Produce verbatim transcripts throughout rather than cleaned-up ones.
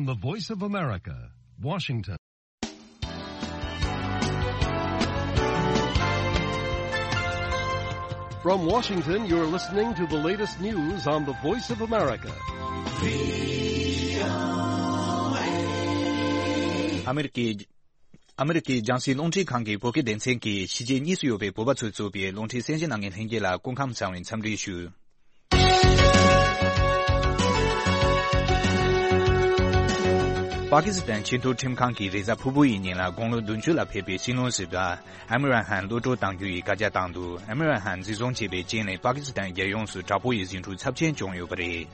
The Voice of America, Washington. From Washington, you're listening to the latest news on the Voice of America. ཨ་མི་རི་ཀའི་ཨ་མི་རི་ཀའི་རྒྱང་སྲིང་རླུང་འཕྲིན་ཁང་གི་བོད་སྐད་སྡེ་ཚན་གྱིས་ཕྱི་རྒྱལ་གཉིས་སུ་ཡོད་པའི་བོད་པ་ཚོས་གཙོས་པའི་རླུང་འཕྲིན་གསན་གཟིགས་གནང་མཁན་ལྷན་རྒྱས་ལ་སྐུ་ཁམས་བཟང་བའི་འཚམས་འདྲི་ཞུ། པ་ཀི་སི་ཐན་ཆེས་མཐོའི་ཁྲིམས་ཁང་གིས་རེས་གཟའ་ཕུར་བུ་ཡི་ཉིན་ལ་དགུང་ལོ་བདུན་ཅུ་ལ་ཕེབས་པའི་སྲིད་བློན་ཟུར་པ་ཨེམ་རན་ཧན་གློད་བཀྲོལ་གཏང་རྒྱུ་ཡི་བཀའ་རྒྱ་བཏང་འདུག་ཨེམ་རན་ཧན་འཛིན་བཟུང་བྱས་པའི་རྐྱེན་ལས་པ་ཀི་སི་ཐན་རྒྱལ་ཡོངས་སུ་དྲག་པོ་ཡི་ཟིང་འཁྲུག་ཚབས་ཆེན་བྱུང་ཡོད་པ་རེད།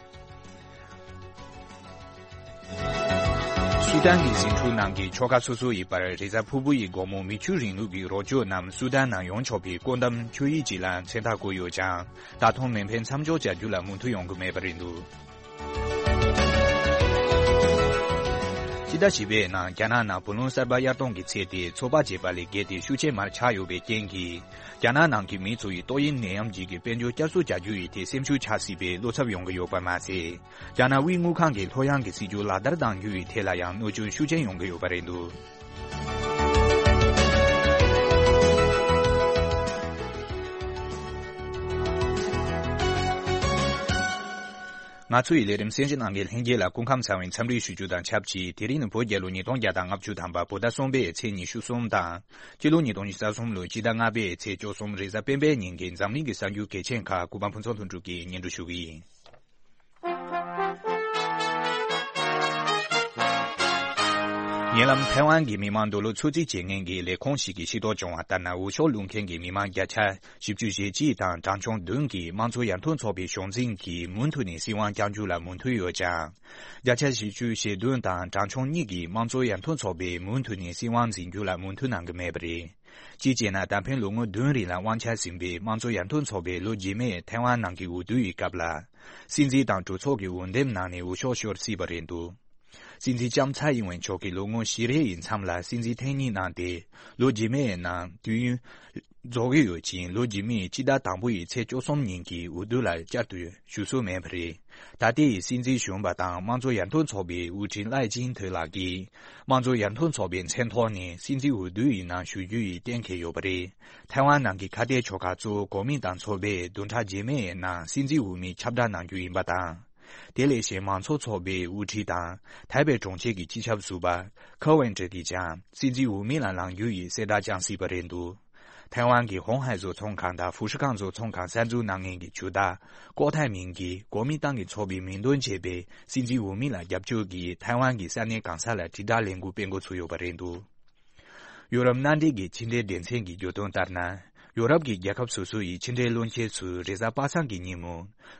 སུ་དན་གྱི་ཟིང་འཁྲུག་ནང་གི་ཆོལ་ཁ་སོ་སོ་ཡི་བར་རེས་གཟའ་ཕུར་བུ་ཡི་དགོང་མོ་མི་ཆོས་རིང་ལུགས་ཀྱི་རོགས་སྐྱོར་རྣམས་སུ་དན་ནང་ཡོང་ཆོག་པའི་བཀོད་འདོམས་ཆོད་ཡིག་ཅིག་ལ་མཚན་རྟགས་བཀོད་ཡོད་ཀྱང་། ད་དུང་མེ་འཕེན་མཚམས་འཇོག་བྱ་རྒྱུ་ལ་མོས་མཐུན་ཡོང་གི་མེད་པ་རེད་འདུག་སྤྱི་ཟླ་བཞི་པའི་ནང་རྒྱ་ནག་ནང་བུ་ལོན་གསར་པ་གཡར་གཏོང་གི་ཚད་དེ་ཚོད་དཔག་བྱས་པ་ལས་བརྒལ་ཏེ་ཤུགས་ཆེ་མར་ཆག་ཡོད་པའི་རྐྱེན་གྱིས། རྒྱ་ནག་ནང་གི་མི་ཚོ་ཡི་ཏོག་དབྱིབས་ནད་ཡམས་རྗེས་ཀྱི་དཔལ་འབྱོར་བསྐྱར་གསོ་བྱ་རྒྱུ་ཡི་ཐད་སེམས་ཤུགས་ཆག་སྲིད་པའི་བློ་འཚབ་ཡོང་གི་ཡོད་པ་མ་ཟད། རྒྱ་ནག་དབུས་དངུལ་ཁང་གི་ལྷོད་ཡངས་ཀྱི་སྲིད་ཇུས་ལག་བསྟར་གཏང་རྒྱུ་ཡི་ཐད་ལ་ཡང་གནོད་སྐྱོན་ཤུགས་ཆེན་ཡོང་གི་ཡོད་པ་རེད་འདུག་ང་ཚོ་ཡི་ལས་རིམ་གསན་གཟིགས་གནང་མཁན་ལྷན་རྒྱས་ལ་སྐུ་ཁམས་བཟང་བའི་འཚམས་འདྲི་ཞུ་རྒྱུ་དང་ཆབས་ཅིག་དེ་རིང་ནི་བོད་རྒྱལ་ལོ་ཉིས་སྟོང་བརྒྱ་དང་ལྔ་བཅུ་ཐམ་པ་བོད་ཟླ་གསུམ་པའི་ཚེས་ཉི་ཤུ་གསུམ་དང་། སྤྱི་ལོ་ཉིས་སྟོང་ཉི་ཤུ་རྩ་གསུམ་ལོའི་སྤྱི་ཟླ་ལྔ་པའི་ཚེས་བཅུ་གསུམ་རེས་གཟའ་སྤེན་པའི་ཉིན་གྱི་འཛམ་གླིང་གི་གསར་འགྱུར་གལ་ཆེན་ཁག་གུས་པ་ཕུན་ཚོགས་ལྷུན་གྲུབ་ཀྱིས་སྙན་སྒྲོན་ཞུ་གི་ཡིན། ཉེ་ལམ་ཐའེ་ཝན་གྱི་མི་མང་འདོད་བློ་ཚོད་རྩིས་བྱེད་མཁན་གྱི་ལས་ཁུངས་ཤིག་གིས་ཤེས་རྟོགས་བྱུང་བ་ལྟར་ན། འོས་ཤོག་བླུག་མཁན་གྱི་མི་མང་བརྒྱ་ཆ་བཞི་བཅུ་ཞེ་གཅིག་དང་གྲངས་ཆུང་བདུན་གྱིས་དམངས་གཙོ་ཡར་ཐོན་ཚོགས་པའི་གཞུང་འཛིན་གྱིས་མུ་མཐུད་ནས་སྲིད་དབང་བསྐྱང་རྒྱུ་ལ་མོས་མཐུན་ཡོད་ཀྱང་། བརྒྱ་ཆ་བཞི་བཅུ་ཞེ་བདུན་དང་གྲངས་ཆུང་གཉིས་ཀྱིས་དམངས་གཙོ་ཡར་ཐོན་ཚོགས་པས་མུ་མཐུད་ནས་སྲིད་དབང་འཛིན་རྒྱུ་ལ་མོས་མཐུན་གནང་གི་མེད་པ་རེད། གཅིག་བྱས་ན། ད་ཕན་ལོ་ངོ་བདུན་རིང་ལ་དབང་ཆ་ཟིན་པའི་དམངས་གཙོ་ཡར་ཐོན་ཚོགས་པས་ལོ་རྗེས་མའི་ཐའེ་ཝན་ནང་གི་འོས་བསྡུ་ཡི་སྐབས་ལ། སྲིད་འཛིན་དང་གྲོས་ཚོགས་ཀྱི་འོས་འདེམས་ནང་ནས་འོས་ཤོག་ཤོར་སྲིད་པ་རེད་འདུག་སྲིད་འཛིན་ལྕམ་ཚའེ་ཡིན་ཝེན་མཆོག་གིས་ལོ་ངོ་བཞི་རེ་ཡི་མཚམས་ལ་སྲིད་འཛིན་ཐེངས་གཉིས་གནང་སྟེ། ལོ་རྗེས་མའི་ནང་དུས་ཡུན་རྫོགས་ཀྱི་ཡོད་ཅིང་། ལོ་རྗེས་མའི་སྤྱི་ཟླ་དང་པོ་ཡི་ཚེས་བཅུ་གསུམ་ཉིན་གྱི་འོས་བསྡུ་ལ་བསྐྱར་དུ་ཞུགས་སྲོལ་མེད་པ་རེད། ད་ལྟའི་སྲིད་འཛིན་གཞོན་པ་དང་དམངས་གཙོ་ཡར་ཐོན་ཚོགས་པའི་དབུ་ཁྲིད་ལའེ་ཅིན་ཐེ་ལགས་ཀྱིས། དམངས་གཙོ་ཡར་ཐོན་ཚོགས་པའི་མཚན་ཐོག་ནས་སྲིད་འཛིན་འོས་བསྡུ་ཡི་ནང་ཞུགས་རྒྱུ་ཡིས་གཏན་འཁེལ་ཡོད་པ་རེད། ཐའེ་ཝན་ནང་གི་ཁ་གཏད་ཆོལ་ཁ་གཙོ་བོ་གོ་མིན་ཏང་ཚོགས་པས་བདུན་ཕྲག་རྗེས་མའི་ནང་སྲིད་འཛིན་འོས་མི་ཁྱབ་བསྒྲགས་གནང་རྒྱུ་ཡིན་པ་དང་། དེ་ལས་གཞན་མང་གཙོ་ཚོགས་པའི་དབུ་ཁྲིད་དང་། ཐའེ་པེ་གྲོང་ཁྱེར་གྱི་སྤྱི་ཁྱབ་ཟུར་པ་ཁེ་ཝེན་ཀྲི་གིས་ཀྱང་སྲིད་འཛིན་འོས་མི་ལ་ལངས་རྒྱུ་ཡི་གསལ་བསྒྲགས་བསྐྱངས་སྲིད་པ་རེད་འདུག་ཐའེ་ཝན་གྱི་ཧོང་ཧའེ་བཟོ་ཚོང་ཁང་དང་ཧྥུ་ཧྲི་ཁང་བཟོ་ཚོང་ཁང་གསར་འཛུགས་གནང་མཁན་གྱི་ཇུས་བདག་ཀོ་ཐའེ་མིང་གིས་གོ་མིན་ཏང་གི་ཚོགས་པའི་མིང་འདོན་བྱས་པའི་སྲིད་འཛིན་འོས་མི་ལ་རྒྱབ་སྐྱོར་གྱིས་ཐའེ་ཝན་གྱི་ས་གནས་གང་ས་ལ་དྲིལ་བསྒྲགས་ལས་འགུལ་སྤེལ་འགོ་ཚུགས་ཡོད་པ་རེད་འདུག་ཡོ་རོབ་མནའ་འབྲེལ་གྱི་ཕྱི་འབྲེལ་སྡེ་ཚན་གྱིས་བརྗོད་དོན་ལྟར་ན། ཡོ་རོབ་ཀྱི་རྒྱལ་ཁབ་སོ་སོ་ཡི་ཕྱི་འབྲེལ་བློན་ཆེན་ཚོས་རེས་གཟའ་པ་སངས་ཀྱི་ཉིན་མོ།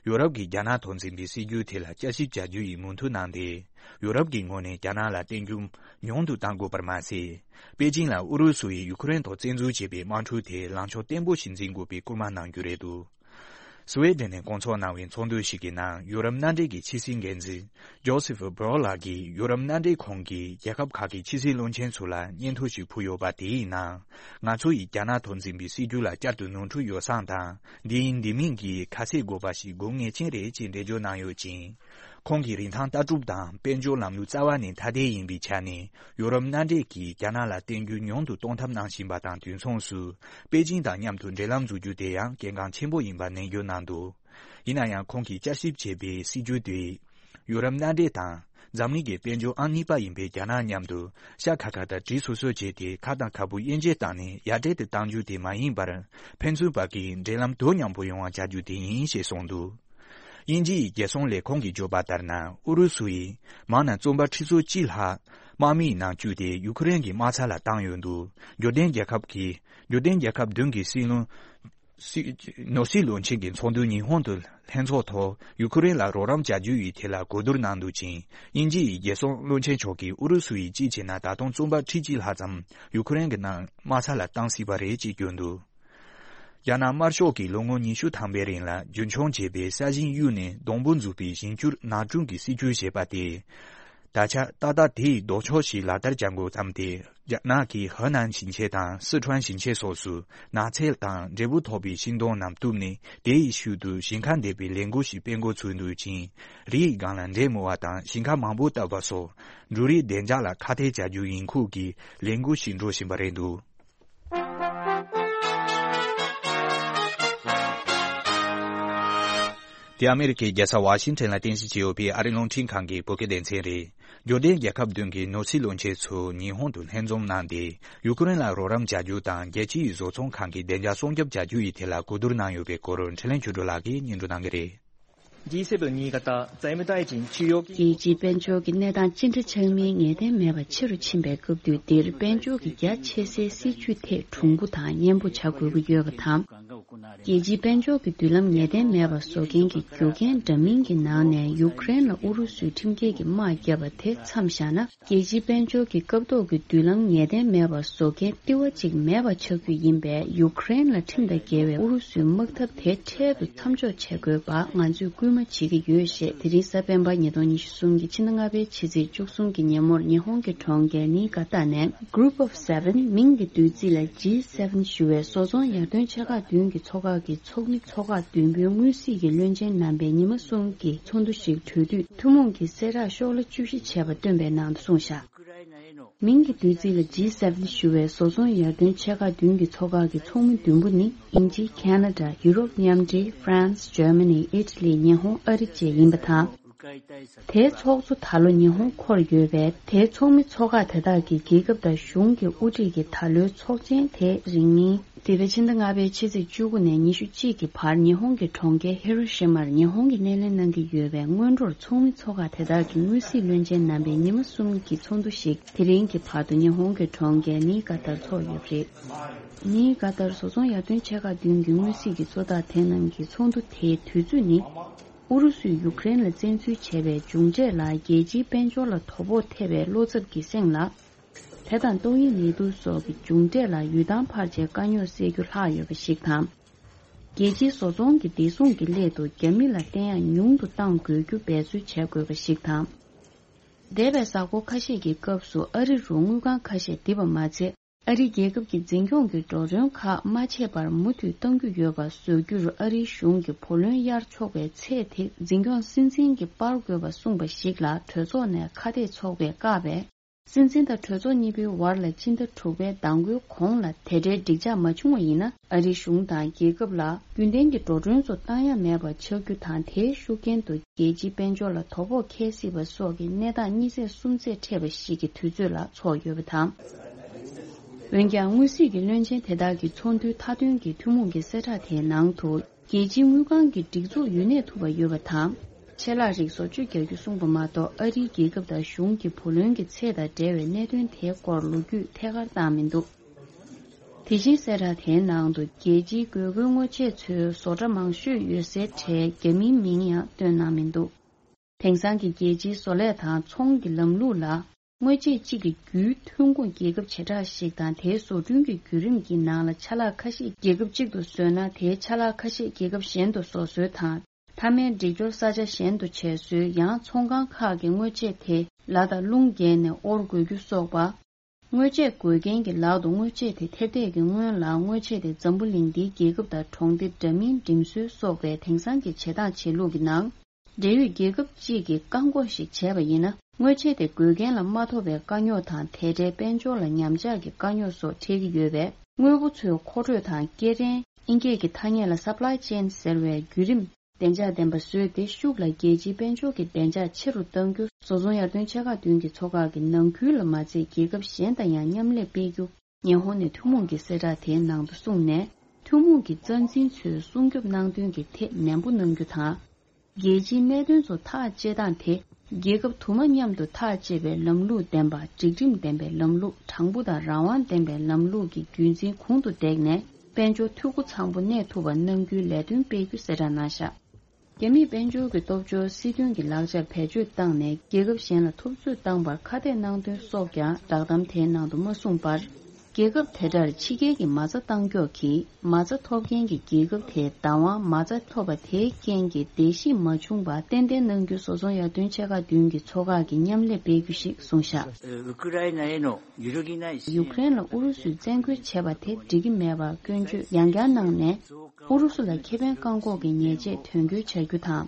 ཡོ་རོབ་ཀྱིས་རྒྱ་ནག་དང་འཛིན་པའི་སྲིད་ཇུས་དེ་ལ་བསྐྱར་ཞིབ་བྱ་རྒྱུ་ཡི་མོས་མཐུན་གནང་སྟེ། ཡོ་རོབ་ཀྱི་ངོས་ནས་རྒྱ་ནག་ལ་བརྟེན་རྒྱུ་ཉུང་དུ་གཏང་དགོས་པར་མ་ཟད། པེ་ཅིང་ལ་ཨུ་རུ་སུ་ཡིས་ཡུ་ཁུ་རེན་ཐོག་བཙན་འཛུལ་བྱས་པའི་དམག་འཁྲུག་དེ་ལངས་ཕྱོགས་བརྟན་པོ་ཞིག་འཛིན་དགོས་པའི་སྐུལ་མ་གནང་རྒྱུ་རེད་འདུག་སུ་ཝེ་ཌེན་ནས་བསྐོང་ཚོགས་གནང་བའི་ཚོགས་འདུ་ཞིག་གི་ནང་ཡོ་རོབ་མནའ་འབྲེལ་གྱི་ཕྱི་སྲིད་འགན་འཛིན་ཇོ་སེ་ཕ་བྷོ་ལགས་ཀྱིས་ཡོ་རོབ་མནའ་འབྲེལ་ཁོངས་ཀྱི་རྒྱལ་ཁབ་ཁག་གི་ཕྱི་སྲིད་བློན་ཆེན་ཚོ་ལ་སྙན་ཐོ་ཞིག་ཕུལ་ཡོད་པ། དེའི་ནང་ང་ཚོ་ཡིས་རྒྱ་ནག་དང་འཛིན་པའི་སྲིད་ཇུས་ལ་བསྐྱར་དུ་ནོར་འཁྲུལ་ཡོ་བསྲང་དང་། འདི་ཡིན་འདི་མིན་གྱི་ཁ་གསལ་དགོས་པ་ཞིག་དགོས་ངེས་ཅན་རེད་ཅེས་འགྲེལ་བརྗོད་གནང་ཡོད་ཅིང་། ཁོང་གིས་རིན་ཐང་ལྟ་གྲུབ་དང་དཔལ་འབྱོར་ལམ་ལུགས་རྩ་བ་ནས་ཐ་དད་ཡིན་པའི་ཆ་ནས། ཡོ་རོབ་མནའ་འབྲེལ་གྱིས་རྒྱ་ནག་ལ་བརྟེན་རྒྱུ་ཉུང་དུ་གཏོང་ཐབས་གནང་བཞིན་པ་དང་། དུས་མཚུངས་སུ་པེ་ཅིང་དང་མཉམ་དུ་འབྲེལ་ལམ་འཛུགས་རྒྱུ་དེ་ཡང་གལ་འགངས་ཆེན་པོ་ཡིན་པ་ནན་བརྗོད་གནང་འདུག་ཡིན་ན་ཡང་། ཁོང་གིས་བསྐྱར་ཞིབ་བྱས་པའི་སྲིད་ཇུས་དེས་ཡོ་རོབ་མནའ་འབྲེལ་དང་འཛམ་གླིང་གི་དཔལ་འབྱོར་ཨང་གཉིས་པ་ཡིན་པའི་རྒྱ་ནག་མཉམ་དུ་ཤ་ཁ་ཁ་དང་གྲི་སོ་སོ་བྱས་ཏེ། ཁ་དང་ཁ་སྤུ་དབྱེ་འབྱེད་བཏང་ནས་ཡར་འབྲེལ་དུ་གཏང་རྒྱུ་དེ་མ་ཡིན་པར། ཕན་ཚུན་བར་གྱི་འབྲེལ་ལམ་དོ་མཉམ་པོ་ཡོང་བ་བྱ་རྒྱུ་དེ་ཡིན་ཞེས་གསུངས་འདུག་དབྱིན་ཇི་ཡི་རྒྱལ་སྲུང་ལས་ཁུངས་ཀྱིས་བརྗོད་པ་ལྟར་ན། ཨུ་རུ་སུ་ཡིས་མང་ན་བཙོན་པ་ཁྲི་ཚོ་གཅིག་ལྷག་དམག་མིའི་ནང་བཅུག་སྟེ་ཡུ་ཁུ་རེན་གྱི་དམག་ས་ལ་བཏང་ཡོད་འདུག་འབྱོར་ལྡན་རྒྱལ་ཁབ་ཀྱི། འབྱོར་ལྡན་རྒྱལ་ཁབ་བདུན་གྱི་སྲིད་བློན། སྲིད། ནོར་སྲིད་བློན་ཆེན་གྱི་ཚོགས་འདུ་ཉི་ཧོང་དུ་ལྷན་ཚོགས་ཐོག་ཡུ་ཁུ་རེན་ལ་རོགས་རམ་བྱ་རྒྱུ་ཡི་ཐད་ལ་གོ་བསྡུར་གནང་འདུག་ཅིང་། དབྱིན་ཇི་ཡི་རྒྱལ་སྲུང་བློན་ཆེན་མཆོག་གིས་ཨུ་རུ་སུ་ཡིས་གཅིག་བྱས་ན་ད་དུང་བཙོན་པ་ཁྲི་གཅིག་ལྷག་ཙམ་ཡུ་ཁུ་རེན་གྱི་ནང་དམག་ས་ལ་བཏང་སྲིད་པ་རེད་ཅེས་བསྐྱོན་འདུག་རྒྱ་ནག་དམར་ཤོག་གིས་ལོ་ངོ་ཉི་ཤུ་ཐམ་པའི་རིང་ལ་རྒྱུན་འཁྱོངས་བྱས་པའི་ས་ཞིང་གཡུགས་ནས་སྡོང་པོ་འཛུགས་པའི་ཞིང་སྐྱུར་ནགས་སྐྲུན་གྱི་སྲིད་ཇུས་བྱས་པ་དེས། ད་ཆ་ཏག་ཏག་དེའི་ལྡོག་ཕྱོགས་ཤིག་ལག་བསྟར་བྱ་འགོ་བརྩམས་ཏེ། རྒྱ་ནག་གིས་ཧེ་ནན་ཞིང་ཆེན་དང་སི་ཁྲོན་ཞིང་ཆེན་སོགས་སུ་ནགས་ཚལ་དང་འབྲས་བུ་ཐོགས་པའི་ཤིང་སྡོང་རྣམས་གཏུབས་ནས། དེའི་ཤུལ་དུ་ཞིང་ཁ་འདེབས་པའི་ལས་འགུལ་ཞིག་སྤེལ་འགོ་ཚུགས་འདུག་ཅིང་། རིའི་སྒང་ལ་འབྲས་རྨོ་བ་དང་ཞིང་ཁ་མང་པོ་བཏབ་པ་སོགས་འབྲུ་རིགས་བདེ་འཇགས་ལ་ཁག་ཐེག་བྱ་རྒྱུ་ཡིན་ཁུལ་གྱི་ལས་འགུལ་ཞིག་འགྲོ་བཞིན་པ་རེད་འདུག་དེ་ཨ་མེ་རི་ཁའི་རྒྱལ་ས་ཝ་ཤིང་ཊོན་ལ་རྟེན་གཞི་བྱས་ཡོད་པའི་ཨ་རིའི་རླུང་འཕྲིན་ཁང་གི་བོད་སྐད་སྡེ་ཚན་རེད། འབྱོར་ལྡན་རྒྱལ་ཁབ་བདུན་གྱི་ནོར་སྲིད་བློན་ཆེན་ཚོ་ཉི་ཧོང་དུ་ལྷན་འཛོམས་གནང་སྟེ། ཡུ་ཀེ་རེན་ལ་རོགས་རམ་བྱ་རྒྱུ་དང་རྒྱལ་སྤྱིའི་བཟོ་ཚོང་ཁང་གི་བདེ་འཇགས་སྲུང་སྐྱོབ་བྱ་རྒྱུ་ཡི་ཐད་ལ་གོ་བསྡུར་གནང་ཡོད་པའི་སྐོར། འཕྲིན་ལས་ཆོས་སྒྲོན་ལགས་ཀྱིས་སྙན་སྒྲོན་གནང་གི་རེད། 第一次的尼加达在没带进去有 རྒྱལ་སྤྱིའི་དཔལ་འབྱོར་གྱི་གནས་སྟངས་ཅི་འདྲ་ཆགས་མིན་ངེས་གཏན་མེད་པ་ཆེ་རུ་ཕྱིན་པའི་སྐབས་དུས་འདིར། དཔལ་འབྱོར་གྱི་རྒྱ་ཆེ་སའི་སྲིད་ཇུས་ཐད་གྲུང་པོ་དང་མཉེན་པོ་བྱ་དགོས་ཀྱི་ཡོད་པ་དང་། རྒྱལ་སྤྱིའི་དཔལ་འབྱོར་གྱི་མདུན་ལམ་ངེས་གཏན་མེད་པ་བཟོ་མཁན་གྱི་རྒྱུ་རྐྱེན་འདྲ་མིན་གྱི་ནང་ནས། ཡུཀ་རེན་ལ་ཨུ་རུ་སུས་ཁྲིམས་འགལ་གྱི་དམག་བརྒྱབ་པ་དེ་མཚམས་བཞག་ན། རྒྱལ་སྤྱིའི་དཔལ་འབྱོར་གྱི་སྐབས་ཐོག་གི་མདུན་ལམ་ངེས་གཏན་མེད་པ་བཟོ་མཁན་ལྟེ་བ་གཅིག་མེད་པ་ཆགས་རྒྱུ་ཡིན་པས། ཡུཀ་རེན་ལ་ཁྲིམས་དང་འགལ་བའི་ཨུ་རུ་སུའི་དམག་འཐབ་དེ་འཕྲལ་དུ་མཚམས་འཇོག་བྱེད་དགོས་པ་ང་ཚོས་སྐུལ་མ་བྱེད་ཀྱི་ཡོད། ཞེས་དེ་རིང་གཟའ་སྤེན་པ་ཉིས་སྟོང་ཉི་ཤུ་གསུམ་གྱི་ཕྱི་ཟླ་ལྔ་པའི་ཕྱི་ཚེས་བཅུ་གསུམ་གྱི་ཉིན་མོར་ཉི་ཧོང་གི་གྲོང་ཁྱེར་ནི་ག་ཏ་ནས། Group of Seven མིང་གི་བསྡུས་ཚིག་ལ་ཇི་སེ་ཝེན་ཞུ་བའི་བཟོ་ཚོང་ཡར་ཐོན་ཆེ་ཁག་བདུན་གྱི་ཚོགས་ཁག་གི་ཚོགས་མི་ཚོགས་ཁག་བདུན་པོའི་དངོས་སྲིད་ཀྱི་བློན་ཆེན་རྣམ་པའི་ཉི་མ་གསུམ་གྱི་ཚོགས་འདུ་ཞིག་གྲོལ་དུས། ཐུན་མོང་གི་གསལ་བསྒྲགས་ཤོག་ལྷེ་བཅུ་བཞི་བྱས་པ་བཏོན་པའི་ནང་དུ་གསུངས་བཞག་མིང་གི་བསྡུས་ཚིག་ལ་ཇི་སེ་ཝེན་ཞུ་བའི་བཟོ་ཚོང་ཡར་ཐོན་ཆེ་ཁག་བདུན་གྱི་ཚོགས་ཁག་གི་ཚོགས་མི་བདུན་པོ་ནི། དབྱིན་ཇི། ཁ་ན་ཌ། ཡུ་རོབ་མཉམ་འབྲེལ། ཧྥ་རན་སི། འཇར་མ་ནི། ཨི་ཊ་ལི། ཉི་ཧོང་། ཨ་རི་བཅས་ཡིན་པ་དང་། དེའི་ཚོགས་གཙོ་ད་ལོ་ཉི་ཧོང་འཁོར་ཡོད་པས། དེའི་ཚོགས་མི་ཚོགས་ཁག་དེ་དག་གིས་རྒྱལ་ཁབ་དང་གཞུང་གི་དབུ་ཁྲིད་ཀྱི་ད་ལོའི་ཚོགས་ཆེན་དེ་རིང་ཉིན། འདས་པའི་ཕྱི་ཟླ་ལྔ་པའི་ཕྱི་ཚེས་བཅུ་དགུ་ནས་ཉི་ཤུ་གཅིག་གི་བར་ཉི་ཧོང་གི་གྲོང་ཁྱེར་ཧི་རོ་ཤི་མར་ཉི་ཧོང་གིས་སྣེ་ལེན་གནང་གི་ཡོད་པའི་སྔོན་འགྲོར་ཚོགས་མི་ཚོགས་ཁག་དེ་དག་གི་དངོས་སྲིད་བློན་ཆེན་རྣམ་པའི་ཉི་མ་གསུམ་གྱི་ཚོགས་འདུ་ཞིག་དེ་རིང་གི་བར་དུ་ཉི་ཧོང་གི་གྲོང་ཁྱེར་ནི་ག་ཏར་འཚོགས་ཡོད་པ་རེད། ནི་ག་ཏར་བཟོ་ཚོང་ཡར་ཐོན་ཆེ་ཁག་བདུན་གྱི་དངོས་སྲིད་ཀྱི་གཙོ་བདག་དེ་རྣམས་ཀྱིས་ཚོགས་འདུ་དེའི་དུས་ཚོད་ནི། ཨུ་རུ་སུས་ཡུཀ་རེན་ལ་བཙན་འཛུལ་བྱས་པའི་མཇུག་འབྲས་ལ། རྒྱལ་སྤྱིའི་དཔལ་འབྱོར་ལ་དོ་ཕོག་ཐེབས་པའི་བློ་འཚབ་ཀྱི་སེམས་ལ། དེ་དང་ཏོག་དབྱིབས་ནད་དུག་སོགས་ཀྱི་མཇུག་འབྲས་ལ་ཡུལ་ཐང་འཕར་ཆའི་དཀའ་རྙོག་སེལ་རྒྱུ་ལྷག་ཡོད་པ་ཞིག་དང་། རྒྱལ་སྤྱིའི་བཟོ་ཚོང་གི་བདེ་སྲུང་གི་སླད་དུ་རྒྱ་མི་ལ་བརྟེན་ཡག་ཉུང་དུ་གཏང་དགོས་རྒྱུ་འབད་རྩོལ་བྱེད་དགོས་པ་ཞིག་དང་། འདས་པའི་གཟའ་འཁོར་ཁ་ཤས་ཀྱི་སྐབས་སུ་ཨ་རི་རུ་དངུལ་ཁང་ཁ་ཤས་རྡིབ་པ་མ་ཚད། ཨ་རི་རྒྱལ་ཁབ་ཀྱི་འཛིན་སྐྱོང་གི་འགྲོ་གྲོན་ཁག་མ་ཆད་པར་མུ་མཐུད་གཏང་རྒྱུ་ཡོད་པ་བཟོ་རྒྱུར་ཨ་རིའི་གཞུང་གིས་བུ་ལོན་གཡར་ཆོག་པའི་ཚད་དེ་འཛིན་སྐྱོང་སྲིད་འཛིན་གྱིས་སྤར་དགོས་པ་གསུངས་པ་ཞིག་ལ་གྲོས་ཚོགས་ནས་ཁ་གཏད་ཚོགས་པས་བཀག་པས། སྲིད་འཛིན་དང་གྲོས་ཚོགས་གཉིས་པོའི་བར་ལ་སྤྱི་ཟླ་དྲུག་པའི་ཟླ་འགོའི་གོང་ལ་དེ་འདྲའི་འགྲིག་འཇགས་མ་བྱུང་བ་ཡིན་ན། ཨ་རིའི་གཞུང་དང་རྒྱལ་ཁབ་ལ་རྒྱུན་ལྡན་གྱི་འགྲོ་གྲོན་ཚོ་བཏང་ཡ་མེད་པ་ཆགས་རྒྱུ་དང་། དེའི་ཤུགས་རྐྱེན་དུ་རྒྱལ་སྤྱིའི་དཔལ་འབྱོར་ལ་དོ་ཕོག་འཁེལ་སྲིད་པ་སོགས་ཀྱི་གནས་སྟངས་གཉིས་ཚེས་གསུམ་ཚེས་འཕྲད་པ་ཞིག་གི་དུས་ཚོད་ལ་ཚོགས་ཡོད་པ་དང་། འོན་ཀྱང་། དངོས་སྲིད་ཀྱི་བློན་ཆེན་དེ་དག་གི་ཚོགས་འདུའི་མཐའ་དོན་གྱི་ཐུན་མོང་གི་གསལ་བསྒྲགས་དེའི་ནང་དུ། རྒྱལ་སྤྱིའི་དངུལ་ཁང་གི་སྒྲིག་འཛུགས་ཡུན་གནས་ཐུབ་པ་ཡོད་པ་དང་། ཆད་ལྷག་རིགས་བཟོ་བཅོས་རྒྱག་རྒྱུ་གསུངས་པ་མ་གཏོགས། ཨ་རིའི་རྒྱལ་ཁབ་དང་གཞུང་གི་བུ་ལོན་གྱི་ཚད་དང་འབྲེལ་བའི་གནད་དོན་དེའི་སྐོར་ལོ་རྒྱུས་ཐད་ཀར་བཏང་མི་འདུག་དེ་བཞིན་གསལ་བསྒྲགས་དེའི་ནང་དུ། རྒྱལ་སྤྱིའི་དགོས་མཁོའི་དངོས་ཆས་ཚོའི་བཟོ་གྲྭ་མང་ཤོས་ཡོད་སའི་གྲས་རྒྱ་མིའི་མིང་ཡང་བཏོན་གནང་མི་འདུག་དེང་སང་གི་རྒྱལ་སྤྱིའི་བཟོ་ལས་དང་ཚོང་གི་ལམ་ལུགས་ལ། དངོས་ཆས་གཅིག་གི་བརྒྱུད་ཐོན་ཁུངས་རྒྱལ་ཁབ་བྱེ་བྲག་ཞིག་དང་། དེའི་བཟོ་སྐྲུན་གྱི་བརྒྱུད་རིམ་གྱི་ནང་ལ་ཆ་ལག་ཁ་ཤས་རྒྱལ་ཁབ་གཅིག་ཏུ་བཟོས་ན། དེའི་ཆ་ལག་ཁ་ཤས་རྒྱལ་ཁབ་གཞན་དུ་བཟོ་སྲོལ་དང་། མཐའ་མའི་སྒྲིག་སྦྱོར་ས་ཆ་གཞན་དུ་བྱས་སྲོལ། ཡང་ཚོང་ཁང་ཁག་གི་དངོས་ཆས་དེ་ལ་དང་རླུང་བརྒལ་ནས་དབོར་དགོས་རྒྱུ་སོགས་པ། དངོས་ཆས་དགོས་མཁན་གྱི་ལག་ཏུ་དངོས་ཆས་དེ་ཐེབས་འདས་ཀྱི་སྔོན་ལ། དངོས་ཆས་དེ་འཛམ་བུ་གླིང་འདིའི་རྒྱལ་ཁབ་དང་གྲོང་སྡེ་འདྲ་མིན་འགྲིམ་སྲོལ་སོགས་པའི་དེང་སང་གི་བྱེད་སྟངས་བྱེད་ལུགས་ཀྱི་ནང་། འབྲེལ་ཡོད་རྒྱལ་ཁབ་ཅིག་གིས་བཀག་འགོག་ཞིག་བྱས་པ་ཡིན་ན། དངོས་ཆས་དེ་དགོས་མཁན་ལ་མ་ཐོབ་པའི་དཀའ་རྙོག་དང་། དེ་འདྲའི་དཔལ་འབྱོར་ལ་ཉམས་ཆག་གི་དཀའ་རྙོག་སོགས་འཕྲད་ཀྱི་ཡོད་པས། དངོས་པོ་ཚོའི་མཁོ་སྤྲོད་དང་སྐྱེལ་འདྲེན། དབྱིན་སྐད་ཀྱི་ཐ་སྙད་ལ་supply chain ཟེར་བའི་བརྒྱུད་རིམ་བདེ་འཇགས་ལྡན་པ་བཟོས་ཏེ། ཤུགས་ལ་རྒྱལ་སྤྱིའི་དཔལ་འབྱོར་གྱི་བདེ་འཇགས་ཆེ་རུ་གཏང་རྒྱུ། བཟོ་ཚོང་ཡར་ཐོན་ཆེ་ཁག་བདུན་གྱི་ཚོགས་ཁག་གི་ནང་ཁུལ་ལ་མ་ཚད། རྒྱལ་ཁབ་གཞན་དང་ཡང་མཉམ་ལས་སྤེལ་རྒྱུ། ཉི་ཧོང་ནས་ཐུན་མོང་གི་གསལ་བསྒྲགས་དེའི་ནང་དུ་གསུངས་ནས། ཐུན་མོང་གི་རྩ་འཛིན་ཚོས་སྲུང་སྐྱོབ་གནང་དོན་གྱི་ཐད་ནན་པོ་གནང་རྒྱུ་དང་། རྒྱལ་སྤྱིའི་གནད་དོན་ཚོ་ཐག་བཅད་སྟངས་དེ། རྒྱལ་ཁབ་དུ་མ་མཉམ་དུ་ཐག་བཅད་པའི་ལམ་ལུགས་ལྡན་པ། སྒྲིག་ཁྲིམས་ལྡན་པའི་ལམ་ལུགས། དྲང་པོ་དང་རང་དབང་ལྡན་པའི་ལམ་ལུགས་ཀྱི་རྒྱུན་འཛིན་གོང་དུ་བཏེགས་ནས། དཔལ་འབྱོར་འཐུས་སྒོ་ཚང་པོ་གནས་ཐུབ་པ་གནང་རྒྱུའི་ལས་དོན་སྤེལ་རྒྱུ་གསལ་བསྒྲགས་གནང་བཞག་རྒྱ་མིས་དཔལ་འབྱོར་གྱི་སྟོབས་འབྱོར་སྲིད་དོན་གྱི་ལག་ཆར་བེད་སྤྱོད་བཏང་ནས། རྒྱལ་ཁབ་གཞན་ལ་ཐུབ་ཚོད་བཏང་བར་ཁ་གཏད་གནང་དོན་སོགས་ཀྱང་བསྒྲགས་གཏམ་དེའི་ནང་དུ་མ་གསུངས་པར། རྒྱལ་ཁབ་དེ་གྲར་ཕྱི་རྒྱལ་གྱི་མ་རྩ་བཏང་སྐྱོག་གིས་མ་རྩ་ཐོབ་མཁན་གྱི་རྒྱལ་ཁབ་དེའི་བདག་དབང་མ་རྩ་ཐོབ་པ་དེའི་རྐྱེན་གྱིས་བརྡལ་བཤིག་མ་བྱུང་བར་ཏན་ཏན་གནང་རྒྱུ་བཟོ་ཚོང་ཡར་ཐོན་ཆེ་ཁག་བདུན་གྱི་ཚོགས་ཁག་གིས་མཉམ་ལས་སྤེལ་རྒྱུ་ཞིག་གསུངས་བཞག། ウクライナへの揺るぎない支援 ཡུཀ་རེན་ལ་ཨུ་རུ་སུས་བཙན་རྒོལ་བྱས་པ་དེ་འགྲིག་གི་མེད་པར་སྐྱོན་བརྗོད་ཡང་བསྐྱར་གནང་ནས། ཨུ་རུ་སུ་ལ་ཁེ་ཕན་བཀག་འགོག་གི་ཉེས་ཆད་དོན་འཁྱོལ་བྱ་རྒྱུ་དང་།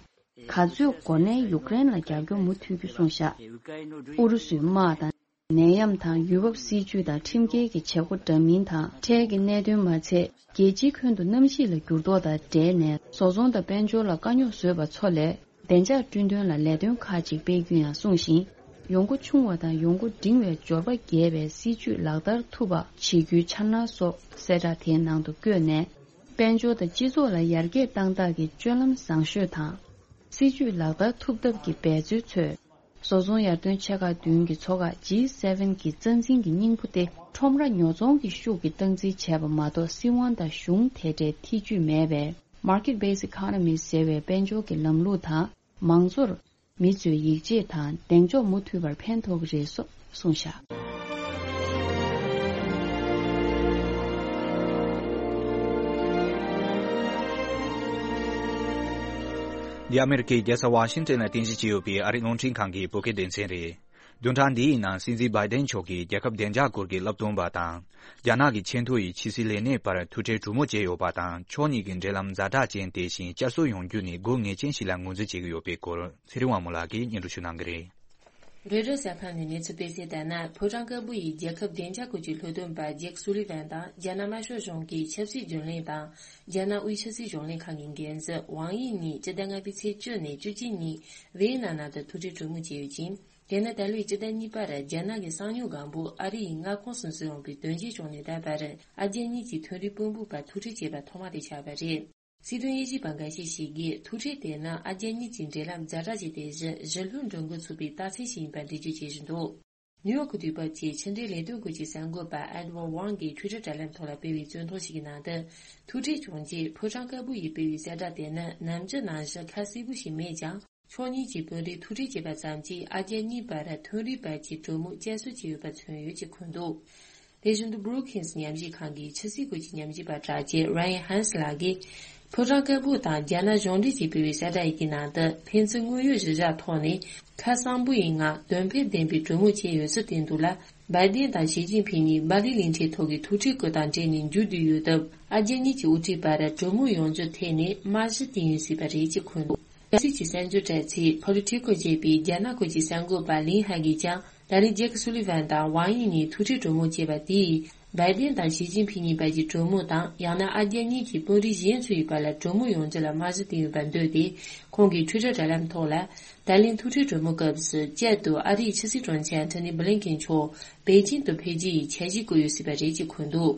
ག་ཚོད་འགོར་ནའི་ཡུཀ་རེན་ལ་རྒྱབ་སྐྱོར་མུ་མཐུད་རྒྱུ་གསུངས་བཞག། ཨུ་རུ་སུའི་དམག་དང་ནད་ཡམས་དང་ཡུལ་བབ་སྲིད་ཇུས་དང་ཁྲིམས་འགལ་གྱི་བྱེད་སྒོ་འདྲ་མིན་དང་། འཕྲལ་གྱི་གནད་དོན་མ་ཚད། རྒྱལ་སྤྱིའི་ཁྱོན་དུ་གནམ་གཤིས་ལ་འགྱུར་ལྡོག་དང་འབྲེལ་ནས་བཟོ་ཚོང་དང་དཔལ་འབྱོར་ལ་དཀའ་རྙོག་བཟོས་པ་ཚོ་ལས་བདེ་འཇགས་བསྐྲུན་དོན་ལ་ལས་དོན་ཁག་ཅིག་སྤེལ་རྒྱུ་ཡང་གསུངས་ཤིང་། ཡོང་སྒོ་ཆུང་བ་དང་ཡོང་སྒོ་འབྲིང་བའི་འབྱོར་པ་རྒྱས་པའི་སྲིད་ཇུས་ལག་བསྟར་ཐུབ་པ་བྱེད་རྒྱུའི་འཆར་སྣང་སོགས་གསལ་བསྒྲགས་དེའི་ནང་དུ་བཀོད་ནས། དཔལ་འབྱོར་དང་སྤྱི་ཚོགས་ལ་ཡར་རྒྱས་བཏང་སྟངས་ཀྱི་སྤྱོད་ལམ་བཟང་ཤོས་དང་། སྲིད་ཇུས་ལག་བསྟར་ཐུབ་ཐབས་ཀྱི་འབད་རྩོལ་ཚོས། བཟོ་ཚོང་ཡར་ཐོན་ཆེ་ཁག་བདུན་གྱི་ཚོགས་ཁག་ཇི་སེ་ཝེན་གྱི་རྩ་འཛིན་གྱི་སྙིང་པོ་སྟེ། ཁྲོམ་ར་ཉོ་ཚོང་གི་ཤུགས་ཀྱིས་སྟངས་འཛིན་བྱས་པ་མ་གཏོགས། སྲིད་དབང་དང་གཞུང་དེ་འདྲའི་ཐེ་ཇུས་མེད་པའི་Market Based Economy ཟེར་བའི་དཔལ་འབྱོར་གྱི་ལམ་ལུགས་དང་། མང་གཙོར་མི་ཚོས་ཡིད་ཆེས་དང་གདེང་འཇོག་མུ་མཐུད་པར་ཕན་ཐོགས་ཀྱི་རེད་སོགས་གསུངས་བཞག། འདི་ཨ་མེ་རི་ཁའི་རྒྱལ་ས་ཝ་ཤིང་ཏན་ལ་རྟེན་གཞི་བྱས་ཡོད་པའི་ཨ་རིའི་རླུང་འཕྲིན་ཁང་གི་བོད་སྐད་སྡེ་ཚན་རེད། བདུན་ཕྲག་འདིའི་ནང་སྲིད་འཛིན་བྷའི་ཏན་མཆོག་གིས་རྒྱལ་ཁབ་བདེ་འཇགས་སྐོར་གྱི་བསླབ་སྟོན་པ་དང་། རྒྱ་ནག་གི་ཆེས་མཐོ་ཡི་ཕྱི་སྲིད་ལས་སྣེ་བར་ཐུག་འཕྲད་གྲོས་མོལ་བྱས་ཡོད་པ་དང་། ཕྱོགས་གཉིས་ཀྱི་འབྲེལ་ལམ་ཛ་དྲག་ཅན་དེ་བཞིན་བསྐྱར་གསོ་ཡོང་རྒྱུ་ནི་དགོས་ངེས་ཅན་ཞིག་ལ་ངོས་འཛིན་བྱེད་ཀྱི་ཡོད་པའི་སྐོར་ཚེ་རིང་དབང་མོ་ལགས་ཀྱིས་སྙན་སྒྲོན་ཞུ་གནང་གི་རེད། རོའི་ཊར་གསར་ཁང་ནས་གནས་ཚུལ་སྤེལ་གསལ་ལྟར་ན། ཕོ་བྲང་དཀར་པོ་ཡི་རྒྱལ་ཁབ་བདེ་འཇགས་སྐོར་གྱི་སློབ་སྟོན་པ་ཇེག་སུ་ལི་ཝན་དང་རྒྱ་ནག་དམར་ཤོག་གཞུང་གི་ཆབ་སྲིད་རྒྱུན་ལས་དང་། རྒྱ་ནག་དབུས་ཆབ་སྲིད་གཞུང་ལས་ཁང་གི་འགན་འཛིན་ཝང་དབྱི་གཉིས་སྤྱི་ཟླ་ལྔ་པའི་ཚེས་བཅུ་ནས་བཅུ་གཅིག་ཉིན་ཝེ་ཡེ་ནམ་ནང་དུ་ཐུག་འཕྲད་གྲོས་མོལ་བྱས་ཡོད་ཅིང་། དེ་ནི་ད་ལོའི་སྤྱི་ཟླ་གཉིས་པར་རྒྱ་ནག་གི་གསང་མྱུལ་སྒང་པོ་ཨ་རི་ཡི་མངའ་ཁོངས་སུ་འཛུལ་ཡོང་པའི་དོན་རྐྱེན་བྱུང་ནས་ད་བར་ཨ་རྒྱ་གཉིས་ཀྱི་མཐོ་རིམ་དཔོན་པོ་བར་ཐུག་འཕྲད་བྱས་པ་ཐོག་མ་དེ་ཆགས་པ་རེད། སྲིད་དོན་དབྱེ་ཞིབ་པ་འགའ་ཤས་ཤིག་གིས་ཐུག་འཕྲད་དེ་ནི་ཨ་རྒྱ་གཉིས་ཀྱི་འབྲེལ་ལམ་ཛ་དྲག་ཅིག་སྟེ། གཞི་གཞིས་ལྷོའི་འགྲོ་མགོན་ཚོགས་པའི་རྟགས་མཚན་ཞིག་ཡིན་པར་འགྲེལ་བརྗོད་བྱེད་བཞིན་འདུག་ནིའུ་ཡོག་གི་དུས་བབ་ཀྱི་ཕྱི་འབྲེལ་ལས་དོན་སྐོར་གྱི་གསར་འགོད་པ་ཨེ་ཌི་ཝར་ཝང་གིས་ཊུའི་ཊར་དྲ་ལམ་ཐོག་ལ་སྤེལ་བའི་བཙོན་ཐོ་ཞིག་གི་ནང་དུ། ཐུག་འཕྲད་བྱུང་རྗེས་ཕོ་བྲང་དཀར་པོ་ཡིས་སྤེལ་བའི་གསལ་བསྒྲགས་དེ་ནི་ནམ་རྒྱུན་ནང་བཞིན་ཁ་གསལ་པོ་ཞིག་མེད་ཀྱང་། ཕྱོགས་གཉིས་ཀྱི་དཔོན་རིགས་ཐུག་འཕྲད་བྱས་པ་ཙམ་གྱིས་ཨ་རྒྱ་གཉིས་བར་མཐོ་རིམ་བར་གྱི་གྲོས་མོལ་བསྐྱར་གསོ་བྱས་ཡོད་པ་མཚོན་ཡོད་ཅེས་འཁོད་འདུག་དེ་བཞིན་དུ་Brookings ཉམས་ཞིབ་ཁང་གི་ཕྱི་སྲིད་སྐོར་གྱི་ཉམས་ཞིབ་པ་གྲགས་ཅན་Ryan Hanks ལགས་ཀྱིས། ཕོ་བྲང་དཀར་པོ་དང་རྒྱ་ནག་གཞུང་འབྲེལ་གྱིས་སྤེལ་བའི་གསལ་བསྒྲགས་ཡི་གེའི་ནང་དུ་ཕན་ཚུན་དངོས་ཡོད་གཞི་བཞག་ཐོག་ནས་ཁ་གསང་པོ་ཡི་ངང་དོན་ཕན་ལྡན་པའི་གྲོས་མོལ་བྱས་ཡོད་ཚུལ་བསྟན་འདུག་ལ། བྷའི་ཏན་དང་ཞི་ཅིན་ཕིང་གཉིས་སྦ་ལི་གླིང་ཕྲན་ཐོག་གི་ཐུག་འཕྲད་སྐོར་དང་འབྲེལ་ནས་མཇུག་བསྡུས་ཡོད་སྟབས། ཨ་རྒྱ་གཉིས་ཀྱི་དབུ་ཁྲིད་བར་གྲོས་མོལ་ཡོང་རྒྱུ་ཐད་ནས་རྨང་གཞི་བཏིང་ཡོད་སྲིད་པ་རེད་ཅེས་འཁོད་འདུག་རྒྱལ་སྲིད་ཀྱི་གསར་འགྱུར་དྲ་ཚིགས་Politico ཅེས་པའི་རྒྱ་ནག་སྐོར་གྱི་གསར་འགོད་པ་ལིན་ཧའེ་གིས་ཀྱང་། ད་རེས་ཇེག་སུ་ལི་ཝན་དང་ཝང་དབྱི་གཉིས་ཐུག་འཕྲད་གྲོས་མོལ་བྱས་པ་དེས། བྷའི་ཏན་དང་ཞི་ཅིན་ཕིང་གཉིས་བར་གྱི་གྲོས་མོལ་དང་། ཡང་ན་ཨ་རྒྱ་གཉིས་ཀྱི་དཔོན་རིགས་གཞན་ཚོ་ཡི་བར་ལ་གྲོས་མོལ་ཡོང་རྒྱུ་ལ་རྨང་གཞི་བཏིང་ཡོད་པར་འདོད་དེ། ཁོང་གིས་ཊུའི་ཊར་དྲ་ལམ་ཐོག་ལ། ད་ལན་ཐུག་འཕྲད་གྲོས་མོལ་སྐབས་སུ་བསྐྱར་དུ་ཨ་རིའི་ཕྱི་སྲིད་དྲུང་ཆེ་ཨན་ཐོ་ནི་བྷི་ལིན་ཀེན་མཆོག་པེ་ཅིང་དུ་ཕེབས་རྒྱུ་ཡི་འཆར་གཞི་བཀོད་ཡོད་སྲིད་པ་རེད་ཅེས་འཁོད་འདུག་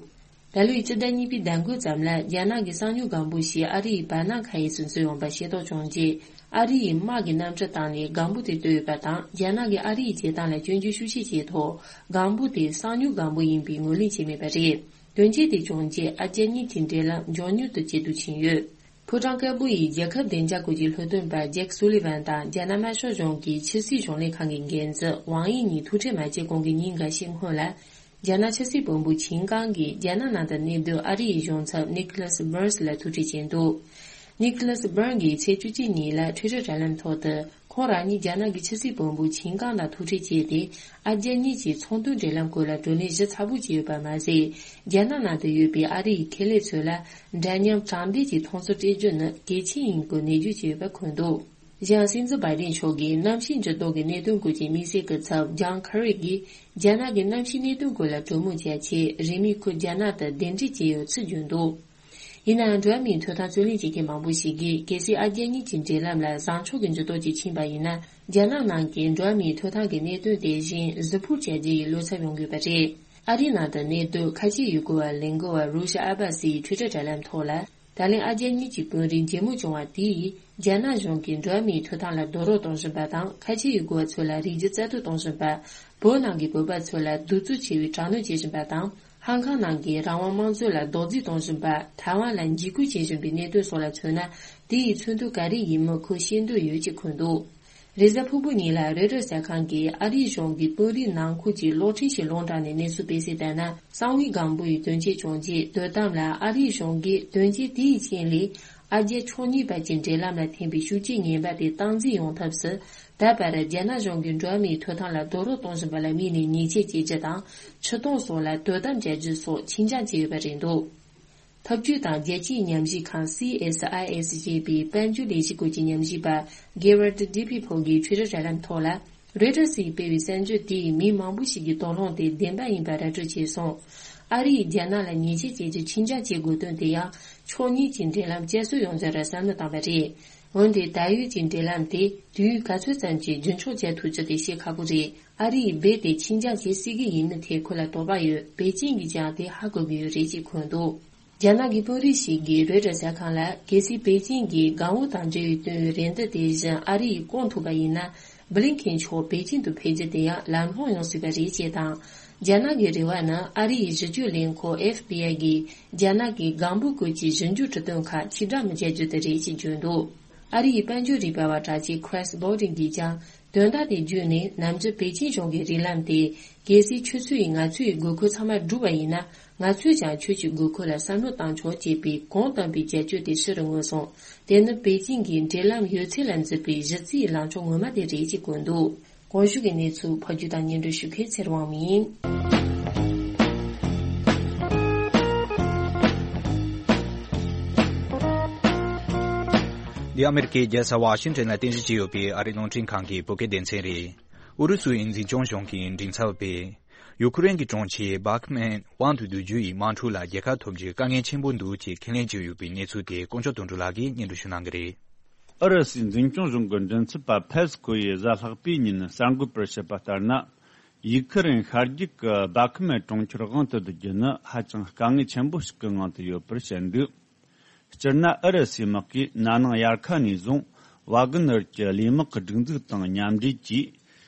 ད་ལོའི་སྤྱི་ཟླ་གཉིས་པའི་ཟླ་མགོའི་ཙམ་ལ་རྒྱ་ནག་གི་གསང་མྱུལ་སྒང་པོ་ཞིག་ཨ་རི་ཡི་བར་སྣང་ཁ་ཡིས་སུ་འཛུལ་ཡོང་པ་ཤེས་རྟོགས་བྱུང་རྗེས། ཨ་རི་ཡི་དམག་གི་གནམ་གྲུ་བཏང་ནས་སྒང་པོ་དེ་བཏོལ་ཡོད་པ་དང་། རྒྱ་ནག་གིས་ཨ་རི་ཡི་བྱེད་སྟངས་ལ་སྐྱོན་བརྗོད་ཤུགས་ཆེ་བྱས་ཐོག་སྒང་པོ་དེ་གསང་མྱུལ་སྒང་པོ་ཡིན་པའི་ངོས་ལེན་བྱས་མེད་པ་རེད། དོན་རྐྱེན་དེ་བྱུང་རྗེས་ཨ་རྒྱ་གཉིས་ཀྱི་འབྲེལ་ལམ་མགྱོགས་མྱུར་དུ་ཇེ་སྡུག་ཕྱིན་ཡོད། ཕོ་བྲང་དཀར་པོ་ཡི་རྒྱལ་ཁབ་བདེ་འཇགས་སྐོར་གྱི་སློབ་སྟོན་པ་ཇེག་སུ་ལི་ཝན་དང་རྒྱ་ནག་དམར་ཤོག་གཞུང་གི་ཕྱི་སྲིད་གཞུང་ལས་ཁང་གི་འགན་འཛིན་ཝང་དབྱི་གཉིས་ཐུག་འཕྲད་མ་བྱས་གོང་གི་ཉིན་འགའ་ཤས་སྔོན་ལ། རྒྱ་ནག་ཕྱི་སྲིད་བློན་པོ་ཆིན་ཀང་གིས་རྒྱ་ནག་ནང་དུ་གནས་སྡོད་ཨ་རི་ཡི་གཞུང་ཚབ་ནིག་ལ་སི་བྷརན་སི་ལ་ཐུག་འཕྲད་བྱས་འདུག་ནིག་ལ་སི་བྷརན་གྱིས་ཚེས་བཅུ་གཅིག་ཉིན་ལ་ཊུའི་ཊར་དྲ་ལམ་ཐོག་ཏུ། ཁོང་རང་ཉིད་རྒྱ་ནག་གི་ཕྱི་སྲིད་བློན་པོ་ཆིན་ཀང་དང་ཐུག་འཕྲད་བྱས་ཏེ། ཨ་རྒྱ་གཉིས་ཀྱི་ཚོང་དོན་འབྲེལ་ལམ་སྐོར་ལ་བགྲོ་གླེང་གཞི་ཚགས་པོ་བྱས་ཡོད་པ་མ་ཟད། རྒྱ་ནག་ནང་དུ་ཡོད་པའི་ཨ་རི་ཡི་ཁེ་ལས་ཚོ་ལ་འདྲ་མཉམ་དྲང་བདེན་གྱི་མཐོང་ཚུལ་སྤྲད་རྒྱུ་ནི་གལ་ཆེན་ཡིན་སྐོར་ནན་བརྗོད་བྱས་ཡོད་པ་འཁོད་འདུག་གཞན། སྲིད་འཛིན་བྷའི་ཏན་མཆོག་གིས་གནམ་གཤིས་འགྱུར་ལྡོག་གི་གནད་དོན་སྐོར་གྱི་དམིགས་བསལ་སྐུ་ཚབ་ཇོན་ཁེ་རི་གིས་རྒྱ་ནག་གི་གནམ་གཤིས་གནད་དོན་སྐོར་ལ་གྲོས་མོལ་བྱ་ཆེད་རིང་མིན་ཁོ་རྒྱ་ནག་ཏུ་གདན་འདྲེན་བྱས་ཡོད་ཚུལ་བརྗོད་འདུག་ཡིན་ནའང་འགྲོ་བ་མིའི་ཐོབ་ཐང་རྩོད་ལེན་བྱེད་མཁན་མང་པོ་ཞིག་གིས་གལ་སྲིད་ཨ་རྒྱ་གཉིས་ཀྱི་འབྲེལ་ལམ་ལ་བཟང་ཕྱོགས་ཀྱི་འགྱུར་ལྡོག་ཅིག་ཕྱིན་པ་ཡིན་ན། རྒྱ་ནག་ནང་གི་འགྲོ་བ་མིའི་ཐོབ་ཐང་གི་གནད་དོན་དེ་བཞིན་གཟིགས་སྤོབས་བྱ་རྒྱུ་ཡི་བློ་འཚབ་ཡོང་དགོས་པ་རེད། ཨ་རིའི་ནང་དུ་གནས་སྡོད་ཁ་ཆེའི་ཡུལ་སྐོར་བ་ལས་འགུལ་བ་རུ་ཤ་ཨ་བ་སི་ཡི་ཊུའི་ཊར་དྲ་ལམ་ཐོག་ལ། ད་ལན་ཨ་རྒྱ་གཉིས་ཀྱི་དཔོན་རིགས་མཇལ་མོལ་བྱུང་བ་དེས་རྒྱ་ནག་གཞུང་གིས་འགྲོ་བ་མིའི་ཐོབ་ཐང་ལ་རྡོག་རོལ་གཏོང་བཞིན་པ་དང་། ཁ་ཆེའི་ཡུལ་སྐོར་བ་ཚོ་ལ་རིགས་རྒྱུད་བཙན་འཕྲོག་གཏོང་བཞིན་པ། བོད་ནང་གི་བོད་པ་ཚོ་ལ་གདུག་རྩུབ་ཆེ་བའི་དྲག་གནོན་བྱེད་བཞིན་པ་དང་། ཧང་ཀང་ནང་གི་རང་དབང་དམངས་གཙོ་ལ་རྡོག་རྫིས་གཏོང་བཞིན་པ། ཐའེ་ཝན་ལ་འཇིགས་སྐུལ་བྱེད་བཞིན་པའི་གནད་དོན་སོགས་ལ་མཚོན་ན། དེ་ཡི་མཚོན་དོན་ག་རེ་ཡིན་མིན་ཁོས་ཤེས་འདོད་ཡོད་ཅེས་འཁོད་འདུག་རེས་གཟའ་ཕུར་བུ་ཉིན་ལ་རོའི་ཊར་གསར་ཁང་གིས་ཨ་རིའི་གཞུང་གིས་དཔོན་རིགས་ནང་ཁུལ་གྱི་གློག་འཕྲིན་ཞིག་སློང་དྲངས་ནས་གནས་ཚུལ་སྤེལ་གསལ་ལྟར་ན། གསང་བའི་སྒམ་པོ་ཡི་དོན་རྐྱེན་བྱུང་རྗེས། དོ་དམ་ལ་ཨ་རིའི་གཞུང་གིས་དོན་རྐྱེན་དེའི་རྐྱེན་ལས། ཨ་རྒྱ་ཕྱོགས་གཉིས་བར་གྱི་འབྲེལ་ལམ་ལ་ཐེབས་པའི་ཤུགས་རྐྱེན་ངན་པ་དེ་སྟངས་འཛིན་ཡོང་ཐབས་སུ། ད་བར་རྒྱ་ནག་གཞུང་གིས་འགྲོ་བ་མིའི་ཐོབ་ཐང་ལ་རྡོག་རོལ་གཏོང་བཞིན་པ་ལ་དམིགས་ནས་ཉེས་ཆད་བཅད་རྒྱུ་དང་། འཕྲུལ་གཏོང་སོགས་ལ་དོ་དམ་བྱ་རྒྱུ་སོགས་ཆིན་འགྱངས་བྱས་ཡོད་པ་རེད་འདུག། འཐབ་ཇུས་དང་རྒྱལ་སྤྱིའི་ཉམས་ཞིབ་ཁང་སི་ཨེས་ཨའི་ཨེས་ཞེས་པའི་དཔལ་འབྱོར་ལས་གཞི་སྐོར་གྱི་ཉམས་ཞིབ་པ་Gerard Deppel་གིས་ཆོས་ར་ར་ལམ་ཐོག་ལ། རོའི་ཊར་སིས་སྤེལ་བའི་གསར་འགྱུར་དེས་མི་མང་པོ་ཞིག་གི་དོགས་སློང་དེ་བདེན་པ་ཡིན་པ་ར་སྤྲོད་བྱས་སོང་། ཨ་རི་ཡིས་རྒྱ་ནག་ལ་ཉེས་ཆད་བཅད་རྒྱུ་ཆིན་འགྱངས་བྱེད་དགོས་དོན་དེ་ཡང་ཕྱོགས་གཉིས་ཀྱི་འབྲེལ་ལམ་བསྐྱར་གསོ་ཡོང་རྒྱུར་བསམ་བློ་བཏང་བ་རེད། འོན་ཏེ་ད་ཡོད་ཀྱི་འབྲེལ་ལམ་དེ་དུས་ཡུན་ག་ཚོད་ཙམ་གྱིས་རྒྱུན་འཁྱོངས་བྱེད་ཐུབ་རྒྱུ་དེ་བཤད་ཁག་པོ་རེད། ཨ་རི་ཡིས་རྦད་དེ་ཆིན་འགྱངས་བྱེད་སྲིད་ཀྱི་ཡིན་མིན་ཐད་ཁོ་ལ་དོགས་པ་ཡོད། པེ་ཅིན་གྱིས་ཀྱང་དེ་ཧ་གོ་གི་ཡོད་རེད་ཅེས་འཁོད་འདུག། རྒྱ་ནག་གི་དཔོན་རིགས་ཤིག་གིས་རོའི་ཊར་གསར་ཁང་ལ། གལ་སྲིད་པེ་ཅིན་གྱིས་སྒང་པོ་དང་འབྲེལ་བའི་བཏོན་པའི་རེ་འདུན་དེ་བཞིན་ཨ་རི་ཡིས་སྐོང་ཐུབ་པ་ཡིན་ན། བྷི་ལིན་ཁེན་མཆོག་པེ་ཅིན་དུ་ཕེབས་རྒྱུ་དེ་ཡང་ལམ་ལྷོང་ཡོང་སྲིད་པ་རེད་ཅེས་དང་། རྒྱ་ནག་གི་རེ་བ་ནི་ཨ་རི་ཡི་ཞིབ་དཔྱོད་ལས་ཁུངས་ཨེཕ་བྷི་ཨའི་གིས་རྒྱ་ནག་གི་སྒང་པོ་བཀོད་ཀྱི་ཞིབ་འཇུག་འཕྲུལ་བཏོན་ཁག་ཕྱིར་བསྒྲགས་མི་བྱ་རྒྱུ་དེ་རེད་ཅེས་བརྗོད་འདུག། ཨ་རི་ཡི་དཔལ་འབྱོར་རིག་པ་བ་གྲགས་ཅན་Chris Bodding་གིས་ཀྱང་དོན་དག་དེ་བརྒྱུད་ནས། ནམ་རྒྱུན་པེ་ཅིན་གཞུང་གི་རིགས་ལམ་དེ། གལ་སྲིད་ཁྱོད་ཚོ་ཡིས་ང་ཚོའི་དགོས་མཁོ་ཚང་མ་བསྒྲུབས་པ་ཡིན་ན། ང་ཚོས་ཀྱང་ཁྱོད་ཀྱི་དགོས་མཁོ་ལ་བསམ་བློ་བཏང་ཆོག་ཅེས་པའི་གུང་བཏུན་པའི་བྱ་སྤྱོད་དེ་ཕྱི་རུ་མངོན་སོང་། དེ་ནི་པེ་ཅིན་གྱིས་འབྲེལ་ལམ་ཡོད་ཚད་ལ་འཛུལ་བའི་གཞི་རྩའི་ལངས་ཕྱོགས་ངོ་མ་དེ་རེད་ཅེས་བཀོད་འདུག། གོང་ཞུས་ཀྱི་གནས་ཚུལ་ཕབ་སྒྱུར་དང་སྙན་སྒྲོན་ཞུ་མཁན་ཚེ་རིང་དབང་མོ་ཡིན། འདི་ཨ་མེ་རི་ཀའི་རྒྱལ་ས་ཝ་ཤིང་ཊོན་ལ་རྟེན་གཞི་བྱས་ཡོད་པའི་ཨ་རིའི་རླུང་འཕྲིན་ཁང་གི་བོད་སྐད་སྡེ་ཚན་རེད། ཨུ་རུ་སུའི་འཛིན་སྐྱོང་གཞུང་གིས་མགྲིན་ཚབ་པས། ཡུ་ཁུ་རེན་གྱི་གྲོང་ཁྱེར་བྷ་ཁི་མེན་དབང་དུ་བསྡུ་རྒྱུ་ཡི་དམག་འཁྲུག་ལ་རྒྱལ་ཁ་ཐོབ་རྒྱུའི་དཀའ་ངལ་ཆེན་པོ་འདུག་ཅེས་ཁས་ལེན་བྱས་ཡོད་པའི་གནས་ཚུལ་དེ་དཀོན་མཆོག་དོན་གྲུབ་ལགས་ཀྱིས་སྙན་སྒྲོན་ཞུ་གནང་གི་རེད། ཨུ་རུ་སུའི་འཛིན་སྐྱོང་གཞུང་གི་མགྲིན་ཚབ་པ་ཕེ་སི་ཁོ་ཡིས་གཟའ་ལྷག་པའི་ཉིན་གསར་འགོད་པར་བཤད་པ་ལྟར་ན། ཡུ་ཁུ་རེན་ཤར་རྒྱུད་ཀྱི་བྷ་ཁི་མེན་གྲོང་ཁྱེར་དབང་དུ་བསྡུ་རྒྱུ་ནི་ཧ་ཅང་དཀའ་ངལ་ཆེན་པོ་ཞིག་གི་ངང་དུ་ཡོད་པར་བཤད་འདུག། སྤྱིར་ན་ཨུ་རུ་སུའི་དམག་གིས་ན་ནིང་དབྱར་ཁ་ནས་བཟུང་ཝ་གི་ནར་གྱི་ལས་དམག་གི་སྒྲིག་འཛུགས་དང་མཉམ་འབྲེལ་གྱིས།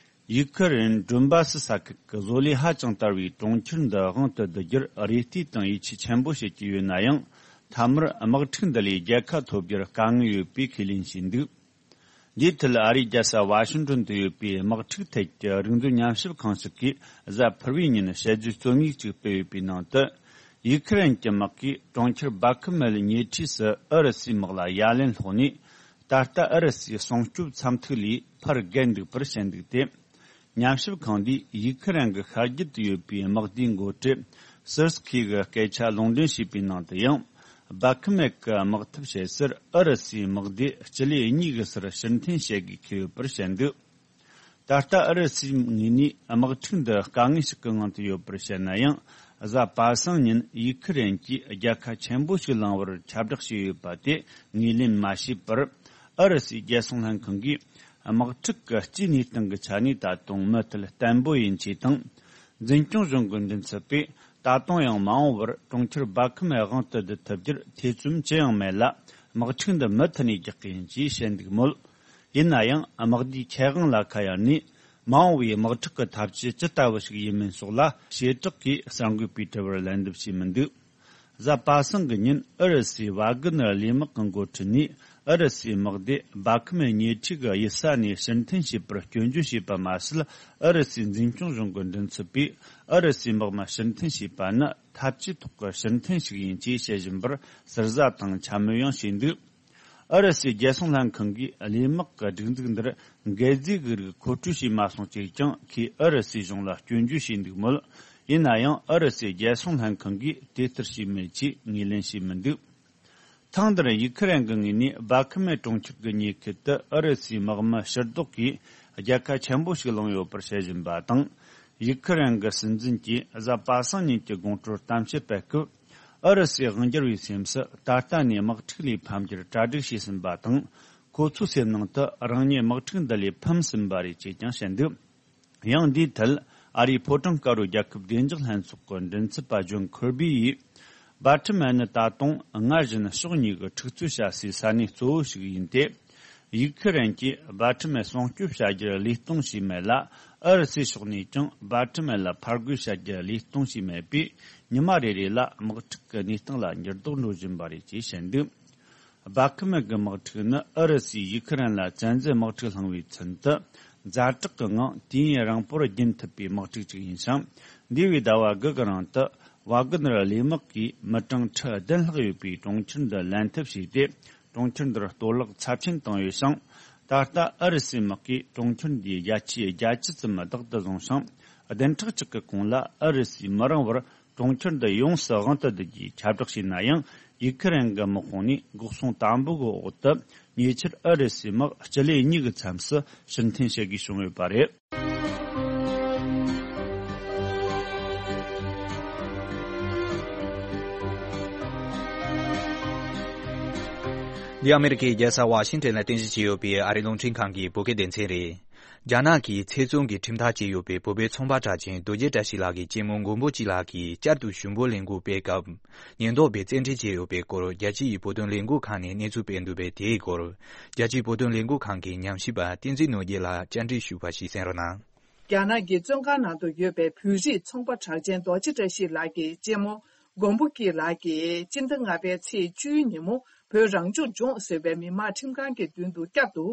ཡུ་ཁུ་རེན་ཌོན་སྦ་སི་ས་ཁུལ་གྱི་བཟོ་ལས་ཧ་ཅང་དར་བའི་གྲོང་ཁྱེར་འདི་དབང་དུ་བསྡུ་རྒྱུར་རེ་ལྟོས་དང་ཡིད་ཆེས་ཆེན་པོ་བྱེད་ཀྱི་ཡོད་ན་ཡང་། མཐའ་མར་དམག་འཁྲུག་འདི་ལས་རྒྱལ་ཁ་ཐོབ་རྒྱུར་དཀའ་ངལ་ཡོད་པའི་ཁས་ལེན་བྱས་འདུག། འདིའི་ཐད་ཨ་རིའི་རྒྱལ་ས་ཝ་ཤིང་ཏོན་དུ་ཡོད་པའི་དམག་འཁྲུག་ཐད་ཀྱི་རིག་མཛོད་ཉམས་ཞིབ་ཁང་ཞིག་གིས་གཟའ་ཕུར་བུའི་ཉིན་དཔྱད་བརྗོད་རྩོམ་ཡིག་ཅིག་སྤེལ་ཡོད་པའི་ནང་དུ། ཡུ་ཁུ་རེན་གྱི་དམག་གིས་གྲོང་ཁྱེར་བྷ་ཁི་མེལ་ཉེ་འཁྲིས་སུ་ཨུ་རུ་སུའི་དམག་ལ་ཡ་ལན་སློག་ནས། ད་ལྟ་ཨུ་རུ་སུའི་སྲུང་སྐྱོབ་མཚམས་ཐིག་ལས་ཕར་བརྒལ་འདུག་པར་བཤད་འདུག་སྟེ། ཉམས་ཞིབ་ཁང་འདིས་ཡུ་ཁུ་རེན་གྱི་ཤར་རྒྱུད་དུ་ཡོད་པའི་དམག་སྡེའི་འགོ་ཁྲིད་སིར་སི་ཁི་གི་སྐད་ཆ་ལུང་འདྲེན་བྱས་པའི་ནང་དུ་ཡང་། བྷ་ཁི་མེལ་གྱི་དམག་འཐབ་བྱེད་སར་ཨུ་རུ་སུའི་དམག་སྡེ་སྤྱི་ལེ་གཉིས་ཀྱི་སར་ཕྱིར་འཐེན་བྱེད་དགོས་ཀྱི་ཡོད་པར་བཤད་འདུག། ད་ལྟ་ཨུ་རུ་སུའི་ངོས་ནས་དམག་འཁྲུག་འདི་དཀའ་ངལ་ཞིག་གི་ངང་དུ་ཡོད་པར་བཤད་ན་ཡང་། གཟའ་པ་སངས་ཉིན་ཡུ་ཁུ་རེན་གྱིས་རྒྱལ་ཁ་ཆེན་པོ་ཞིག་བླངས་པར་ཁྱབ་བསྒྲགས་བྱས་ཡོད་པ་དེ་ངོས་ལེན་མ་བྱས་པར། ཨུ་རུ་སུའི་རྒྱལ་སྲུང་ལྷན་ཁང་གིས་དམག་འཁྲུག་གི་སྤྱིའི་གནས་སྟངས་ཀྱི་ཆ་ནས་ད་དུང་མུ་མཐུད་བརྟན་པོ་ཡིན་ཆེད་དང་། འཛིན་སྐྱོང་གཞུང་གི་མགྲིན་ཚབ་པས་ད་དུང་ཡང་མ་འོངས་པར་གྲོང་ཁྱེར་བྷ་ཁི་མེལ་དབང་དུ་བསྡུ་ཐུབ་རྒྱུར་ཐེ་ཚོམ་ཅི་ཡང་མེད་ལ། དམག་འཁྲུག་འདི་མུ་མཐུད་ནས་རྒྱག་གི་ཡིན་ཅེས་བཤད་འདུག་མོད། ཡིན་ན་ཡང་དམག་སྡེའི་ཁྱད་དབང་ལ་ཁ་གཡར་ནས། མ་འོངས་པའི་དམག་འཁྲུག་གི་ཐབས་ཇུས་ཇི་ལྟ་བུ་ཞིག་ཡིན་མིན་སོགས་ལ་བྱེ་བྲག་གིས་གསར་འགོད་པའི་དྲི་བར་ལན་འདེབས་བྱས་མི་འདུག། གཟའ་པ་སངས་ཀྱི་ཉིན་ཨུ་རུ་སུའི་ཝ་གི་ནར་ལས་དམག་གི་འགོ་ཁྲིད་ནས་ཨུ་རུ་སུའི་དམག་སྡེ་བྷ་ཁི་མེལ་ཉེ་འཁྲིས་ཀྱི་གཡུལ་ས་ནས་ཕྱིར་འཐེན་བྱས་པར་སྐྱོན་བརྗོད་བྱས་པ་མ་ཟད། ཨུ་རུ་སུའི་འཛིན་སྐྱོང་གཞུང་གི་མགྲིན་ཚབ་པས་ཨུ་རུ་སུའི་དམག་མི་ཕྱིར་འཐེན་བྱས་པ་ནི་འཐབ་ཇུས་ཐོག་གི་ཕྱིར་འཐེན་ཞིག་ཡིན་ཅེས་བཤད་བཞིན་པར་ཟུར་ཟ་དང་འཕྱ་སྨོད་ཡང་བྱས་འདུག། ཨུ་རུ་སུའི་རྒྱལ་སྲུང་ལྷན་ཁང་གིས་གླས་དམག་གི་སྒྲིག་འཛུགས་འདིར་འགད་རྫས་ཀྱི་རིགས་མཁོ་སྤྲོད་བྱས་མ་སོང་ཅེས་ཀྱང་ཁོས་ཨུ་རུ་སུའི་གཞུང་ལ་སྐྱོན་བརྗོད་བྱས་འདུག་མོད། ཡིན་ན་ཡང་ཨུ་རུ་སུའི་རྒྱལ་སྲུང་ལྷན་ཁང་གིས་དེ་ལྟར་བྱས་མེད་ཅེས་ངོས་ལེན་བྱས་མི་འདུག། ཐེངས་འདིར་ཡུ་ཁུ་རེན་གྱི་ངོས་ནས་བྷ་ཁི་མེ་གྲོང་ཁྱེར་གྱི་ཉེ་ཁུལ་དུ་ཨུ་རུ་སུའི་དམག་མི་ཕྱིར་ལྡོག་གིས་རྒྱལ་ཁ་ཆེན་པོ་ཞིག་བླངས་ཡོད་པར་བཤད་བཞིན་པ་དང་། ཡུ་ཁུ་རེན་གྱི་སྲིད་འཛིན་གྱིས་གཟའ་པ་སངས་ཉིན་གྱི་དགོང་དྲོར་གཏམ་བཤད་སྤེལ་སྐབས། ཨུ་རུ་སུའི་དབང་སྒྱུར་བའི་སེམས་སུ་ད་ལྟ་ནས་དམག་འཁྲུག་ལས་ཕམ་རྒྱུར་གྲ་སྒྲིག་བྱས་ཟིན་པ་དང་། ཁོ་ཚོའི་སེམས་ནང་དུ་རང་ཉིད་དམག་འཁྲུག་འདི་ལས་ཕམ་ཟིན་པ་རེད་ཅེས་ཀྱང་བཤད་འདུག། ཡང་འདིའི་ཐད་ཨ་རིའི་ཕོ་བྲང་དཀར་པོའི་རྒྱལ་ཁབ་བདེ་འཇགས་ལྷན་ཚོགས་ཀྱི་མགྲིན་ཚབ་པ་ཇོན་ཁེར་བྷི་ཡིས། བྷ་ཁྲི་མེ་ནི་ད་དུང་སྔར་བཞིན་ཕྱོགས་གཉིས་ཀྱི་འཁྲུག་རྩོད་བྱ་སའི་ས་གནས་གཙོ་བོ་ཞིག་ཡིན་ཏེ། ཡུག་ཁི་རན་གྱིས་བྷ་ཁྲི་མེ་སྲུང་སྐྱོབ་བྱ་རྒྱུར་ལས་གཏོང་བྱས་མེད་ལ། ཨུ་རུ་སུའི་ཕྱོགས་ནས་ཀྱང་བྷ་ཁྲི་མེ་ལ་ཕར་རྒོལ་བྱ་རྒྱུར་ལས་གཏོང་བྱས་མེད་པས། ཉི་མ་རེ་རེ་ལ་དམག་འཁྲུག་གི་གནས་སྟངས་ལ་འགྱུར་ལྡོག་འགྲོ་བཞིན་པ་རེད་ཅེས་བཤད་འདུག། སྦ་ཁི་མེ་གི་དམག་འཁྲུག་ནི་ཨུ་རུ་སུས་ཡུ་ཁི་རན་ལ་བཙན་འཛུལ་དམག་འཁྲུག་བསླངས་པའི་ཚུན་དུ། ཛ་དྲག་གི་ངང་དུས་ཡུན་རིང་པོར་རྒྱུན་ཐུབ་པའི་དམག་འཁྲུག་ཅིག་ཡིན་ཞིང་། འདས་པའི་ཟླ་བ་དགུ་གི་རིང་དུ། ཝཱ་གི་ནར་ལས་དམག་གིས་མི་གྲངས་ཁྲི་བདུན་ལྷག་ཡོད་པའི་གྲོང་ཁྱེར་འདི་ལེན་ཐབས་བྱས་ཏེ། གྲོང་ཁྱེར་འདིར་གཏོར་བརླག་ཚབས་ཆེན་བཏང་ཡོད་ཞིང་། ད་ལྟ་ཨུ་རུ་སུའི་དམག་གིས་གྲོང་ཁྱེར་འདིའི་བརྒྱ་ཆའི་བརྒྱད་ཅུ་ཙམ་བདག་ཏུ་བཟུང་ཞིང་། བདུན་ཕྲག་གཅིག་གི་གོང་ལ་ཨུ་རུ་སུས་མི་རིང་བར་གྲོང་ཁྱེར་འདི་ཡོངས་སུ་དབང་དུ་བསྡུ་རྒྱུའི་ཁྱབ་བསྒྲགས་བྱས་ན་ཡང་། ཡུ་ཁི་རན་གྱི་དམག་དཔུང་ནས་འགོག་སྲུང་དམ་པོ་གི་འོག་ཏུ། ཉེ་ཆར་ཨུ་རུ་སུའི་དམག་སྤྱི་ལེ་གཉིས་ཀྱི་མཚམས་སུ་ཕྱིར་འཐེན་བྱེད་དགོས་བྱུང་ཡོད་པ་རེད། འདི་ཨ་མེ་རི་ཁའི་རྒྱལ་ས་ཝ་ཤིང་ཊོན་ལ་རྟེན་གཞི་བྱས་ཡོད་པའི་ཨ་རིའི་རླུང་འཕྲིན་ཁང་གི་བོད་སྐད་སྡེ་ཚན་རེད། རྒྱ་ནག་གིས་ཚེ་བཙོན་གྱི་ཁྲིམས་ཐག་བཅད་ཡོད་པའི་བོད་པའི་ཚོང་པ་གྲགས་ཅན་རྡོ་རྗེ་བཀྲ་ཤིས་ལགས་ཀྱི་གཅེན་མོ་མགོན་པོ་སྐྱིད་ལགས་ཀྱིས་བསྐྱར་དུ་ཞུ་འབོད་ལས་འགུལ་སྤེལ་སྐབས། ཉེན་རྟོག་པས་བཙན་ཁྲིད་བྱས་ཡོད་པའི་སྐོར། རྒྱལ་སྤྱིའི་བོད་དོན་ལས་འགུལ་ཁང་ནས་གནས་ཚུལ་སྤེལ་འདུག་པས། དེའི་སྐོར། རྒྱལ་སྤྱིའི་བོད་དོན་ལས་འགུལ་ཁང་གི་ཉམས་ཞིབ་པ་བསྟན་འཛིན་ནོར་རྒྱས་ལགས་བཅར་འདྲི་ཞུས་པ་ཞིག་གསན་རོགས་གནང་། རྒྱ་ནག་གི་བཙོན་ཁང་ནང་དུ་ཡོད་པའི་བོད་རིགས་ཚོང་པ་གྲགས་ཅན་རྡོ་རྗེ་བཀྲ་ཤིས་ལགས་ཀྱི་གཅེན་མོ་མགོན་པོ་སྐྱིད་ལགས་ཀྱིས་སྤྱི་ཟླ་ལྔ་པའི་ཚེས་བཅུའི་ཉིན་མོ། བོད་རང་སྐྱོང་ལྗོངས་ཟེར་བའི་མི་དམངས་ཁྲིམས་ཁང་གི་མདུན་དུ་བསྐྱར་དུ།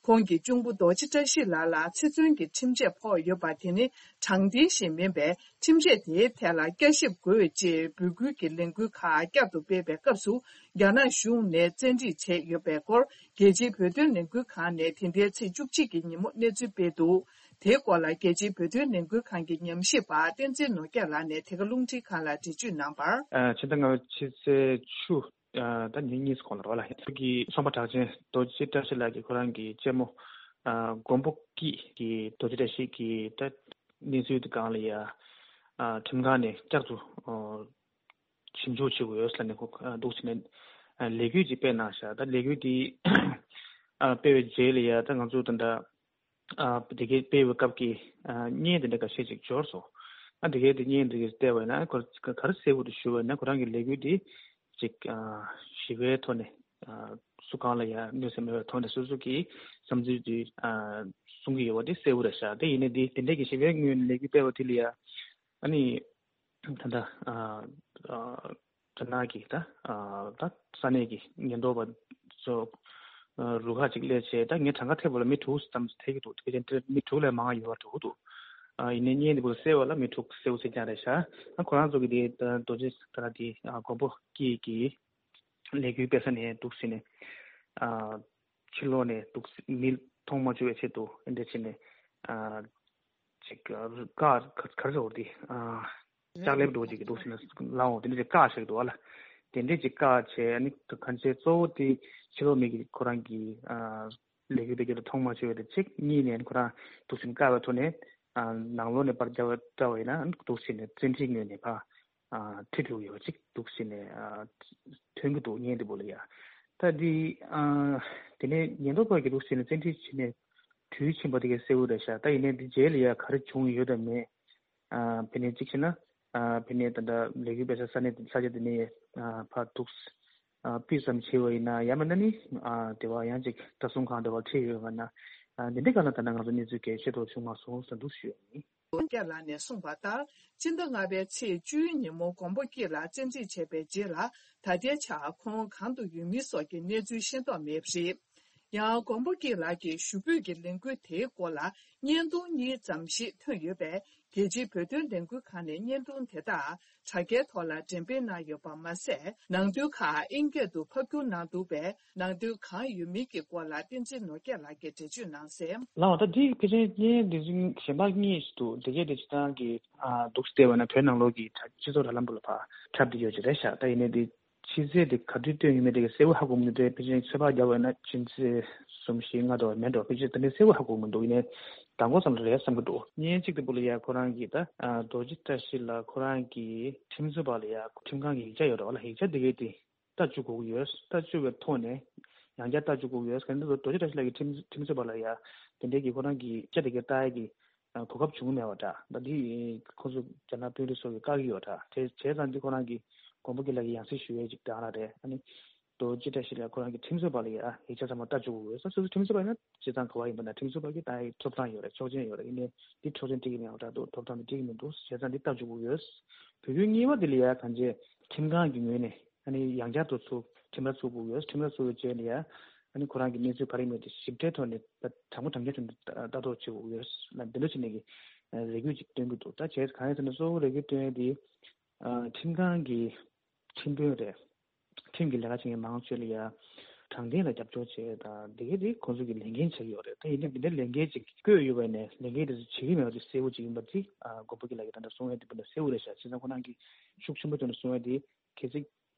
ཁོང་གི་གཅུང་པོ་རྡོ་རྗེ་བཀྲ་ཤིས་ལགས་ལ་ཚེ་བཙོན་གྱི་ཁྲིམས་ཆད་ཕོག་ཡོད་པ་དེ་ནི་དྲང་བདེན་ཞིག་མིན་པས། ཁྲིམས་ཆད་དེའི་ཐད་ལ་བསྐྱར་ཞིབ་དགོས་ཅེས་འབོད་སྐུལ་གྱི་ལས་འགུལ་ཁག་བསྐྱར་དུ་སྤེལ་བའི་སྐབས་སུ། རྒྱ་ནག་གཞུང་ནས་བཙན་ཁྲིད་བྱས་ཡོད་པའི་སྐོར། རྒྱལ་སྤྱིའི་བོད་དོན་ལས་འགུལ་ཁང་ནས་དེ་ཟླའི་ཚེས་བཅུ་གཅིག་གི་ཉིན་མོ་གནས་ཚུལ་སྤེལ་འདུག་དེའི་སྐོར་ལ་རྒྱལ་སྤྱིའི་བོད་དོན་ལས་འགུལ་ཁང་གི་ཉམས་ཞིབ་པ་བསྟན་འཛིན་ནོར་རྒྱས་ལགས་ནས་དེ་ག་རླུང་འཕྲིན་ཁང་ལ་འགྲེལ་བརྗོད་གནང་བར། ཕྱི་ཟླ་ལྔ་པའི་ཕྱི་ཚེས་བཅུ། ད་ཉིན་གཉིས་གོང་ལ་རོ་ལ་ཡིན་གྱི་ཚོང་པ་གྲགས་ཅན་རྡོ་རྗེ་བཀྲ་ཤིས་ལགས་ཀྱིས་ཁོ་རང་གི་གཅེན་མོ་མགོན་པོ་སྐྱིད་ཀྱི་རྡོ་རྗེ་བཀྲ་ཤིས་ཀྱི་ད་གནས་ཚུལ་དེ་སྒང་ལ་ཡ་ཁྲིམས་ཁང་ནས་བསྐྱར་དུ་ཞིབ་འཇུག་བྱེད་དགོས་ཡོད་ཟེར་ནས་ཁོ་འདུག་ཟེར་ནས་ལས་འགུལ་ཅིག་སྤེལ་གནང་ཤག་ད་ལས་འགུལ་དེ་སྤེལ་བའི་རྗེས་ལ་ཡ་ད་ང་ཚོ་ད་ལྟ། ཨ་དེ་གའི་སྤེལ་བའི་སྐབས་ཀྱི་ཨ་བརྙན་དེ་འདྲ་འགའ་ཤས་ཅིག་འབྱོར་སོང་། ཨ་དེ་གའི་དེ་བརྙན་དེ་གའི་བལྟས་པ་ཡིན་ན་ཁོ་ག་རེ་གསལ་པོ་དུ་ཞུ་བ་ཡིན་ན་ཁོ་རང་གི་ལས་འགུལ་དེ་ཅིག་ཨ་ཞི་བའི་ཐོག་ནས་ཨ་སུ་གང་ལ་ཡང་གནོད་འཚེ་མེད་པའི་ཐོག་ནས་སོ་སོ་གི་བསམ་ཚུལ་དེ་ཨ་གསུང་གི་ཡོད་པ་དེ་གསལ་པོ་རེད་ཤག་དེ་ཡིན་ནའི་དེ་དེ་འདྲའི་གི་ཞི་བའི་ངོས་ནས་ལས་འགུལ་སྤེལ་བ་དེ་ལ་ཡང་ཨ་ནི། ད་ལྟ་ཨ་ཨ་རྒྱ་ནག་གི་ད་ཨ་ད་ས་གནས་ཀྱི་ཉེན་རྟོག་པ་ཚོ་ཨ་རུ་ཁག་ཅིག་སླེབས་བྱས་ད་ངས་གྲངས་ཀ་ཐེབས་པ་ལ་མི་དྲུག་ཙམ་ཐེབས་ཀྱི་འདུག་དེ་བཞིན་དེར་མི་དྲུག་ལས་མང་ཡོད་པ་འདུག་འདུག་ཨ་ཡིན་ནའི་བརྙན་འདི་པོ་གསལ་བ་ལ་མི་དྲུག་གསལ་པོ་གསལ་རྐྱང་རེད་ཤག་ཨ་ཁོ་རང་ཚོ་གི་དེ་ད་རྡོ་རྗེ་ད་ལྟ་དེ་ཨ་མགོན་པོ་སྐྱིད་ཀྱི་ལས་འགུལ་སྤེལ་ས་ནས་འདུག་ཟེར་ནས་ཨ་ཕྱི་ལོགས་ནས་འདུག་མི་མཐོང་མ་བཅུག་པའི་ཆེད་དུ་ཨེ་འདྲ་བྱས་ནས་ཨ། ཅིག་བཀག་ག་རེ་ཟེར་དེ་ལྕགས་ལེབ་འདྲ་བོ་ཅིག་གི་འདུག་ཟེར་ན་ལའང་དེ་འདྲ་ཅིག་བཀག་བཞག་འདུག་བ་ལ། དེ་འདྲ་ཅིག་བཀག་བྱས་ཨ་ནི་གང་ཅི་གཙོ་བོ་དེ་ཕྱི་ལོགས་མི་གི་ཁོ་རང་གི་ལས་འགུལ་སྤེལ་རྒྱུ་ལ་མཐོང་མ་ཆོད་པ་དེ་གཅིག་གཉིས་ནས་ཁོ་རང་འདུག་ཟེར་ནས་བཀག་པའི་ཐོག་ནས་ནང་ལོགས་ནས་པར་རྒྱག་པ་འདྲ་བ་ཡིན་ན་འདུག་ཟེར་ནས་བཙན་ཁྲིད་ངོས་ནས་ཕར་ཁྲིད་འགྲོ་གི་ཡོད་པ་ཅིག་འདུག་ཟེར་ནས་ཐོན་གྱི་འདུག་བརྙན་དེ་པོ་ལ་ཡ། ད་འདི་དེ་ནས་ཉེན་རྟོག་པ་གི་འདུག་ཟེར་ནས་བཙན་ཁྲིད་བྱས་ནས། དུས་ཕྱིན་པ་དེ་གའི་གསལ་པོ་རེད་ཤག་ད་ཡིན་ནའི་འདི་རྗེས་ལ་ཡ་ག་རེ་བྱུང་ཡོད་དམ་མེད། ཨ་ཕ་ནས་གཅིག་བྱས་ན། ཨ་ཕ་ནས་ད་ལྟ་ལས་འགུལ་སྤེལ་ས་ས་གནས་དེ་ས་ཆ་དེ་ནས་ཨ་ཕར་འདུག་ཨ་སྤུས་ཙམ་བྱས་པ་ཡིན་ན་ཡང་མིན་ན་ནི་ཨ་དེ་བ་ཡང་ཅིག་ལྟ་སྲུང་ཁང་དེ་བ་ཁྲིད་ཡོད་པ་ན། ཨ་འདི་འདྲའི་སྒང་ལ་ད་ལྟ་ང་ཚོ་གནས་ཚུལ་གལ་ཆེ་ཏོག་བྱུང་མ་སོང་ཟེར་འདུག་ཞུ་ཡ་ཡིན། རྒྱ་ལགས་ནས་གསུངས་པ་ལྟར། ཕྱི་ཟླ་ལྔ་པའི་ཚེས་བཅུའི་ཉིན་མོ་མགོན་པོ་སྐྱིད་ལགས་བཙན་འཁྲིད་བྱས་པའི་རྗེས་ལ་ད་ལྟའི་ཆར་ཁོང་གང་དུ་ཡོད་མིན་སོགས་ཀྱི་གནས་ཚུལ་ཤེས་རྟོགས་མེད་པ་རེད། ཡང་མགོན་པོ་སྐྱིད་ལགས་ཀྱི་ཞུ་འབོད་ཀྱི་ལས་འགུལ་དེའི་སྐོར་ལ་བརྙན་ཐུང་གཉིས་ཙམ་ཞིག་ཐོན་ཡོད་པས་རྒྱལ་སྤྱིའི་བོད་དོན་ལས་འགུལ་ཁང་ནས་བརྙན་ཐུང་དེ་དག་དྲ་རྒྱའི་ཐོག་ལ་འགྲེམས་སྤེལ་གནང་ཡོད་པ་མ་ཟད། ནང་དོན་ཁག་ཨིན་སྐད་དུ་ཕབ་བསྒྱུར་གནང་འདུག་པས་ནང་དོན་གང་ཡོད་མིན་གྱི་སྐོར་ལ་བསྟན་འཛིན་ནོར་རྒྱས་ལགས་ཀྱིས་འགྲེལ་བརྗོད་གནང་གསལ། ལགས་ད་འདི་ཕལ་ཆེར་བརྙན་འདི་གཞན་པ་གཉིས་ཤིག་འདུག་དེ་གས་དེ་སྤྱིར་བཏང་གི་འདུག་སེ་བལྟས་པ་ན་བོད་ནང་ལོགས་ཀྱི་སྤྱི་ཚོགས་དྲ་ལམ་བུ་ལ་ཕར་ཁྱབ་བསྡད་ཡོད་ཀྱི་རེད་ཤག་ད་ཡིན་ནའི་འདི་ཕྱི་ཚེས་དེ་ག་དུས་བཏོན་ཡོད་མེད་དེ་གས་གསལ་པོ་ཧ་གོ་མི་འདུག་ཕལ་ཆེར་ཚོད་དཔག་བརྒྱབ་པ་ན་ཕྱི་ཚེས་གསུམ་བཞི་ལྔ་དེ་བ་མེད་འགྲོ། ཕལ་ཆེར་ད་ནི་གསལ་པོ་ཧ་གོ་མི་འདུག་ཡིན་ནའི་མདང་དགོང་ཙམ་ལ་རེད་བསམ་གྱི་འདུག་བརྙན་གཅིག་དེ་བུ་ལ་ཡ་ཁོ་རང་གིས་ད་རྡོ་རྗེ་བཀྲ་ཤིས་ལགས་ཁོ་རང་གི་ཁྲིམས་རྩོད་པ་ལ་ཡ་ཁྲིམས་ཁང་གི་ཡིག་ཆ་ཡོད་རེད་བ་ལ། ཡིག་ཆ་དེ་གས་དེ། ལྟ་བཅུག་དགོས་ཀྱི་ཡོད། ལྟ་བཅུག་པའི་ཐོག་ནས་ཡང་བསྐྱར་ལྟ་བཅུག་དགོས་ཀྱི་ཡོད། ག་ནི་རྡོ་རྗེ་བཀྲ་ཤིས་ལགས་ཀྱི་ཁྲིམས་ཁྲིམས་རྩོད་པ་ལ་ཡ་དེ་འདྲའི་གི་ཁོ་རང་གི་ཅ་དེ་གའི་ལྟ་ཡ་གི་གོ་སྐབས་བྱུང་མེད་པ་འདྲ། ད་འདི་ཁོ་ཚོ་རྒྱ་ནག་དཔོན་རིགས་ཚོ་གི་བཀག་གི་ཡོད་འདྲ། དེ་བྱས་ཙང་འདི་ཁོ་རང་གི་མགོན་པོ་སྐྱིད་ལགས་ཀྱི་ཡང་སྲིད་ཞུ་ཡས་ཅིག་འདྲ་ལ་རེད། ཨ་ནི་རྡོ་རྗེ་བཀྲ་ཤིས་ལགས་ཁོ་རང་གི་ཁྲིམས་རྩོད་པ་ལ་ཡ་ཡིག་ཆ་ཚང་མ་ལྟ་བཅུག་དགོས་ཡོད། སོ་སོ་ཁྲིམས་རྩོད་པ་ཡིན་ན་སྤྱིར་བཏང་ག་བ་ཡིན་པ་ན་ཁྲིམས་རྩོད་པ་གི་ད་ཡི་ཐོབ་ཐང་ཡོད་རེད། ཆོག་མཆན་ཡོད་རེད། ཡིན་ནའི་འདི་ཆོག་མཆན་སྤྲད་ཀྱི་མེད་པ་འདྲ་འདུག་ཐོབ་ཐང་དེ་སྤྲད་ཀྱི་མི་འདུག་བྱས་ཙང་འདི་ལྟ་བཅུག་དགོས་ཡོད། བོད་སྐྱོད་གཉིས་པ་དེ་ལ་ཡ་གང་ཅི་ཁྲིམས་ཁང་གི་ངོས་ནས་ཨ་ནི་ཡང་བསྐྱར་དུ་ཚུར་ ཁྲིམས་ར་བཙུགས་དགོས་ཡོད། ཁྲིམས་ར་བཙུགས་པའི་རྗེས་ནས་ཡ་ཨ་ནི་ཁོ་རང་གི་གནས་ཚུལ་ག་རེ་ཡིན་མིན་དེ་ཞིབ་ཕྲའི་ཐོག་ནས་ད་དྲང་པོ་དྲང་རྐྱང་ཐོག་ནས་ལྟ་རྟོག་བྱེད་དགོས་ཡོད་ལ། འདི་འདྲ་བྱས་ནས་ཀྱི་རེ་སྐུལ་ཅིག་སྟོན་གྱི་འདུག་ད་བྱས་གང་ཡིན་ཟེར་ན་གཙོ་བོ་རེ་སྐུལ་སྟོན་ཡ་དེ་ཁྲིམས་ཁང་གི་ཁྲིམས་དཔོན་རེད། ཁྲིམས་ཀྱི་ལས་ཀ་བྱེད་མཁན་མང་ཆེ་ལ་ཡ་དྲང་བདེན་ལ་རྒྱབ་སྐྱོར་བྱེད་དང་དེ་གའི་དེ་ཁོང་ཚོ་གི་ལས་འགན་ཆགས་ཡོད་རེད། ད་ཡིན་ནའི་འདི་འདྲའི་ལས་འགན་ཅིག་བསྐོས་ཡོད་པ་ནས་ལས་འགན་དེ་ཚོ་བྱེད་ཀྱི་མེད་པ་དེ་གསལ་པོ་ཅིག་ཡིན་པ་དེ་མགོན་པོ་སྐྱིད་ལགས་ཀྱིས་ད་ལྟ་གསུང་ཡ་དེ་འདྲ་གསལ་པོ་རེད་ཤག་བྱས་ཙང་ཁོ་རང་གིས་ཤུགས་ཆེན་པོ་བཏོན་ནས་གསུང་ཡ་དེ་གལ་སྲིད་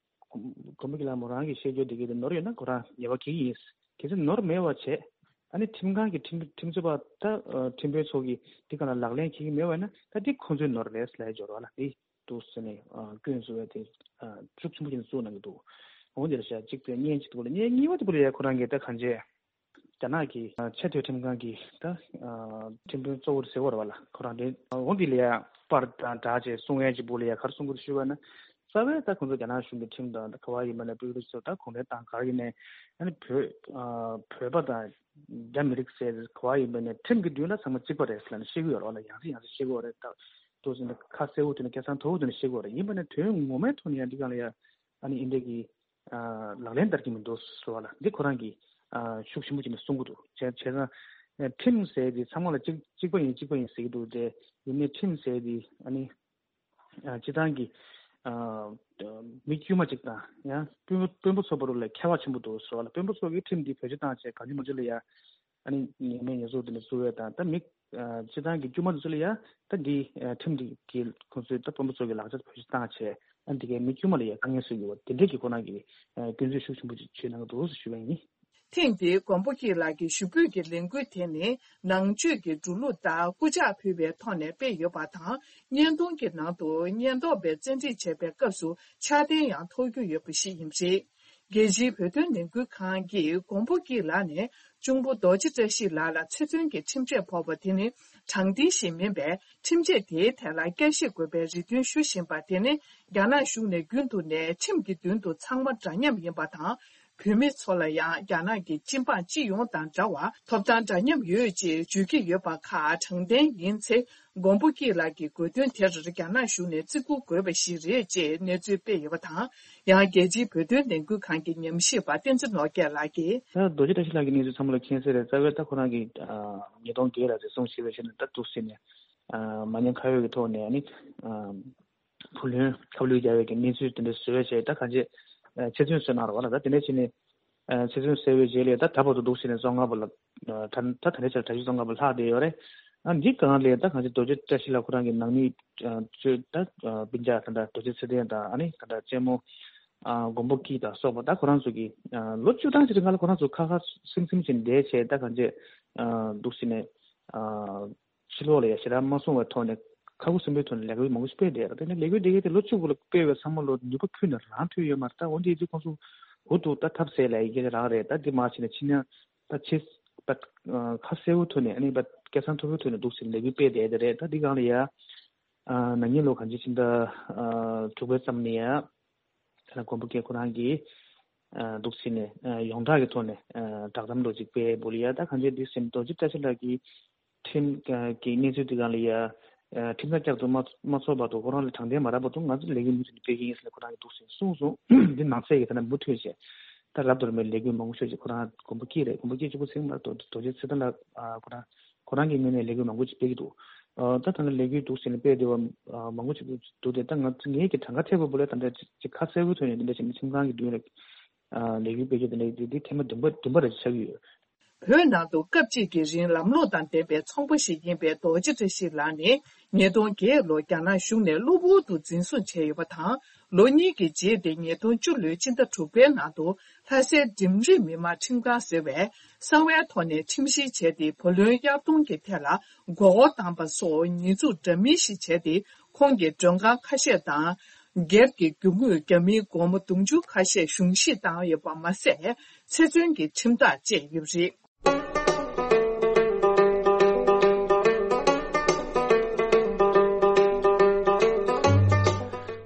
མགོན་པོ་སྐྱིད་ལགས་མོ་རང་གིས་བཤད་རྒྱུ་དེ་གའི་དེ་ནོར་ཡོད་ན་ཁོ་རང་ཉེས་པ་འཁྱེར་གྱི་ཡིན། གལ་སྲིད་ནོར་མེད་པ་བྱས་ཨ་ནི་ཁྲིམས་ཁང་གི་ཁྲིམས་ཁྲིམས་རྩོད་པ་ད་ཁྲིམས་དཔོན་ཚོ་གིས་འདི་ག་ལ་ལག་ལེན་འཁྱེར་གྱི་མེད་པ་ཡིན་ན་ད་འདི་ཁོང་ཚོའི་ནོར་རེད་ལབ་ཡ་འབྱོར་བ་ལ་དེ། འདུག་ཟེར་ནས་སྐྱོན་བཟོ་བའི་དེ་ཤུགས་ཆེན་པོ་ཅན་གཙོ་གནང་གི་འདུག་འོ་འདིར་བཞག་གཅིག་དེ་བརྙན་གཅིག་ཏུ་ལ་བརྙན་གཉིས་པ་དེ་པུ་ལ་ཡ་ཁོ་རང་གིས་ད་གང་བྱས་རྒྱ་ནག་གི་ཆེས་མཐོའི་ཁྲིམས་ཁང་གི་ད་ཁྲིམས་དཔོན་གཙོ་བོར་ཟེར་བ་རེད་བ་ལ་ཁོ་རང་དེ་འོ་འདི་ལ་ཡ་པར་དང་སྒྲ་བཅས་གསུང་ཡན་གཅིག་པུ་ལ་ཡ་ག་རེ་གསུང་གི་འདུག་ཞུས་པ་ན་རྩ་བའི་ད་ཁོང་ཚོ་རྒྱ་ནག་གཞུང་གི་ཁྲིམས་དང་ད་ག་བ་ཡིན་པ་ན་པུ་ལ་ཚོ་ད་གུང་ཁྲན་ཏང་ག་རེ་ཡིན་ནའི་ཨ་ནི་བོད་བོད་པ་དང་རྒྱ་མི་རིགས་ཟེར་ག་བ་ཡིན་པ་ནའི་ཁྲིམས་ཀྱི་མདུན་ལ་ཚང་མ་གཅིག་པ་རེད་ཟེར་ལ་ནི་བཤད་གི་ཡོད་རེད་བ་ལ་ཡང་སེ་ཡང་སེ་བཤད་གི་ཡོད་རེད་ད། འདུག་ཟེར་ནས་ཁ་གསལ་པོ་དེ་ནས་སྐད་གསང་མཐོ་པོ་དེ་ནས་བཤད་དགོས་རེད། ཡིན་པ་ནས་དོན་ངོ་མའི་ཐོག་ནས་ཡང་འདི་གང་ལ་ཡ་ཨ་ནི་ཨིན་འདྲ་གི་ལག་ལེན་བསྟར་གྱི་མི་འདུག་ཟེར་བ་ལ་འདི་ཁོ་རང་གིས་ཤུགས་ཆེན་པོ་བྱས་ནས་གསུང་གི་འདུག་བྱས་བྱས་ཙང་ཁྲིམས་ཟེར་དེ་ཚང་མ་ལ་གཅིག་གཅིག་པ་ཡིན་གཅིག་པ་ཡིན་ཟེར་གྱི་འདུག་སྟེ་ཡིན་ནའི་ཁྲིམས་ཟེར་དེ་ཨ་ནི་སྤྱི་བཏང་གི་མི་དཀྱུས་མ་གཅིག་དང་ཡང་དཔོན་པོ་དཔོན་པོ་ཚོ་བར་ལ་ཁྱད་པར་ཆེན་པོ་འདུག་ཟེར་བ་ལ་དཔོན་པོ་ཚོ་གིས་ཁྲིམས་འདི་བེད་སྤྱོད་བཏང་བྱས་གང་བྱུང་མང་བྱུང་ལ་ཡ། ཨ་ནི་ཉེས་མེད་ཉེས་གསོག་དེ་འདྲ་བཟོ་བའི་དང་ད་མི་སྤྱི་བཏང་གི་དཀྱུས་མ་དེ་ཚོ་ལ་ཡ་ད་འདི་ཁྲིམས་འདི་གི་ཁོང་ཚོའི་ད་དཔོན་པོ་ཚོ་གི་ལག་ཆ་བེད་སྤྱོད་བཏང་བྱས་ཨ་འདི་གའི་མི་དཀྱུས་མ་ལ་ཡ་དཀའ་ངལ་བཟོ་གི་ཡོད་པ་དེ་འདྲས་ཀྱི་ཁོ་རང་གི་སྐྱོན་བརྗོད་ཤུགས་ཆེན་པོ་ཅིག་བྱས་གནང་གི་འདུག་ཟེར་ཞུ་བ་ཡིན། ཐེངས་འདིའི་མགོན་པོ་སྐྱིད་ལགས་ཀྱི་ཞུ་འབོད་ཀྱི་ལས་འགུལ་དེ་ནི་ནང་ཆོས་ཀྱི་འགྲོ་ལུགས་ལྟར་སྐུ་ཕྱག་ཕུལ་བའི་ཐོག་ནས་སྤེལ་ཡོད་པ་དང་བརྙན་ཐུང་གི་ནང་དུ་ཉེན་རྟོག་པས་བཙན་ཁྲིད་བྱས་པའི་སྐབས་སུ་ཕྱག་རྟེན་ཡང་ཐོགས་རྒྱུ་ཡོད་པ་ཞིག་ཡིན་པ་རེད། རྒྱལ་སྤྱིའི་བོད་དོན་ལས་འགུལ་ཁང་གིས་མགོན་པོ་སྐྱིད་ལགས་ནས་གཅུང་པོ་རྡོ་རྗེ་བཀྲ་ཤིས་ལགས་ལ་ཚེ་བཙོན་གྱི་ཁྲིམས་ཆད་ཕོག་པ་དེ་ནི་དྲང་བདེན་ཞིག་མིན་པས་ཁྲིམས་ཆད་དེའི་ཐད་ལ་བསྐྱར་ཞིབ་དགོས་པའི་རེ་འདུན་ཞུ་བཞིན་པ་དེ་ནི་རྒྱ་ནག་གཞུང་ནས་རྒྱུན་དུ་ནས་ཁྲིམས་ཀྱི་མདུན་དུ་ཚང་མ་འདྲ་མཉམ་ཡིན་པ་དང་བོད་མི་ཚོ་ལ་ཡང་རྒྱ་ནག་གི་སྤྱི་འབངས་སྤྱི་ཡོངས་དང་འདྲ་བར་ཐོབ་ཐང་འདྲ་མཉམ་ཡོད་ཅེས་བརྗོད་ཀྱི་ཡོད་པ་ཁག་དྲང་བདེན་ཡིན་ཚེ། མགོན་པོ་སྐྱིད་ལགས་ཀྱི་དགོས་འདུན་དེར་རྒྱ་ནག་གཞུང་ནས་བརྩི་བཀུར་དགོས་པ་ཞིག་རེད་ཅེས་གནས་ཚུལ་སྤེལ་ཡོད་པ་དང་། ཡང་རྒྱལ་སྤྱིའི་བོད་དོན་ལས་འགུལ་ཁང་གི་ཉམས་ཞིབ་པ་བསྟན་འཛིན་ནོར་རྒྱས་ལགས་ཀྱིས། ད་རྡོ་རྗེ་བཀྲ་ཤིས་ལགས་ཀྱི་གནས་ཚུལ་ཚང་མ་ལ་མཁྱེན་གསལ་རེད། རྩ་བའི་ད་ཁོ་རང་གིས་ཉིས་སྟོང་བརྒྱད་ལ་རེ་ཟུང་བྱས་པའི་ཆ་ནས་ད་འདུག་ཟེར་ནས་མ་ཉེས་ཁ་གཡོགས་ཀྱི་ཐོག་ནས་ཨ་ནི་བུ་ལོན་ཁབ་ལུད་རྒྱག་པའི་གི་གནས་ཚུལ་དེ་འདྲ་བཟོས་བྱས་ད་གང་ཅི་ཆེད་བཙོན་བཟོས་གནང་རོགས་ལ་ད་དེ་འདྲ་བྱས་ནས། ཚེ་བཙོན་གསོལ་བའི་རྗེས་ལ་ད་ད་བར་དུ་འདུག་ཟེར་ནས་བཙོན་ཁང་པ་ལ་ད་ད་ལྟའི་ཆར་གྲྭ་བཞི་བཙོན་ཁང་པ་ལྷག་བསྡད་ཡོད་རེད། ཨ་འདི་སྒང་ལ་ད་གང་ཅི་རྡོ་རྗེ་བཀྲ་ཤིས་ལགས་ཁོ་རང་གི་ནང་མི་ཚོས་ད་སྤུན་ཀྱག་ད་ལྟ་རྡོ་རྗེ་ཚེ་བརྟན་དང་ཨ་ནི་ད་ལྟ་གཅེན་མོ་མགོན་པོ་སྐྱིད་དང་སོགས་པ་ད་ཁོ་རང་ཚོ་གི་ལོ་བཅུ་གྲངས་ཅིག་རིང་ལ་ཁོ་རང་ཚོ་ཁ་ཁ་སིམ་སིམ་བྱས་བསྡད་བྱས་ད་གང་ཅི་འདུག་ཟེར་ནས། ཕྱི་ལོགས་ལ་ཡ་ཞེ་དྲག་མ་སོང་བའི་ཐོག་ནས་ཁ་ཁུ་སིམ་པོའི་ཐོག་ནས་ལས་འགུལ་མང་པོ་ཞིག་སྤེལ་བསྡད་ཡོད་རེད། དེ་ནས་ལས་འགུལ་དེ་གའི་དེ་ལོ་གཅིག་གོང་ལ་སྤེལ་བའི་བསམ་བློ་ནུས་པ་ཕུལ་ནས་རང་ཐོན་ཡོད་མ་རེད། ད་འོན་ཏེ་དེ་ཁོང་ཚོ་འུ་ཐུག་ད་ཐབས་ཟད་ལ་ཡི་གེ་རང་རེད། ད་དེ་མ་བྱས་ནས་ཕྱི་ནས་ད་ཆེས་ད་ཁ་གསལ་པོའི་ཐོག་ནས་ཨ་ནི་ད་སྐད་གསང་མཐོ་པོའི་ཐོག་ནས་འདུག་ཟེར་ལས་འགུལ་སྤེལ་བསྡད་དེ་རེད། ད་འདི་སྒང་ལ་ཡ་ནང་ཉིན་ལོ་གང་ཅི་ཕྱི་ཟླ་དྲུག་པའི་མཚམས་ནས་ཡ། ད་ལྟ་མགོན་པོ་སྐྱིད་ཁོ་རང་གིས་འདུག་ཟེར་ནས་ཡོངས་གྲགས་ཀྱི་ཐོག་ནས་བསྒྲགས་གཏམ་ལོ་གཅིག་སྤེལ་འབུལ་ཡ། ད་གང་ཅི་འདི་ཟེར་ན་རྡོ་རྗེ་བཀྲ་ཤིས་ལགས་ཀྱིས་ཁྲིམས་ཀྱི་གནས་ཚུལ་འདི་སྒང་ལ་ཡ་ཁྲིམས་ཐག་བཅད་དུ་མ་མ་ཚོགས་བར་དུ་ཁོ་རང་ལ་དྲང་བདེན་མ་རག་བར་དུ་ང་ཚོ་ལས་འགུལ་མུ་མཐུད་ནས་སྤེལ་གྱི་ཡིན་ཟེར་ནས་ཁོ་རང་གིས་འདུག་ཟེར་གསུངས་སོང་། འདི་ནང་གསེས་ཀྱི་ད་ལྟ་མུ་མཐུད་བྱས་ད་རབ་ཏུ་རིམ་པའི་ལས་འགུལ་མང་པོ་ཤོས་ཤིག་ཁོ་རང་མགོན་པོ་སྐྱིད་རེད། མགོན་པོ་སྐྱིད་གཅིག་པུ་ཟེར་མ་རེད། རྡོ་རྗེ་ཚེ་བརྟན་ལགས་ཁོ་རང་ཁོ་རང་གི་ངོས་ནས་ལས་འགུལ་མང་པོ་ཅིག་སྤེལ་གྱི་འདུག་ཨ་ད་ད་ལྟ་ལས་འགུལ་འདུག་ཟེར་ནས་སྤེལ་བསྡད་པ་མང་པོ་ཅིག་འདུག་སྟེ་ད་ང་ཚོ་ངེད་ཀྱི་གྲངས་ཀ་ཐེབས་པ་པོ་ལ་ད་ལྟ་ཅིག་ཁ་གསལ་པོའི་ཐོག་ནས་འདི་འདྲ་བྱས་ནས་ཁྲིམས་ཁང་གི་མདུན་ལ་ལས་འགུལ་སྤེལ་རྒྱུ་འདི་འདྲ་འདི་འདི་ཐེངས་མ་བདུན་པ་བདུན་པ་རེ་ཆགས་ཀྱི་ཡོད། བོད་ནང་དུ་སྐབས་གཅིག་གི་རིང་ལམ་ལྷོང་དང་ལྡན་པའི་ཚོང་པ་ཞིག་ཡིན་པའི་རྡོ་རྗེ་བཀྲ་ཤིས་ལགས་ནི་ཉིས་སྟོང་བརྒྱད་ལོར་རྒྱ་ནག་གཞུང་ནས་གློ་བུར་དུ་འཛིན་བཟུང་བྱས་ཡོད་པ་དང་། ལོ་གཉིས་ཀྱི་རྗེས་ཏེ་ཉིས་སྟོང་བཅུ་ལོའི་ཕྱི་ཟླ་དྲུག་པའི་ནང་དུ་ལྷ་སའི་འགྲིམ་རིགས་མི་དམངས་ཁྲིམས་ཁང་ཟེར་བས་གསང་བའི་ཐོག་ནས་ཁྲིམས་བཤེར་བྱས་ཏེ་བུ་ལོན་གཡར་གཏོང་གི་ཐད་ལ་མགོ་སྐོར་བཏང་པ་སོགས་ཉེས་འཛུགས་འདྲ་མིན་ཞིག་བྱས་ཏེ་ཁོང་གི་མགྲོན་ཁང་ཁ་ཤས་དང་། སྒེར་གྱི་རྒྱུ་དངོས་རྒྱ་མིའི་སྒོར་མོ་དུང་ཕྱུར་ཁ་ཤས་གཞུང་བཞེས་བཏང་ཡོད་པ་མ་ཟད་ཚེ་བཙོན་གྱི་ཁྲིམས་ཐག་བཅད་ཡོད་པ་རེད།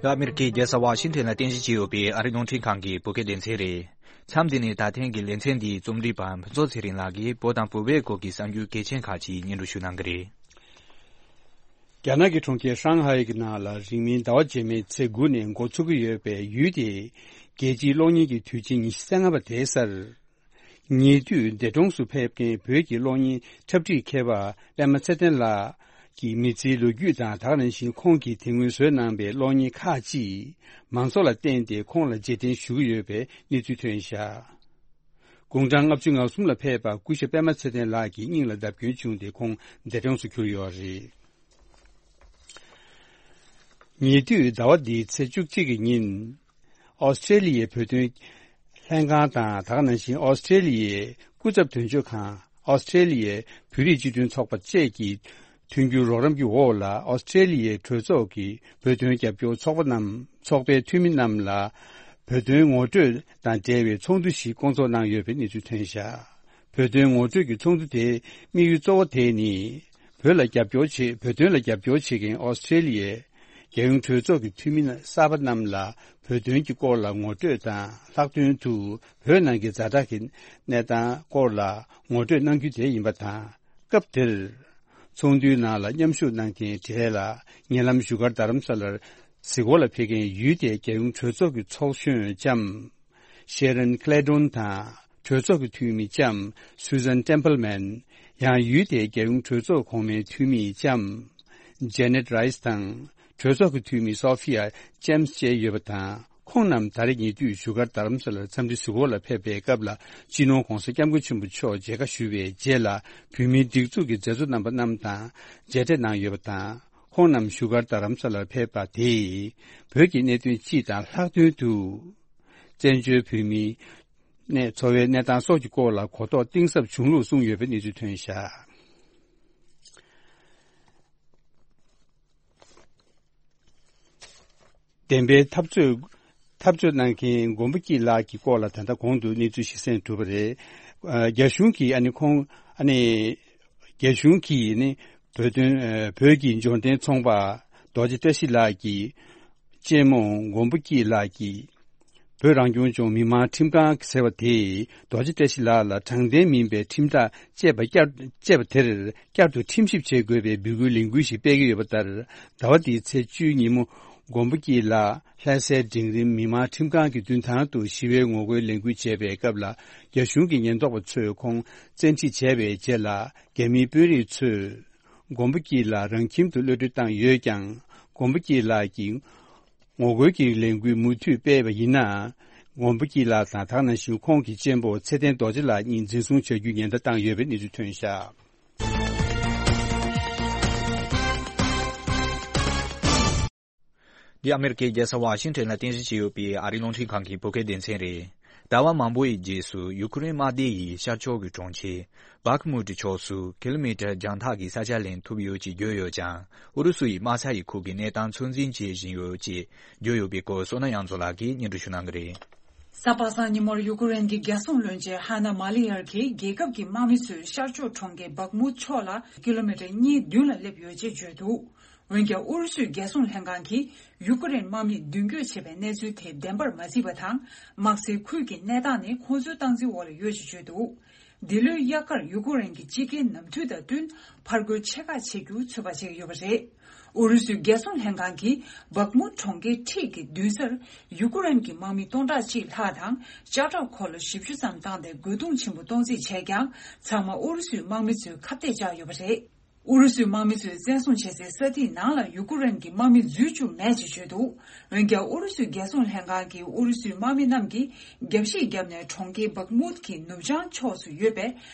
ཨ་མེ་རི་ཁའི་རྒྱལ་ས་ཝ་ཤིང་ཐན་ལ་རྟེན་གཞི་བྱས་ཡོད་པའི་ཨ་རིའི་རླུང་འཕྲིན་ཁང་གི་བོད་སྐད་སྡེ་ཚན་རེད། མཚམས་འདི་ནས་ད་ཐེངས་ཀྱི་ལེ་ཚན་འདིའི་རྩོམ་སྒྲིག་པ་ཕུན་ཚོགས་ཚེ་རིང་ལགས་ཀྱིས་བོད་དང་བོད་པའི་སྐོར་གྱི་གསར་འགྱུར་གལ་ཆེན་ཁག་ཅིག་སྙན་སྒྲོན་ཞུ་གནང་གི་རེད། རྒྱ་ནག་གི་གྲོང་ཁྱེར་ཧྲང་ཧའེ་གི་ནང་ལ་རིང་མིན་ཟླ་བ་རྗེས་མའི་ཚེས་དགུ་ནས་འགོ་ཚུགས་ཀྱི་ཡོད་པའི་ཡུལ་དེའི་ རྒྱལ་སྤྱིའི་གློག་བརྙན་གྱི་དུས་ཆེན་ཉི་ཤུ་རྩ་ལྔ་པ་དེའི་སར། ཉེ་དུས་འདས་གྲོངས་སུ་ཕེབས་མཁན་བོད་ཀྱི་གློག་བརྙན་འཁྲབ་ཁྲིད་མཁས་པ་པད་མ་ཚེ་བརྟན་ལགས་ཀྱི་མི་ཚེའི་ལོ་རྒྱུས་དང་། ད་ག་ནང་བཞིན་ཁོང་གིས་དེ་སྔོན་བཟོས་གནང་པའི་གློག་བརྙན་ཁག་ཅིག་མང་ཚོགས་ལ་བསྟན་ཏེ་ཁོང་ལ་རྗེས་དྲན་ཞུ་གི་ཡོད་པའི་གནས་ཚུལ་ཐོན་བཞག་དགུང་གྲངས་ལྔ་བཅུ་ང་གསུམ་ལ་ཕེབས་པ་སྐུ་ཞབས་པད་མ་ཚེ་བརྟན་ལགས་ཀྱི་སྙིང་ལ་བརྡབ་སྐྱོན་བྱུང་སྟེ་ཁོང་འདས་གྲོངས་སུ་གྱུར་ཡོད་རེད། ཉེ་དུས་ཟླ་བ་འདིའི་ཚེས་བཅུ་གཅིག་གི་ཉིན། ཨོ་སི་ཀྲེ་ལི་ཡའི་བོད་དོན་ལྷན་ཁང་དང་། ད་ག་ནང་བཞིན་ཨོ་སི་ཀྲེ་ལི་ཡའི་སྐུ་ཚབ་དོན་གཅོད་ཁང་། ཨོ་སི་ཀྲེ་ལི་ཡའི་བོད་རིགས་སྤྱི་མཐུན་ཚོགས་པ་བཅས་ཀྱི་མཐུན་འགྱུར་རོགས་རམ་གྱི་འོག་ལ། ཨོ་སི་ཀྲེ་ལི་ཡའི་གྲོས་ཚོགས་ཀྱི་བོད་དོན་རྒྱབ་སྐྱོར་ཚོགས་པ་རྣམས། ཚོགས་པའི་འཐུས་མི་རྣམས་ལ་བོད་དོན་ངོ་སྤྲོད་དང་འབྲེལ་བའི་ཚོགས་འདུ་ཞིག་བསྐོང་ཚོགས་གནང་ཡོད་པའི་གནས་ཚུལ་ཐོན་བཞག་བོད་དོན་ངོ་སྤྲོད་ཀྱི་ཚོགས་འདུ་དེའི་དམིགས་ཡུལ་གཙོ་བོ་དེ་ནི། བོད་ལ་རྒྱབ་སྐྱོར་བྱེད། བོད་དོན་ལ་རྒྱབ་སྐྱོར་བྱེད་མཁན་ཨོ་སི་ཀྲེ་ལི་ཡའི་རྒྱལ་ཡོངས་གྲོས་ཚོགས་ཀྱི་འཐུས་མི་གསར་པ་རྣམས་ལ་བོད་དོན་གྱི་སྐོར་ལ་ངོ་སྤྲོད་དང་། ལྷག་དོན་དུ་བོད་ནང་གི་ཛ་དྲག་གི་གནས་སྟངས་སྐོར་ལ་ངོ་སྤྲོད་གནང་རྒྱུ་དེ་ཡིན་པ་དང་། སྐབས་དེར། ཚོགས་འདུའི་ནང་ལ་མཉམ་ཞུགས་གནང་མཁན་གྲས་ལ། ཉེ་ལམ་བཞུགས་སྒར་རྡ་རམ་ས་ལར་གཟིགས་སྐོར་ལ་ཕེབས་མཁན་ཡུལ་དེའི་རྒྱལ་ཡོངས་གྲོས་ཚོགས་ཀྱི་ཚོགས་གཞོན་ལྕམ། ཤེ་རན་ཀླེ་ཏོན་དང་། གྲོས་ཚོགས་ཀྱི་འཐུས་མི་ལྕམ། སུ་ཟན་ཊེམ་པལ་མན། ཡང་ཡུལ་དེའི་རྒྱལ་ཡོངས་གྲོས་ཚོགས་གོང་མའི་འཐུས་མི་ལྕམ། ཇེ་ནེད་རའི་སི་དང་། གྲོས་ཚོགས་ཀྱི་འཐུས་མི་སོ་ཕི་ཡ་ལྕེམ་སི་བཅས་ཡོད་པ་དང་། ཁོང་རྣམས་ད་རེས་ཉེ་དུས་བཞུགས་སྒར་རྡ་རམ་ས་ལར་འཚམས་འདྲི་གཟིགས་སྐོར་ལ་ཕེབས་པའི་སྐབས་ལ། སྤྱི་ནོར་༧གོང་ས་༧སྐྱབས་མགོན་ཆེན་པོ་མཆོག་མཇལ་ཁ་ཞུ་བའི་རྗེས་ལ། བོད་མིའི་སྒྲིག་འཛུགས་ཀྱི་མཛད་གཙོ་རྣམ་པ་རྣམས་དང་མཇལ་འཕྲད་གནང་ཡོད་པ་དང་། ཁོང་རྣམས་བཞུགས་སྒར་རྡ་རམ་ས་ལར་ཕེབས་པ་དེས། བོད་ཀྱི་གནད་དོན་སྤྱི་དང་ལྷག་དོན་དུ། བཙན་བྱོལ་བོད་མིའི་གནས། འཚོ་བའི་གནས་སྟངས་སོགས་ཀྱི་སྐོར་ལ་གོ་རྟོགས་གཏིང་ཟབ་བྱུང་ལུགས་གསུངས་ཡོད་པའི་གནས་ཚུལ་ཐོན་བཞག་བདེན་པའི་འཐབ་རྩོད། འཐབ་རྩོད་གནང་མཁན་མགོན་པོ་སྐྱིད་ལགས་ཀྱི་སྐོར་ལ་ད་ལྟ་གོང་དུ་གནས་ཚུལ་ཞིག་གསན་གྲུབ་པ་རེད། ཨ། རྒྱ་གཞུང་གིས་ཨ་ནི་ཁོང་ཨ་ནི། རྒྱ་གཞུང་གིས་ནི་བོད་དོན། ཨ། བོད་ཀྱི་འབྱོར་ལྡན་ཚོང་པ་རྡོ་རྗེ་བཀྲ་ཤིས་ལགས་ཀྱི་གཅེན་མོ་མགོན་པོ་སྐྱིད་ལགས་ཀྱིས། བོད་རང་སྐྱོང་ལྗོངས་མི་དམངས་ཁྲིམས་ཁང་ཟེར་བ་དེས་རྡོ་རྗེ་བཀྲ་ཤིས་ལགས་ལ་དྲང་བདེན་མིན་པའི་ཁྲིམས་ཐག་བཅད་པ་བསྐྱར། བཅད་པ་དེར་བསྐྱར་དུ་ཁྲིམས་ཞིབ་བྱེད་དགོས་པའི་འབོད་སྐུལ་ལས་འགུལ་ཞིག་སྤེལ་གྱི་ཡོད་པ་ལྟར། ཟླ་བ་འདིའི་ཚེས་བཅུའི་ཉིན་མོ། མགོན་པོ་སྐྱིད་ལགས་ལྷ་སའི་འབྲིང་རིམ་མི་དམངས་ཁྲིམས་ཁང་གི་མདུན་ཐང་དུ་ཞི་བའི་ངོ་རྒོལ་ལས་འགུལ་བྱས་པའི་སྐབས་ལ། རྒྱ་གཞུང་གི་ཉེན་རྟོག་པ་ཚོས་ཁོང་བཙན་ཁྲིད་བྱས་པའི་རྗེས་ལ། རྒྱ་མིའི་དཔོན་རིགས་ཚོས་མགོན་པོ་སྐྱིད་ལགས་རང་ཁྱིམ་དུ་གློད་གྲོལ་བཏང་ཡོད་ཀྱང་། མགོན་པོ་སྐྱིད་ལགས་ཀྱིས། ངོ་རྒོལ་གྱི་ལས་འགུལ་མུ་མཐུད་སྤེལ་བ་ཡིན་ན། མགོན་པོ་སྐྱིད་ལགས་དང་། ད་ག་ནང་བཞིན་ཁོང་གི་གཅེན་པོ་ཚེ་བརྟན་རྡོ་རྗེ་ལགས་གཉིས་འཛིན་བཟུང་བྱ་རྒྱུའི་ཉེན་བརྡ་བཏང་ཡོད་པའི་གནས་ཚུལ་ཐོན་བཞག་འདི་ཨ་མེ་རི་ཀའི་རྒྱལ་ས་ཝ་ཤིང་ཊོན་ལ་རྟེན་གཞི་བྱས་ཡོད་པའི་ཨ་རིའི་རླུང་འཕྲིན་ཁང་གི་བོད་སྐད་སྡེ་ཚན་རེད། ཟླ་བ་མང་པོའི་རྗེས་སུ་ཡུ་ཀེ་རེན་དམག་སྡེ་ཡིས་ཤར་ཕྱོགས་ཀྱི་གྲོང་ཁྱེར། བྷག་མུ་ཏི་ཕྱོགས་སུ་ཀི་ལོ་མི་ཊར་བརྒྱ་ཕྲག་གི་ས་ཆ་ལེན་ཐུབ་ཡོད་ཅེས་བརྗོད་ཡོད་ཀྱང་། ཨུ་རུ་སུ་ཡིས་དམག་ས་ཡི་ཁུལ་གྱི་གནས་སྟངས་ཚོད་འཛིན་བྱེད་བཞིན་ཡོད་ཅེས་བརྗོད་ཡོད་པའི་སྐོར་སོ་ན་གཡང་འཛོམས་ལགས་ཀྱིས་སྙན་སྒྲོན་ཞུ་གནང་གི་རེད། གཟའ་པ་སངས་ཉིན་མོར་ཡུ་ཀེ་རེན་གྱི་རྒྱལ་སྲུང་བློན་ཆེན་ཧ་ན་མ་ལི་ཡར་གྱིས་རྒྱལ་ཁབ་ཀྱི་དམག་མི་ཚོས་ཤར་ཕྱོགས་གྲོང་ཁྱེར་བྷག་མུ་ཏི་ཕྱོགས་ལ་ཀི་ལོ་མི་ཊར་གཉིས་མདུན་ལ་སླེབས་ཡོད་ཅེས་བརྗོད་འདུག་འོན་ཀྱང་ཨུ་རུ་སུའི་རྒྱལ་སྲུང་ལྷན་ཁང་གིས་ཡུ་ཀེ་རེན་དམག་མིས་མདུན་སྐྱོད་བྱས་པའི་གནས་ཚུལ་དེ་བདེན་པར་མ་བརྩིས་པ་དང་། དམག་སའི་ཁུལ་གྱི་གནས་སྟངས་ནི་ཁོང་ཚོའི་སྟངས་འཛིན་འོག་ལ་ཡོད་ཅེས་བརྗོད་འདུག་འདི་ལོའི་དབྱར་ཁར་ཡུ་ཀེ་རེན་གྱི་སྤྱི་རྒྱལ་ནམ་དུས་དང་བསྟུན་ཕར་རྒོལ་ཆེ་ཁག་བྱེད་རྒྱུ་ཚོད་དཔག་བྱེད་ཀྱི་ཡོད་པ་རེད། ཨུ་རུ་སུའི་རྒྱལ་སྲུང་ལྷན་ཁང་གིས་བག་མུ་གྲོང་ཁྱེར་འཁྲིས་ཀྱི་མདུན་སར་ཡུ་ཀེ་རེན་གྱི་དམག་མི་སྟོང་ཕྲག་གཅིག་ལྷག་དང་ལྕགས་ཁྲབ་འཁོར་ལོ་བཞི་བཅུ་ཙམ་བཏང་སྟེ་རྒོལ་རྡུང་ཆེན་པོ་གཏོང་རྩིས་བྱས་ཀྱང་ཚང་མ་ཨུ་རུ་སུའི་དམག་མི་ཚོས་ཁ་གཏད་བཅག་ཡོད་པ་རེད། ཨུ་རུ་སུའི་དམག་མི་ཚོས་བཙན་བཟུང་བྱེད་སའི་ས་ཐིག་ནང་ལ་ཡུ་ཀེ་རེན་གྱི་དམག་མི་འཛུལ་བཅུག་མེད་ཅེས་བརྗོད་འདུག་འོན་ཀྱང་ཨུ་རུ་སུའི་རྒྱལ་སྲུང་ལྷན་ཁང་གིས་ཨུ་རུ་སུའི་དམག་མི་རྣམས་ཀྱིས་རྒྱབ་བཤིག་བརྒྱབ་ནས་གྲོང་ཁྱེར་བག་མུད་ཀྱི་ནུབ་བྱང་ཕྱོགས་སུ་ཡོད་པའི་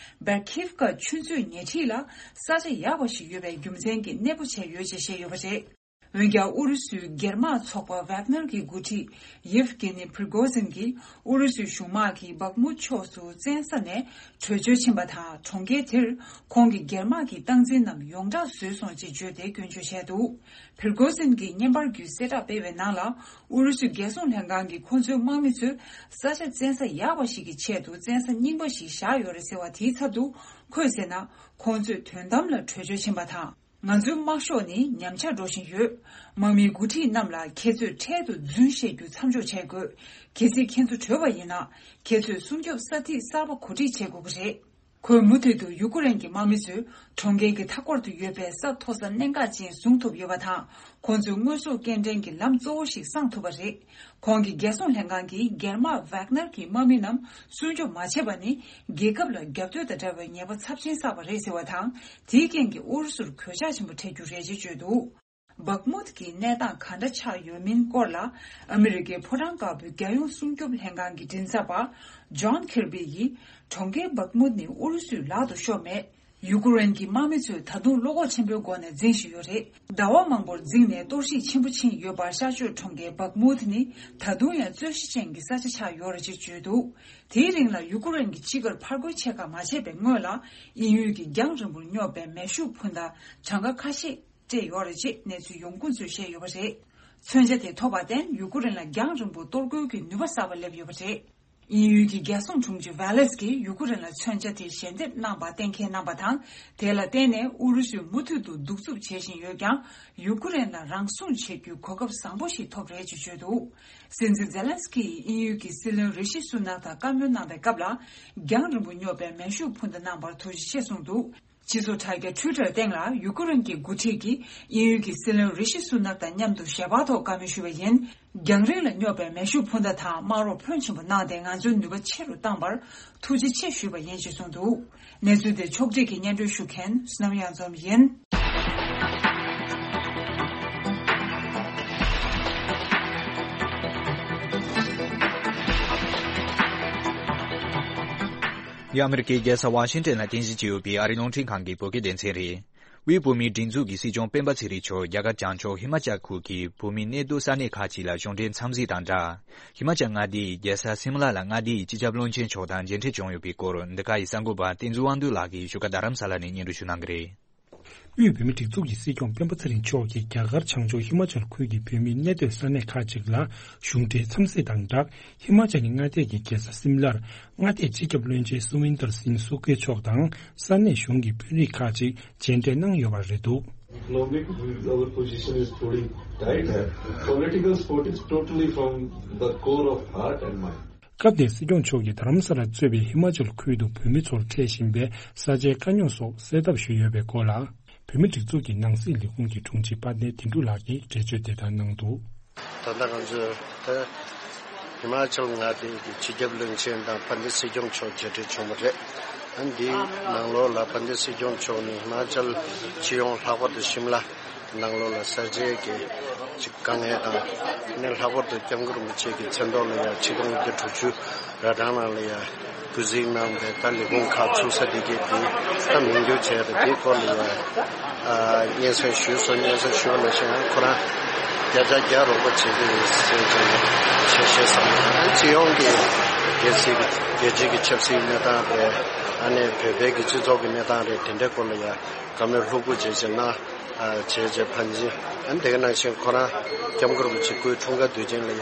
བེར་ཁིབ་ཀ་ཆུ་མཛོད་ཉེ་འཁྲིས་ལ་ས་ཆ་ཡག་པ་ཞིག་ཡོད་པའི་རྒྱུ་མཚན་གྱིས་གནས་སྤོ་བྱས་ཡོད་ཅེས་བཤད་ཡོད་པ་རེད། འོན་ཀྱང་ཨུ་རུ་སུའི་སྒེར་དམག་ཚོགས་པ་ཝག་ནར་གྱི་འགོ་ཁྲིད་ཡེབ་གྷི་ནི་པྲི་གོ་ཟིན་གྱིས་ཨུ་རུ་སུའི་གཞུང་དམག་གིས་བག་མུད་ཕྱོགས་སུ་བཙན་ས་ནས་བྲོས་བྱོལ་ཕྱིན་པ་དང་། གྲོང་ཁྱེར་དེར་ཁོང་གི་སྒེར་དམག་གི་སྟངས་འཛིན་རྣམས་ཡོངས་གྲགས་བཟོས་སོང་ཅེས་བརྗོད་དེ་སྐྱོན་བརྗོད་བྱས་འདུག་པྲི་གོ་ཟིན་གྱིས་བརྙན་པར་བརྒྱུད་གསལ་བསྒྲགས་སྤེལ་བའི་ནང་ལ། ཨུ་རུ་སུའི་རྒྱལ་སྲུང་ལྷན་ཁང་གིས་ཁོ་ཚོའི་དམག་མི་ཚོས་ས་ཆ་བཙན་ས་ཡག་པ་ཞིག་གི་ཆེད་དུ་བཙན་ས་རྙིང་པ་ཞིག་བཞག་ཡོད་རེད་ཟེར་བ་དེའི་ཚབ་ཏུ། ཁོས་ཟེར་ན། ཁོང་ཚོས་དོན་དམ་ལ་བྲོས་བྱོལ་ཕྱིན་པ་དང་། ང་ཚོའི་དམག་ཤོག་ནི་ཉམས་ཆག་འགྲོ་བཞིན་ཡོད། དམག་མིའི་འགོ་ཁྲིད་རྣམས་ལ་ཁྱེད་ཚོས་འཕྲལ་དུ་རྫུན་བཤད་རྒྱུ་མཚམས་འཇོག་བྱེད་དགོས། གལ་སྲིད་ཁྱེད་ཚོ་བྲོས་པ་ཡིན་ན། ཁྱེད་ཚོས་སྲུང་སྐྱོབ་ས་ཐིག་གསར་པ་གོ་སྒྲིག་བྱེད་དགོས་ཀྱི་རེད། ཁོས་མུ་མཐུད་དུ་ཡུ་ཀེ་རེན་གྱི་དམག་མི་ཚོས་གྲོང་ཁྱེར་གྱི་མཐའ་འཁོར་དུ་ཡོད་པའི་ས་མཐོ་ས་གནད་འགག་ཅན་བཟུང་ཐུབ་ཡོད་པ་དང་། ཁོང་ཚོས་དངོས་ཟོག་སྐྱེལ་འདྲེན་གྱི་ལམ་གཙོ་བོ་ཞིག་བསྲང་ཐུབ་པ་རེད། ཁོང་གིས་རྒྱལ་སྲུང་ལྷན་ཁང་གིས་སྒེར་དམག་ཝག་ནར་གྱི་དམག་མི་རྣམས་སྲུང་སྐྱོབ་མ་བྱས་པ་ནི། རྒྱལ་ཁབ་ལ་རྒྱབ་གཏོད་དང་འདྲ་བའི་ཉེས་པ་ཚབས་ཆེན་བསགས་པ་རེད་ཟེར་བ་དང་། དེའི་རྐྱེན་གྱིས་ཨུ་རུ་སུར་གོད་ཆག་ཆེན་པོ་འཕྲད་རྒྱུ་རེད་ཅེས་བརྗོད་འདུག། བག་མུད་ཀྱི་གནས་སྟངས་ག་འདྲ་ཆགས་ཡོད་མིན་སྐོར་ལ། ཨ་མི་རི་ཀའི་ཕོ་བྲང་དཀར་པོའི་རྒྱལ་ཡོངས་སྲུང་སྐྱོབ་ལྷན་ཁང་གི་མགྲིན་ཚབ་པ་ཇོན་ཁིར་བི་ཡིས། གྲོང་ཁྱེར་བག་མུད་ནི་ཨུ་རུ་སུའི་ལག་ཏུ་ཤོར་མེད། ཡུ་ཀེ་རེན་གྱི་དམག་མི་ཚོས་ད་དུང་བློ་ཁོག་ཆེན་པོའི་སྒོ་ནས་འཛིང་བཞིན་ཡོད་རེད། ཟླ་བ་མང་པོར་འཛིང་ནས་གཏོར་བཤིག་ཆེན་པོ་ཕྱིན་ཡོད་པར། ཤར་ཕྱོགས་གྲོང་ཁྱེར་བག་མུད་ནི་ད་དུང་ཡང་རྩོད་གཞི་ཅན་གྱི་ས་ཆ་ཆགས་ཡོད་རེད་ཅེས་བརྗོད་འདུག། དེའི་རིང་ལ་ཡུ་ཀེ་རེན་གྱི་སྤྱི་སྒེར་ཕར་རྒོལ་ཆེ་ཁག་མ་བྱས་པའི་སྔོན་ལ། དབྱིན་ཡུལ་གྱིས་རྒྱང་རིང་པོར་སྙོབ་པའི་མེ་ཤུགས་འཕུར་མདའ་གྲངས་ཀ་ཁ་ཤས་སྤྲད་ཡོད་རེད་ཅེས་གནས་ཚུལ་ཡོང་ཁུངས་ཚོས་བཤད་ཡོད་པ་རེད། མཚོན་ཆ་དེ་ཐོབ་པར་བརྟེན། ཡུ་ཀེ་རེན་ལ་རྒྱང་རིང་པོ་གཏོར་རྒོལ་གྱི་ནུས་པ་གསར་པ་སླེབས་ཡོད་པ་རེད། དབྱིན་ཡུལ་གྱི་རྒྱལ་སྲུང་དྲུང་ཆེ་ཝེ་ལེས་ཀྱིས་ཡུ་ཀེ་རེན་ལ་མཚོན་ཆ་དེ་ཞལ་འདེབས་གནང་པ་གཏན་འཁེལ་གནང་པ་དང་། དེ་ལ་བརྟེན་ནས་ཨུ་རུ་སུས་མུ་མཐུད་དུ་གདུག་རྩུབ་བྱེད་བཞིན་ཡོད་ཀྱང་། ཡུ་ཀེ་རེན་ལ་རང་སྲུང་བྱེད་རྒྱུའི་གོ་སྐབས་བཟང་པོ་ཞིག་ཐོབ་རེད་ཅེས་བརྗོད་འདུག། སྲིད་འཛིན་ཛེ་ལན་སི་ཀི་ཡིས་དབྱིན་ཡུལ་གྱི་སྲིད་བློན་རི་ཤི་སུ་ནག་དང་བཀའ་མོལ་གནང་པའི་སྐབས་ལ། རྒྱང་རིང་པོ་སྙོབ་པའི་མེ་ཤུགས་འཕུར་མདའ་གནང་པར་ཐུགས་རྗེ་ཆེ་གསུངས་འདུག། སྤྱི་ཚོགས་དྲ་རྒྱ་ཊུའི་ཊར་སྟེང་ལ་ཡུ་ཀེ་རེན་གྱི་འགོ་ཁྲིད་ཀྱིས་དབྱིན་ཡུལ་གྱི་སྲིད་བློན་རི་ཤི་སུ་ནག་དང་མཉམ་དུ་ཞལ་པར་ཐོག་བཀའ་མོལ་ཞུས་པ་ཡིན། རྒྱང་རིང་ལ་སྙོབ་པའི་མེ་ཤུགས་འཕུར་མདའ་དང་དམག་རོགས་ཕོན་ཆེན་པོ་གནང་སྟེ། ང་ཚོའི་ནུས་པ་ཆེ་རུ་བཏང་བར་ཐུགས་རྗེ་ཆེ་ཞུས་པ་ཡིན་ཞེས་གསུངས་འདུག། གནས་ཚུལ་དེ་ཕྱོགས་སྒྲིག་གིས་སྙན་སྒྲོན་ཞུ་མཁན་བསོད་ནམས་གཡང་འཛོམས་ཡིན། འདི་ཨ་མི་རི་ཀའི་རྒྱལ་ས་ཝ་ཤིང་ཏན་ལ་རྟེན་གཞི་བྱས་ཡོད་པའི་ཨ་རིའི་རླུང་འཕྲིན་ཁང་གི་བོད་སྐད་སྡེ་ཚན་རེད། དབུས་བོད་མིའི་སྒྲིག་འཛུགས་ཀྱི་སྲིད་སྐྱོང་སྤེན་པ་ཚེ་རིང་མཆོག་རྒྱ་གར་བྱང་ཕྱོགས་ཧི་མ་ཅལ་ཁུལ་གྱི་བོད་མིའི་གནས་སྡོད་ས་གནས་ཁག་ཅིག་ལ་གཞུང་འབྲེལ་འཚམས་གཟིགས་དང་སྦྲགས། ཧི་མ་ཅལ་མངའ་སྡེའི་རྒྱལ་ས་སིམ་ལ་ལ་མངའ་སྡེའི་སྤྱི་ཁྱབ་བློན་ཆེན་མཆོག་དང་མཇལ་འཕྲད་བྱུང་ཡོད་པའི་སྐོར། འདི་ག་ཡི་གསར་འགོད་པ་བསྟན་འཛིན་དབང་འདུས་ལགས་ཀྱིས་བཞུགས་སྒར་རྡ་རམ་ས་ལ་ནས་སྙན་སྒྲོན་ཞུ་གནང་གི་རེད། དབུས་བོད་མིའི་སྒྲིག་འཛུགས་ཀྱི་སྲིད་སྐྱོང་སྤེན་པ་ཚེ་རིང་མཆོག་གིས་རྒྱ་གར་བྱང་ཕྱོགས་ཧི་མ་ཅལ་ཁུལ་གྱི་བོད་མིའི་གནས་སྡོད་ས་གནས་ཁག་ཅིག་ལ་གཞུང་འབྲེལ་འཚམས་གཟིགས་དང་སྦྲགས། ཧི་མ་ཅལ་མངའ་སྡེ་གི་རྒྱལ་ས་སིམ་ལར་མངའ་སྡེའི་སྤྱི་ཁྱབ་བློན་ཆེན་སུ་ཝིན་དར་སིན་སུ་ཀེ་མཆོག་དང་ས་གནས་གཞུང་གི་དཔོན་རིགས་ཁག་ཅིག་མཇལ་འཕྲད་གནང་ཡོད་པ་རེད་འདུག། Economic with our position is pretty tight. Political support is totally from the core of heart and mind. སྐབས་དེར་སྲིད་སྐྱོང་མཆོག་གིས་རྡ་རམ་ས་ལར་གཙོས་པའི་ཧི་མ་ཅལ་ཁུལ་དུ་བོད་མི་ཚོར་འཕྲད་བཞིན་པའི་ས་ཆའི་དཀའ་རྙོག་སོགས་སེལ་ཐབས་ཞུས་ཡོད་པའི་སྐོར་ལ། བོད་མིའི་སྒྲིག་འཛུགས་ཀྱི་ནང་སྲིད་ལས་ཁུངས་ཀྱི་དྲུང་ཆེ་དཔལ་ལྡན་དོན་གྲུབ་ལགས་ཀྱིས་འགྲེལ་བརྗོད་དེ་ལྟར་གནང་འདུག། ད་ལྟ་ང་ཚོས་ད་ཧི་མ་ཅལ་མངའ་སྡེ་གི་སྤྱི་ཁྱབ་བློན་ཆེན་དང་དཔལ་ལྡན་སྲིད་སྐྱོང་མཆོག་མཇལ་འཕྲད་བྱུང་བ་རེད། ཨ་འདིའི་ནང་ལོགས་ལ་དཔལ་ལྡན་སྲིད་སྐྱོང་མཆོག་ནི་ཧི་མ་ཅལ་སྤྱི་ཡོངས་ལྷག་པར་དུ་ཤིམ་ལ་ནང་ལོགས་ལ་ས་ཆའི་གི་ཅིག་དཀའ་ངལ་དང་། ཨ་ནི་ལྷག་པར་དུ་སྐྱབས་མགོན་རིན་པོ་ཆེ་གི་མཚན་ཐོག་ལ་ཡང་ཆིག་སྟོང་དགུ་བརྒྱ་དྲུག་ཅུ་ར་གྲངས་ནང་ལ་ཡང་སྐུ་གཟིགས་གནང་བའི་ད་ལས་ཁུངས་ཁག་ཚུགས་ས་དེ་གའི་དེ་ད་མིང་བསྒྱུར་བྱས་པ་དེའི་སྐོར་ལ་ཡང་ཨ་སྙན་སེང་ཞུས་སོང་། སྙན་སེང་ཞུས་པ་ནང་བཞིན་ཁོ་རང་བརྒྱ་ཆ་བརྒྱ་རོགས་པ་བྱེད་ཀྱི་ཡོད་ཟེར་བྱས་ནས་ཞལ་བཞེས་གནང་། ཨ་སྤྱི་ཡོངས་ཀྱི་རྒྱལ་སྲིད་རྒྱལ་སྤྱིའི་གི་ཆབ་སྲིད་གནས་སྟངས་རེད། ཨ་ནི་བོད་པའི་གི་སྤྱི་ཚོགས་ཀྱི་གནས་སྟངས་རེད། དེ་འདྲའི་སྐོར་ལ་ཡང་བཀའ་མོལ་ལྷུག་པོ་བྱས་བྱས་གནང་། ཨ་བྱས་བྱས་ཕན་ཚུན་ཨ་ནི་དེ་ག་ནང་བཞིན་ཁོ་རང་སྐྱབས་མགོན་རིན་པོ་ཆེ་སྐུའི་འཁྲུངས་སྐར་དུས་ཆེན་ལ་ཡང་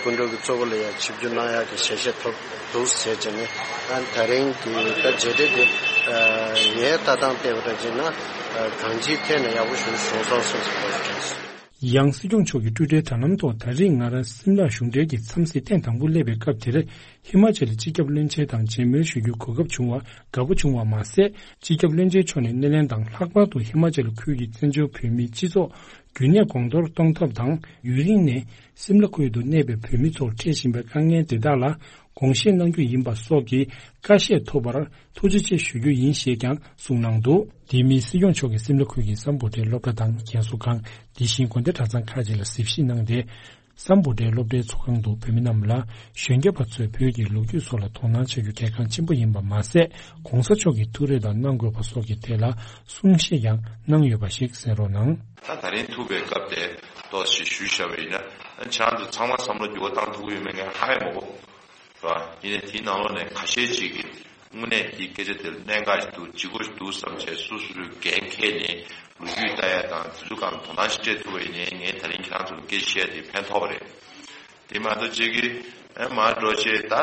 སྐུ་མགྲོན་གྱི་གཙོ་བོ་ལ་ཡང་ཆིབས་བསྒྱུར་གནང་ཡག་གི་ཞལ་བཞེས་ཐོབ་འདུག་ཟེར་བྱས་ནས། ཨ་ནི་ད་རིང་གི་ད་མཇལ་འཕྲད་དེ་ངའི་ལྟ་སྟངས་བལྟས་པ་འདྲ་བྱས་ན་གང་ཅིའི་ཐད་ནས་ཡག་པོ་ཞིག་བྱུང་སོང་བསམ་བསམ་པ་དྲན་སོང་། ཡང་སྲིད་སྐྱོང་མཆོག་གིས་ཊུའི་ཊར་དྲ་ལམ་ཐོག་ད་རེས་ང་རང་སིམ་ལར་གཞུང་འབྲེལ་གྱི་འཚམས་གཟིགས་ཐེངས་དང་པོ་སླེབས་པའི་སྐབས་དེར། ཧི་མ་ཅལ་སྤྱི་ཁྱབ་བློན་ཆེན་དང་མཇལ་མོལ་ཞུ་རྒྱུའི་གོ་སྐབས་བྱུང་བར་དགའ་པོ་བྱུང་བ་མ་ཟད། སྤྱི་ཁྱབ་བློན་ཆེན་མཆོག་ནས་སྣེ་ལེན་དང་། ལྷག་པར་དུ་ཧི་མ་ཅལ་ཁུལ་གྱི་བཙན་བྱོལ་བོད་མིའི་སྤྱི་ཚོགས་རྒྱུན་གནས་གོང་མཐོར་གཏོང་ཐབས་དང་། ཡུན་རིང་ནས་སིམ་ལ་ཁུལ་དུ་གནས་པའི་བོད་མི་ཚོར་འཕྲད་བཞིན་པའི་དཀའ་ངལ་དེ་དག་ལ་དགོངས་བཞེས་གནང་རྒྱུ་ཡིན་པ་སོགས་ཀྱི་བཀའ་བཞེས་ཐོབ་པར་ཐུགས་རྗེ་ཆེ་ཞུ་རྒྱུ་ཡིན་ཞེས་ཀྱང་གསུངས་གནང་འདུག། དེ་མིན་སྲིད་སྐྱོང་མཆོག་གིས་སིམ་ལ་ཁུལ་གྱི་སམ་བྷོ་ཊའི་སློབ་གྲྭ་དང་རྒན་གསོ་ཁང་། དེ་བཞིན་དགོན་སྡེ་གྲྭ་ཚང་ཁག་ཅིག་ལ་གཟིགས་ཞིབ་གནང་སྟེ། སམ་བྷོ་ཊའི་སློབ་གྲྭའི་ཚོགས་ཁང་དུ་བོད་མི་རྣམས་ལ་གཞོན་སྐྱེས་པ་ཚོས་བོད་ཀྱི་ལོ་རྒྱུས་སོགས་ལ་དོ་སྣང་བྱ་རྒྱུ་གལ་འགངས་ཆེན་པོ་ཡིན་པ་མ་ཟད། ༸གོང་ས་མཆོག་གིས་ཐུགས་རེ་དང་གནང་དགོས་པ་སོགས་ཀྱི་ཐད་ལ་གསུང་བཤད་ཀྱང་གནང་ཡོད་པ་ཞིག་གསན་རོགས་གནང་། ད་ད་རིང་ཐུག་པའི་སྐབས་དེ་ཏོག་ཙམ་ཞུས་བཞག་པ་ཡིན་ན། ཁྱེད་རང་ཚོ་ཚང་མ་བསམ་བློ་འགྱུར་བ་བཏང་ཐུབ་ཀྱི་ཡོད་མེད་ངས་ཧ་ཡང་མ་གོ། རེད་བ། ཡིན་ནའི་དེའི་ནང་ལོགས་ནས་ཁ་ཤས་ཅིག་གིས་དངོས་གནས་ཀྱི་སྐད་ཆ་དེར་གནད་འགག་ཞིག་འདུག། ལྗིད་ཁོག་ཞིག་འདུག་བསམ་བྱས་སོ་སོ་སོའི་འགན་འཁྱེར་ནས་ལོ་རྒྱུས་ལྟ་ཡ་དང་དེ་ཚོ་སྒང་དོ་སྣང་ཞིག་སྤྲད་ཐུབ་པ་ཡིན་ནའི་ངས་ད་རིང་ཁྱེད་རང་ཚོ་ལ་སྐད་ཆ་བཤད་ཡ་དེ་ཕན་ཐོགས་པ་རེད། དེ་མ་གཏོགས་ཅིག་གིས་ཨེ་མར་འགྲོ་བྱས་ད་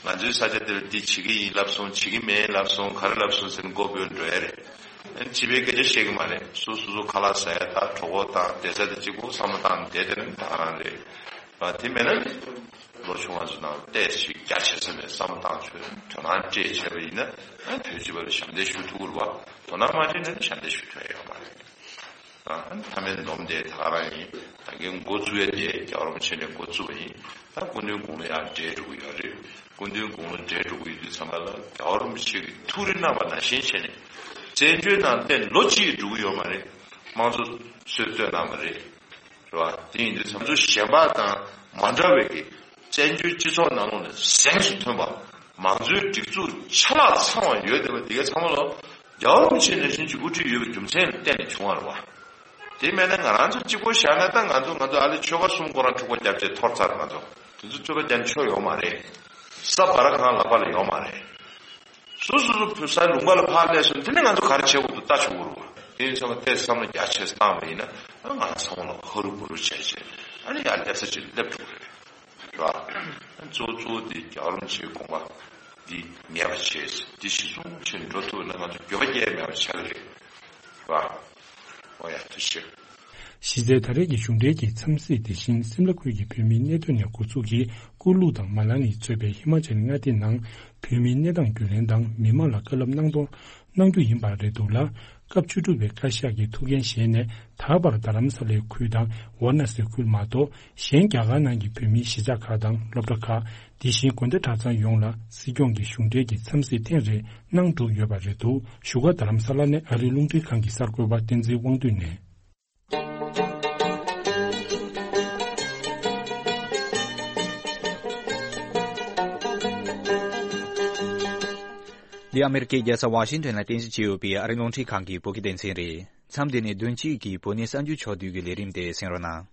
ང་ཚོའི་ས་ཆ་དེར་འདི་བྱེད་ཀྱི་ཡིན་ལབ་སོང་། བྱེད་ཀྱི་མེད་ལབ་སོང་། ག་རེ་ལབ་སོང་ཟེར་ནས་མགོ་འབོལ་འགྲོ་ཡ་རེད། ཨེ་སྤྱི་པའི་སྐད་ཆ་བཤད་ཀྱི་མ་རེད། སོ་སོ་སོ་ཁ་ལག་ཟ་ཡ་དང་གྲོད་ཁོག་དང་བསྡད་ས་དེ་གཅིག་པོ་བསམ་བློ་བཏང་བསྡད་དེ་ནི་ད་ག་རང་རེད། རེད་བ། དེ་མེད་ན་ནི་ལོ་ཆུང་བ་ཚོ་ནང་ཏོག་ཙམ་རྒྱ་ཆེ་ས་ནས་བསམ་བློ་བཏང་ཆོག་དོ་སྣང་སྤྲད་བྱས་པ་ཡིན་ན་ཨ་བོད་སྤྱི་པ་ལ་ཞབས་འདེགས་ཞུ་ཐུབ་ཀྱི་རེད་བ། དོ་སྣང་མ་སྤྲད་ན་ནི་ཞབས་འདེགས་ཞུ་ཐུབ་ཡ་ཡོད་མ་རེད། ཨ་མཐའ་མའི་འདོམས་དེ་ད་ག་རང་ཡིན། ད་གིན་འགོ་བཙུགས་ཡ་དེ་རྒྱལ་བ་རིན་པོ་ཆེ་ནས་འགོ་བཙུགས་པ་ཡིན། ད་སྐུ་མདུན་དགུང་ལོ་ཡར་བགྲེས་འགྲོ་གི་ཡོད་རེད། སྐུ་མདུན་དགུང་ལོ་བགྲེས་འགྲོ་གི་ཡོད་དུས་ཙམ་པ་ལ་རྒྱལ་བ་རིན་པོ་ཆེ་གིས་ཐུགས་རེ་གནང་བ་ནང་བཞིན་བྱས་ནས་བཙན་བྱོལ་ནང་བསྟན་ལོ་གཅིག་འགྲོ་གི་ཡོད་མ་རེད། དམངས་གཙོ་སྲོལ་བཏོད་གནང་བ་རེད། རེད་བ། དེ་ཡིན་དུས་ང་ཚོ་གཞན་པ་དང་མ་འདྲ་བའི་གི་བཙན་བྱོལ་སྤྱི་ཚོགས་ནང་ལོགས་ནས་གཟེངས་སུ་ཐོན་པ། མང་གཙོའི་སྒྲིག་འཛུགས་ཆ་ལག་ཚང་བ་ཡོད་བསྡད་པ་དེ་གའི་ཚང་མ་ལོ་རྒྱལ་བ་རིན་པོ་ཆེ་ནང་བཞིན་གྱི་དབུ་ཁྲིད་ཡོད་པའི་རྒྱུ་མཚན་ལ་བརྟེན་ནས་བྱུང་བ་རེད་བ། དེ་མེད་ན་ང་རང་ཚོ་གཅིག་པོ་བཞག་ན་ད་ང་ཚོ་ང་ཚོ་ཨ་ལེ་ཆོལ་ཁ་གསུམ་ཁོ་རང་འཁྲུག་པ་བརྒྱབ་བྱས་འཐོར་ཚར། ང་ཚོ་དེ་ཚོ་རྩོད་པ་རྒྱག་ཆོག་ཡོད་མ་རེད། ས་བར་ཁང་ལག་པ་ལ་ཡོད་མ་རེད། སོ་སོ་སོ་བོད་ས་ལུང་པ་ལ་ཕར་སླེབས་སོང་། དེ་ནས་ང་ཚོ་ག་རེ་བྱེད་དགོས་འདུག་ལྟ་ཆོག་གི་རེད་བ། དེ་ཡིན་ཙང་ཏོག་ཙམ་བསམ་བློ་རྒྱ་ཆེ་བཏང་བ་ཡིན་ན་ང་རང་ཚང་མ་ལ་ཧ་རུ་བུ་རུ་བྱས་བྱས་ཨ་ནི་ཡར་སླེབས་ས་ཅིག་སླེབས་འགྲོ་གི་རེད། རེད་བ། གཙོ་བོ་གཙོ་བོ་དེ་རྒྱལ་བ་རིན་པོ་ཆེའི་དགོངས་པ་འདི་ངེས་པ་བྱས། འདི་གཞི་བཟུང་བྱས་འགྲོ་ཐུབ་ན་ང་ཚོ་འགྱོད་པ་སྐྱེ་མེད་པ་ཆགས་ཀྱི་རེད། རེད་བ། འོ་ཡ་ཐུགས་རྗེ་ཆེ། གཞི་རྩའི་ད་རེས་ཀྱི་གཞུང་འབྲེལ་གྱི་འཚམས་གཟིགས་དེ་བཞིན་སིམ་ལ་ཁུལ་གྱི་བོད་མིའི་གནས་སྡོད་ནས་འགོ་ཚུགས་ཀྱིས་ཀུ་ལུ་དང་མ་ལ་ནི་གཙོས་པའི་ཧི་མ་ཅལ་མངའ་སྡེ་ནང་བོད་མིའི་གནས་སྟངས་རྒྱུས་ལོན་དང་མི་མང་ལ་བཀའ་སློབ་གནང་གཏོང་གནང་རྒྱུ་ཡིན་པ་རེད་འདུག་ལ། སྐབས་བཅུ་དྲུག་པའི་བཀའ་ཤག་གི་ཐུགས་འགན་བཞེས་ནས་ད་བར་རྡ་རམ་ས་ལའི་ཁུལ་དང་ཝཱ་ཎ་སི་ཁུལ་མ་གཏོགས་གཞན་རྒྱ་གར་ནང་གི་བོད་མིའི་གཞིས་ཆགས་ཁག་དང་སློབ་གྲྭ་ཁག་དེ་བཞིན་དགོན་སྡེ་གྲྭ་ཚང་ཡོངས་ལ་སྲིད་སྐྱོང་གི་གཞུང་འབྲེལ་གྱི་འཚམས་གཟིགས་ཐེངས་རེ་གནང་གྲུབ་ཡོད་པ་རེད་འདུག་བཞུགས་སྒར་རྡ་རམ་ས་ལ་ནས་ཨ་རིའི་རླུང་འཕྲིན་ཁང་གི་གསར་འགོད་པ་བསྟན་འཛིན་དབང་འདུས་ནས། འདི་ཨ་མེ་རི་ཀའི་རྒྱལ་ས་ཝ་ཤིང་ཏོན་ལ་རྟེན་གཞི་བྱས་ཡོད་པའི་ཨ་རིའི་རླུང་འཕྲིན་ཁང་གི་བོད་སྐད་སྡེ་ཚན་རེད། མཚམས་འདི་ནས་བདུན་གཅིག་གི་བོད་གནས་གསར་འགྱུར་ཕྱོགས་བསྡུས་ཀྱི་ལས་རིམ་དེ་གསན་རོགས་གནང་།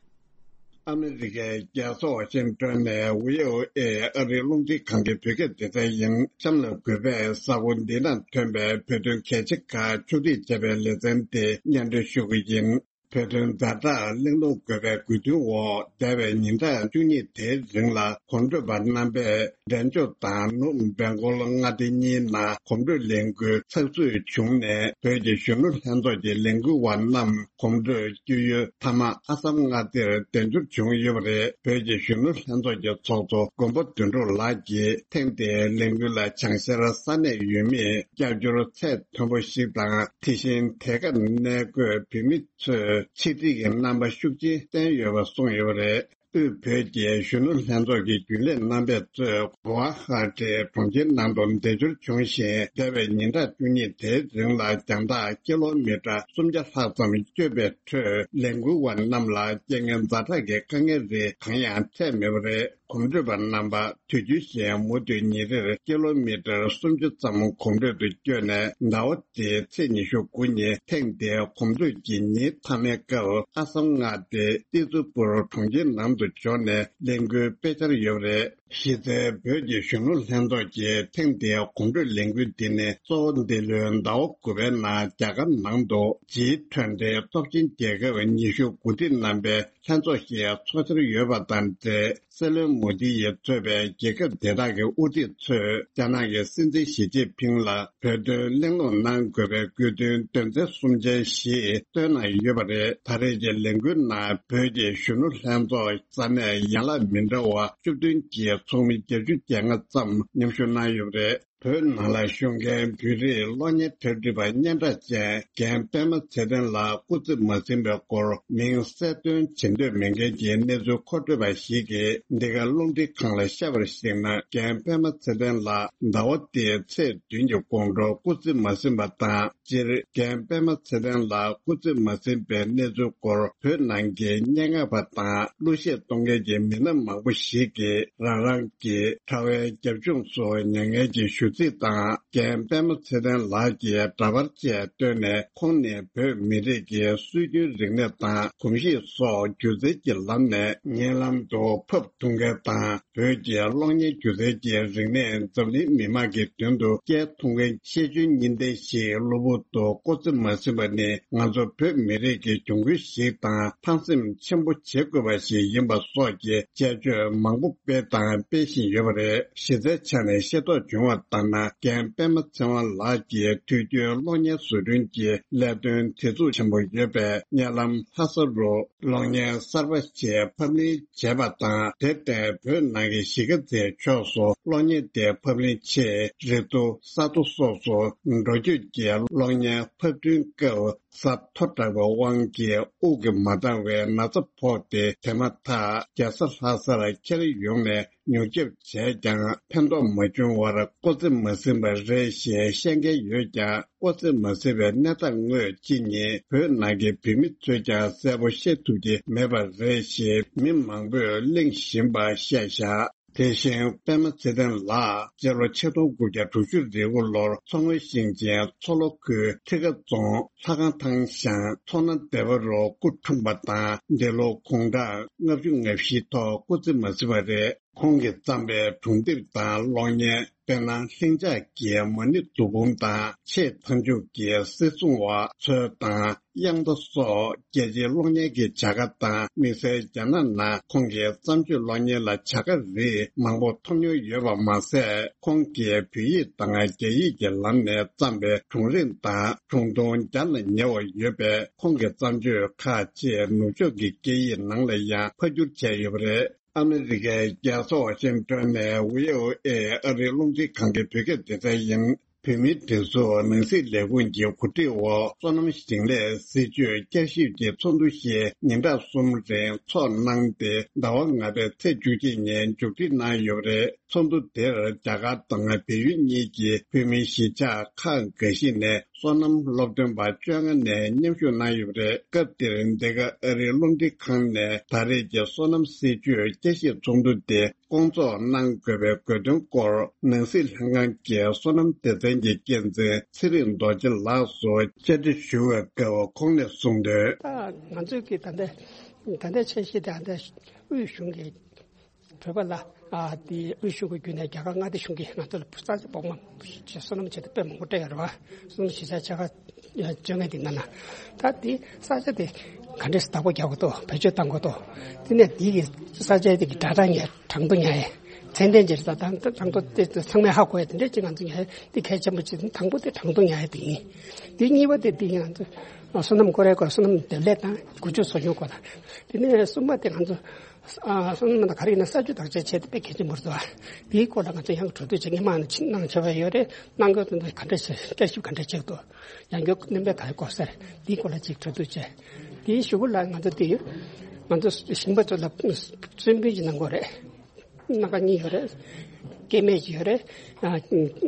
ཨ་མེ་རི་ཀའི་རྒྱལ་ས་ཝ་ཤིང་ཏོན་ནས་བྷི་ཨོ་ཨེ་ཨ་རིའི་རླུང་འཕྲིན་ཁང་གི་བོད་སྐད་སྡེ་ཚན་ཡིན། གཤམ་ལ་གུས་པས་གཟའ་འཁོར་འདི་ན་ཐོན་པའི་བོད་དོན་གལ་ཆེ་ཁག་ཕྱོགས་སྒྲིག་བྱས་པའི་ལེ་ཚན་དེ་སྙན་སྒྲོན་ཞུ་གི་ཡིན། བོད་དོན་ཛ་དྲག་གླེང་སློང་དགོས་པའི་དགོས་འདུན་འོག་འདས་པའི་ཉིན་གྲངས་བཅུ་གཉིས་དེའི་རིང་ལ་གོམ་བགྲོད་པ་རྣམ་པས་འབྲས་ལྗོངས་དང་ནུབ་སྦེང་གོལ་མངའ་སྡེ་གཉིས་ནང་གོམ་བགྲོད་ལས་འགུལ་ཚགས་ཚུད་བྱུང་ནས། བོད་ཀྱི་གཞོན་ནུ་ལྷན་ཚོགས་ཀྱི་ལས་འགུལ་བ་རྣམས་གོམ་བགྲོད་བསྐྱོད་ཡུལ་མཐའ་མ་ཨ་སམ་མངའ་སྡེར་གདན་འཛོམས་བྱུང་ཡོད་པ་རེད། བོད་ཀྱི་གཞོན་ནུ་ལྷན་ཚོགས་ཀྱི་ཚོགས་གཙོ་མགོན་པོ་དོན་གྲུབ་ལགས་ཀྱིས་ཐེངས་འདིའི་ལས་འགུལ་ལ་བྱང་ཤར་ས་གནས་ཡུལ་མིས་རྒྱབ་སྐྱོར་ཚད་མཐོན་པོ་ཞིག་དང་། དེ་བཞིན་དེ་གར་གནས་འཁོད་བོད་མི་ཚོས་ཆིག་སྒྲིལ་གྱི་རྣམ་པ་ཤུགས་ཆེན་བསྟན་ཡོད་པ་གསུངས་ཡོད་པ་རེད། དབུས་བོད་ཀྱི་གཞོན་ནུ་ལྷན་ཚོགས་ཀྱི་རྒྱུན་ལས་རྣམ་པས་གཙོས་གུ་ཝ་ཧ་ཏི་གྲོང་ཁྱེར་ནང་དུ་འདས་འབྱོར་བྱུང་ཞིང་། འདས་པའི་ཉིན་གྲངས་བཅུ་གཉིས་དེའི་རིང་ལ་རྒྱང་ཐག་ཀི་ལོ་མི་ཊར་སུམ་བརྒྱ་ལྷག་ཙམ་བསྐྱོད་པའི་ཁྲོད། ལས་འགུལ་བ་རྣམས་ལ་རྐྱེན་ངན་ཛ་དྲག་གི་དཀའ་ངལ་རིགས་གང་ཡང་འཕྲད་མེད་པ་རེད། གོམ་བགྲོད་པ་རྣམ་པ་དུས་རྒྱུན་བཞིན་མུ་མཐུད་ཉིན་རེར་ཀི་ལོ་མི་ཊར་སུམ་ཅུ་ཙམ་གོམ་བགྲོད་དུ་བསྐྱོད་ནས། ཟླ་བ་འདིའི་ཚེས་ཉི་ཤུ་དགུ་ཉིན་ཐེངས་འདིའི་གོམ་བགྲོད་ཀྱི་ཉིན་མཐའ་མའི་སྐབས། ཨ་སམ་མངའ་སྡེ་ཏི་ཙུ་པུར་གྲོང་ཁྱེར་ནང་དུ་འབྱོར་ནས་ལས་འགུལ་སྤེལ་འཆར་ཡོད་པ་རེད། གཞི་རྩའི་བོད་ཀྱི་གཞོན་ནུ་ལྷན་ཚོགས་ཀྱི་ཐེངས་འདིའི་གོམ་བགྲོད་ལས་འགུལ་འདི་ནི་གཙོ་བོ་འདི་ལོའི་ཟླ་བ་དགུ་པའི་ནང་རྒྱ་གར་ནང་དུ་ཇི་ཊུ་ཝེན་ཊི་སྟོབས་ཆེན་རྒྱལ་ཁབ་ཉི་ཤུ་དགུ་སྒྲིལ་རྣམ་པའི་ལྷན་ཚོགས་ཤིག་ཚོགས་འཆར་ཡོད་པ་དང་འབྲེལ། སྲིད་བློན་མོ་དི་ཡིས་གཙོས་པའི་རྒྱལ་ཁབ་དེ་དག་གི་དབུ་ཁྲིད་ཚོས་རྒྱ་ནག་གི་སྲིད་འཛིན་ཞི་ཅིན་ཕིང་ལ་བོད་དོན་གླེང་སློང་གནང་དགོས་པའི་དགོས་འདུན་དོན་ཚན་གསུམ་ཅན་ཞིག་བཏོན་གནང་ཡོད་པ་རེད། ད་རེས་ཀྱི་ལས་འགུལ་ནང་བོད་ཀྱི་གཞོན་ནུ་ལྷན་ཚོགས་ས་གནས་ཡན་ལག་མི་འདྲ་བ་བཅུ་བདུན་གྱི་ཚོགས་མི་བརྒྱད་ཅུ་གྱ་ལྔ་ཙམ་མཉམ་ཞུགས་གནང་ཡོད་པ་རེད། བོད་ནང་ལ་བཞུགས་མཁན་བོད་རིགས་གློག་བརྙན་འཁྲབ་ཁྲིད་པ་སྙན་གྲགས་ཅན་རྒན་པད་མ་ཚེ་བརྟན་ལགས་སྐུ་ཚེ་མ་ཟིན་པའི་སྐོར་མིང་གསལ་སྟོན་བྱེད་འདོད་མེད་མཁན་གྱི་གནས་ཚུལ་མཁོ་སྤྲོད་པ་ཞིག་གིས་འདི་ག་རླུང་འཕྲིན་ཁང་ལ་བཤད་པར་གཞིགས་ན། རྒན་པད་མ་ཚེ་བརྟན་ལགས་ཟླ་བ་འདིའི་ཚེས་བདུན་གྱི་དགོང་དྲོ་སྐུ་ཚེ་མ་ཟིན་པ་དང་། སྤྱིར་རྒན་པད་མ་ཚེ་བརྟན་ལགས་སྐུ་ཚེ་མ་ཟིན་པའི་གནས་ཚུལ་སྐོར་བོད་ནང་གི་སྙན་ངག་པ་དང་གླུ་གཞས་གཏོང་མཁན་གྱི་མི་སྣ་མང་པོ་ཞིག་གིས་རང་རང་གི་གྲྭ་བའི་རྒྱབ་ལྗོངས་སུ་མྱ་ངན་གྱི་ཞུ་ཚིག་དང་། རྒན་པད་མ་ཚེ་བརྟན་ལགས་ཀྱི་འདྲ་པར་བཅས་བཏོན་ནས། ཁོང་ནི་བོད་མི་རིགས་ཀྱི་སྲོལ་རྒྱུན་རིག་གནས་དང་གོམས་གཤིས་སོགས་སྒྱུ་རྩལ་གྱི་ལམ་ནས་ངན་ལམ་དུ་ཕབ་ཐུབ་མཁན་དང་། བོད་ཀྱི་གློག་བརྙན་སྒྱུ་རྩལ་གྱི་རིག་གནས་འཛམ་གླིང་མི་དམངས་ཀྱི་མདུན་དུ་སྐྱེལ་ཐུབ་མཁན་ཤེས་འཇོན་གཉིས་ལྡན་ཞིག་གློ་བུར་དུ་སྐུ་ཚེ་མ་ཟིན་པ་ནི། ང་ཚོ་བོད་མི་རིགས་ཀྱི་གྱོང་གུན་ཞིག་དང་ཕངས་སེམས་ཆེན་པོ་བྱེད་དགོས་པ་ཞིག་ཡིན་པ་སོགས་ཀྱི་དཔྱད་བརྗོད་མང་པོ་སྤེལ་དང་སྤེལ་བཞིན་ཡོད་པ་རེད། གཞི་རྩའི་ཆ་ནས་ཤེས་རྟོགས་བྱུང་བ་ ལགས་ན་རྒན་པད་མ་ཚེ་དབང་ལགས་ཀྱིས་དུས་རྒྱུན་གློག་བརྙན་བཟོ་སྐྲུན་གྱི་ལས་དོན་དེ་ཚོ་ཆེན་པོ་ཡོད་པས། བརྙན་ལམ་ལྷ་ས་རུ་གློག་བརྙན་གསར་པ་ཞིག་ཕབ་ལེན་བྱས་པ་དང་། དེར་བརྟེན་བོད་ནང་གི་གཞིས་ཀ་རྩེའི་ཕྱོགས་སུ་གློག་བརྙན་དེ་ཕབ་ལེན་ཆེད་རི་མཐོ་ས་མཐོ་སོགས་སུ་འགྲོ་སྐྱོད་ཀྱིས་གློག་བརྙན་ཕབ་སྐྲུན་སྐབས་ས་མཐོ་དྲགས་པའི་དབང་གིས་དབུགས་ཀྱིས་མ་འདང་བའི་ན་ཚ་ཕོག་སྟེ། དེ་མ་ཐག་རྒྱལ་ས་ལྷ་སར་ཁྱེར་ཡོང་ནས་མྱུར་སྐྱོབ་བྱས་ཀྱང་ཕན་ཐོགས་མ་བྱུང་བར་སྐོར་རྩིས་མ་ཟིན་པ་རེད་ཞེས་བཤད་མཁན་ཡོད་ཀྱང་། སྐོར་རྩིས་མ་ཟིན་པའི་གནས་སྟངས་དངོས་ཅི་ཉིད་བོད་ནང་གི་བོད་མི་ཚོས་ཀྱང་གསལ་པོ་ཤེས་ཐུབ་ཀྱི་མེད་པ་རེད་ཞེས་མི་མང་པོས་གླེང་བཞིན་པ་བཤད་བཞག་དེ་བཞིན་པད་མ་ཚེ་བརྟན་ལགས་སྤྱི་ལོ་ཆིག་སྟོང་དགུ་བརྒྱ་དྲུག་ཅུ་རེ་དགུ་ལོར་མཚོ་སྔོན་ཞིང་ཆེན་མཚོ་ལྷོ་ཁུལ་ཁྲི་ཀ་རྫོང་ལྷ་ཁང་ཐང་ཤང་མཚོ་སྣ་སྡེ་བ་རུ་སྐུ་འཁྲུངས་པ་དང་། འདས་ལོ་དགུང་གྲངས་ལྔ་བཅུ་ང་བཞི་ཐོག་སྐུ་ཚེ་མ་ཟིན་པ་རེད། ཁོང་གིས་བརྩམས་པའི་སྒྲུང་དེབ་དང་གློག་བརྙན། དཔེར་ན། ལྷིང་འཇགས་ཀྱི་མ་ཎི་བསྡུ་འབུམ་དང་། ཆེས་མཐའ་མཇུག་གི་སྲིད་སྲུང་བ་ཚོ་དང་དབྱངས་རྟ་སོགས་རྒྱལ་སྤྱིའི་གློག་བརྙན་གྱི་བྱ་དགའ་དང་། དམིགས་བསལ་རྒྱ་ནག་ནང་ཁོང་གི་བརྩམས་ཆོས་གློག་བརྙན་ལ་བྱ་དགའ་རིགས་མང་པོ་ཐོབ་མྱོང་ཡོད་པ་མ་ཟད། ཁོང་གིས་བོད་ཡིག་དང་རྒྱ་ཡིག་གི་ལམ་ནས་བརྩམས་པའི་སྒྲུང་རིང་དང་སྒྲུང་ཐུང་བརྒྱ་ལ་ཉེ་བ་ཡོད་པས། ཁོང་གི་བརྩམས་ཆོས་ཁག་ཅིག་ནུབ་ཕྱོགས་ཀྱི་སྐད་ཡིག་ནང་ལ་ཡང་ཕབ་བསྒྱུར་བྱས་ཡོད་པ་རེད། ཨ་མི་རི་ཀའི་རྒྱལ་ས་ཝ་ཤིང་ཏོན་ནས་བྷི་ཨོ་ཨེ་ཨ་རིའི་རླུང་འཕྲིན་ཁང་གི་བོད་སྐད་སྡེ་ཚན་ཡིན། བོད་མིའི་སྒྲིག་འཛུགས་ནང་སྲིད་ལས་ཁུངས་ཀྱི་གོ་སྒྲིག་འོག་སོ་ནམ་ཞིང་ལས་སྲིད་ཇུས་བསྐྱར་ཞིབ་ཀྱི་ཚོགས་འདུ་ཞིག་ཉིན་གྲངས་གསུམ་རིང་འཚོགས་གནང་སྟེ། ཟླ་བ་ལྔ་པའི་ཚེས་བཅུ་གཅིག་ཉིན་མཇུག་སྒྲིལ་གནང་ཡོད་པ་རེད། ཚོགས་འདུ་དེར་རྒྱ་གར་དང་བལ་ཡུལ་གཉིས་ཀྱི་བོད་མིའི་གཞིས་ཆགས་ཁག་འགའ་ཞིག་ནས་སོ་ནམ་སློབ་སྟོན་པ་བཅོ་ལྔ་ནས་མཉམ་ཞུགས་གནང་ཡོད་པ་རེད། སྐབས་དེར་འདི་ག་ཨ་རིའི་རླུང་འཕྲིན་ཁང་ནས་ད་རེས་ཀྱི་སོ་ནམ་སྲིད་ཇུས་བསྐྱར་ཞིབ་ཚོགས་འདུ་དེ་སྐོང་ཚོགས་གནང་དགོས་པའི་དགོས་དོན་སྐོར། ནང་སྲིད་ལྷན་ཁང་གི་སོ་ནམ་སྡེ་ཚན་གྱི་འགན་འཛིན་ཚེ་རིང་རྡོ་རྗེ་ལགས་སུ་བཅར་འདྲི་ཞུ་བའི་སྐབས། ཁོང་ནས་གསུངས་དོན། ད་ང་ཚོས་ཀྱི་ད་ལྟ་ད་ལྟའི་འཆར་གཞི་དེ་ད་ལྟ་དབུས་གཞུང་གི་གྲོས་པ་ལ། ཨ་དེ་དབུས་གཞུང་གི་བརྒྱུད་ནས་རྒྱ་གར་མངའ་སྡེ་གཞུང་གིས་ང་ཚོ་ལ་ས་ཆ་སྦོམ་མ་བྱས་སོ་ནམ་བྱེད་ཐབས་དཔེ་མང་པོ་སྤྲད་ཡོད་རེད་བ། སོ་ནམ་གཞིས་ཆགས་ཆེ་ཁག་བཅོ་ལྔ་དེ་ནང་ལ། ད་དེ་ས་ཆ་དེ་ག་འདྲས་བདག་པོ་རྒྱག་དགོས་འདུག་བེད་སྤྱོད་གཏང་དགོས་འདུག་དེ་ནས་དེ་གི་ས་ཆ་དེ་གི་སྒྲ་གྲགས་ཉན་གྲངས་ཐོ་ཉན་ཡས། ཚད་ལྡན་ཅིག་རེད། ད་གྲངས་ཐོ་དེ་ཚང་མས་ཧ་གོ་ཡས་དེ་འདྲས་ཅིག་ང་ཚོ་ཉན་ཡས་དེ་གལ་ཆེན་པོ་ཅིག་དང་པོ་དེ་གྲངས་ཐོ་ཉན་ཡས་དེ་ཡིན། དེ་གཉིས་པ་དེ་དེ་ང་ཚོ་སོ་ནམ་སྐོར་རའི་སྐོར། སོ་ནམ་འདེབས་ལས་དང་འགུལ་སྐྱོད་ཚོ་ཆུང་སྐོར་དང་། དེ་ནས་གསུམ་པ་དེ་ང་ཚོ་ཨ་སོ་ནམ་དང་ག་རེ་ཡིན་ན་ས་ཆུ་བདག་གཅེས་བྱེད་དེ་དཔེ་གལ་ཆེན་པོ་རེད་འདུག་དེའི་སྐོར་ལ་ང་ཚོ་ཡང་གྲོས་བསྡུར་བྱེད་མཁན་མང་ནས་ཕྱིན་གནང་བྱས་པ་ཡོད་རེད། གནང་དགོས་དོན་དུ་ག་འདྲ་བྱེད། བསྐྱར་ཞིབ་ག་འདྲ་བྱེད་དགོས། ཡང་བསྐྱར་སྣོན་པ་ག་རེ་དགོས་ཟེར། དེའི་སྐོར་ལ་ཅིག་གྲོས་བསྡུར་བྱས། དེའི་གཞུག་གུ་ལ་ང་ཚོ་དེ་ཡོད། ང་ཚོ་ཞིང་པ་ཚོ་ལ་སོན་སྤུན་ཅིག་གནང་དགོས་རེད། སྣ་ཁ་གཉིས་ཡོད་རེད། སྐྱེ་དམན་ཅིག་ཡོད་རེད། ཨ་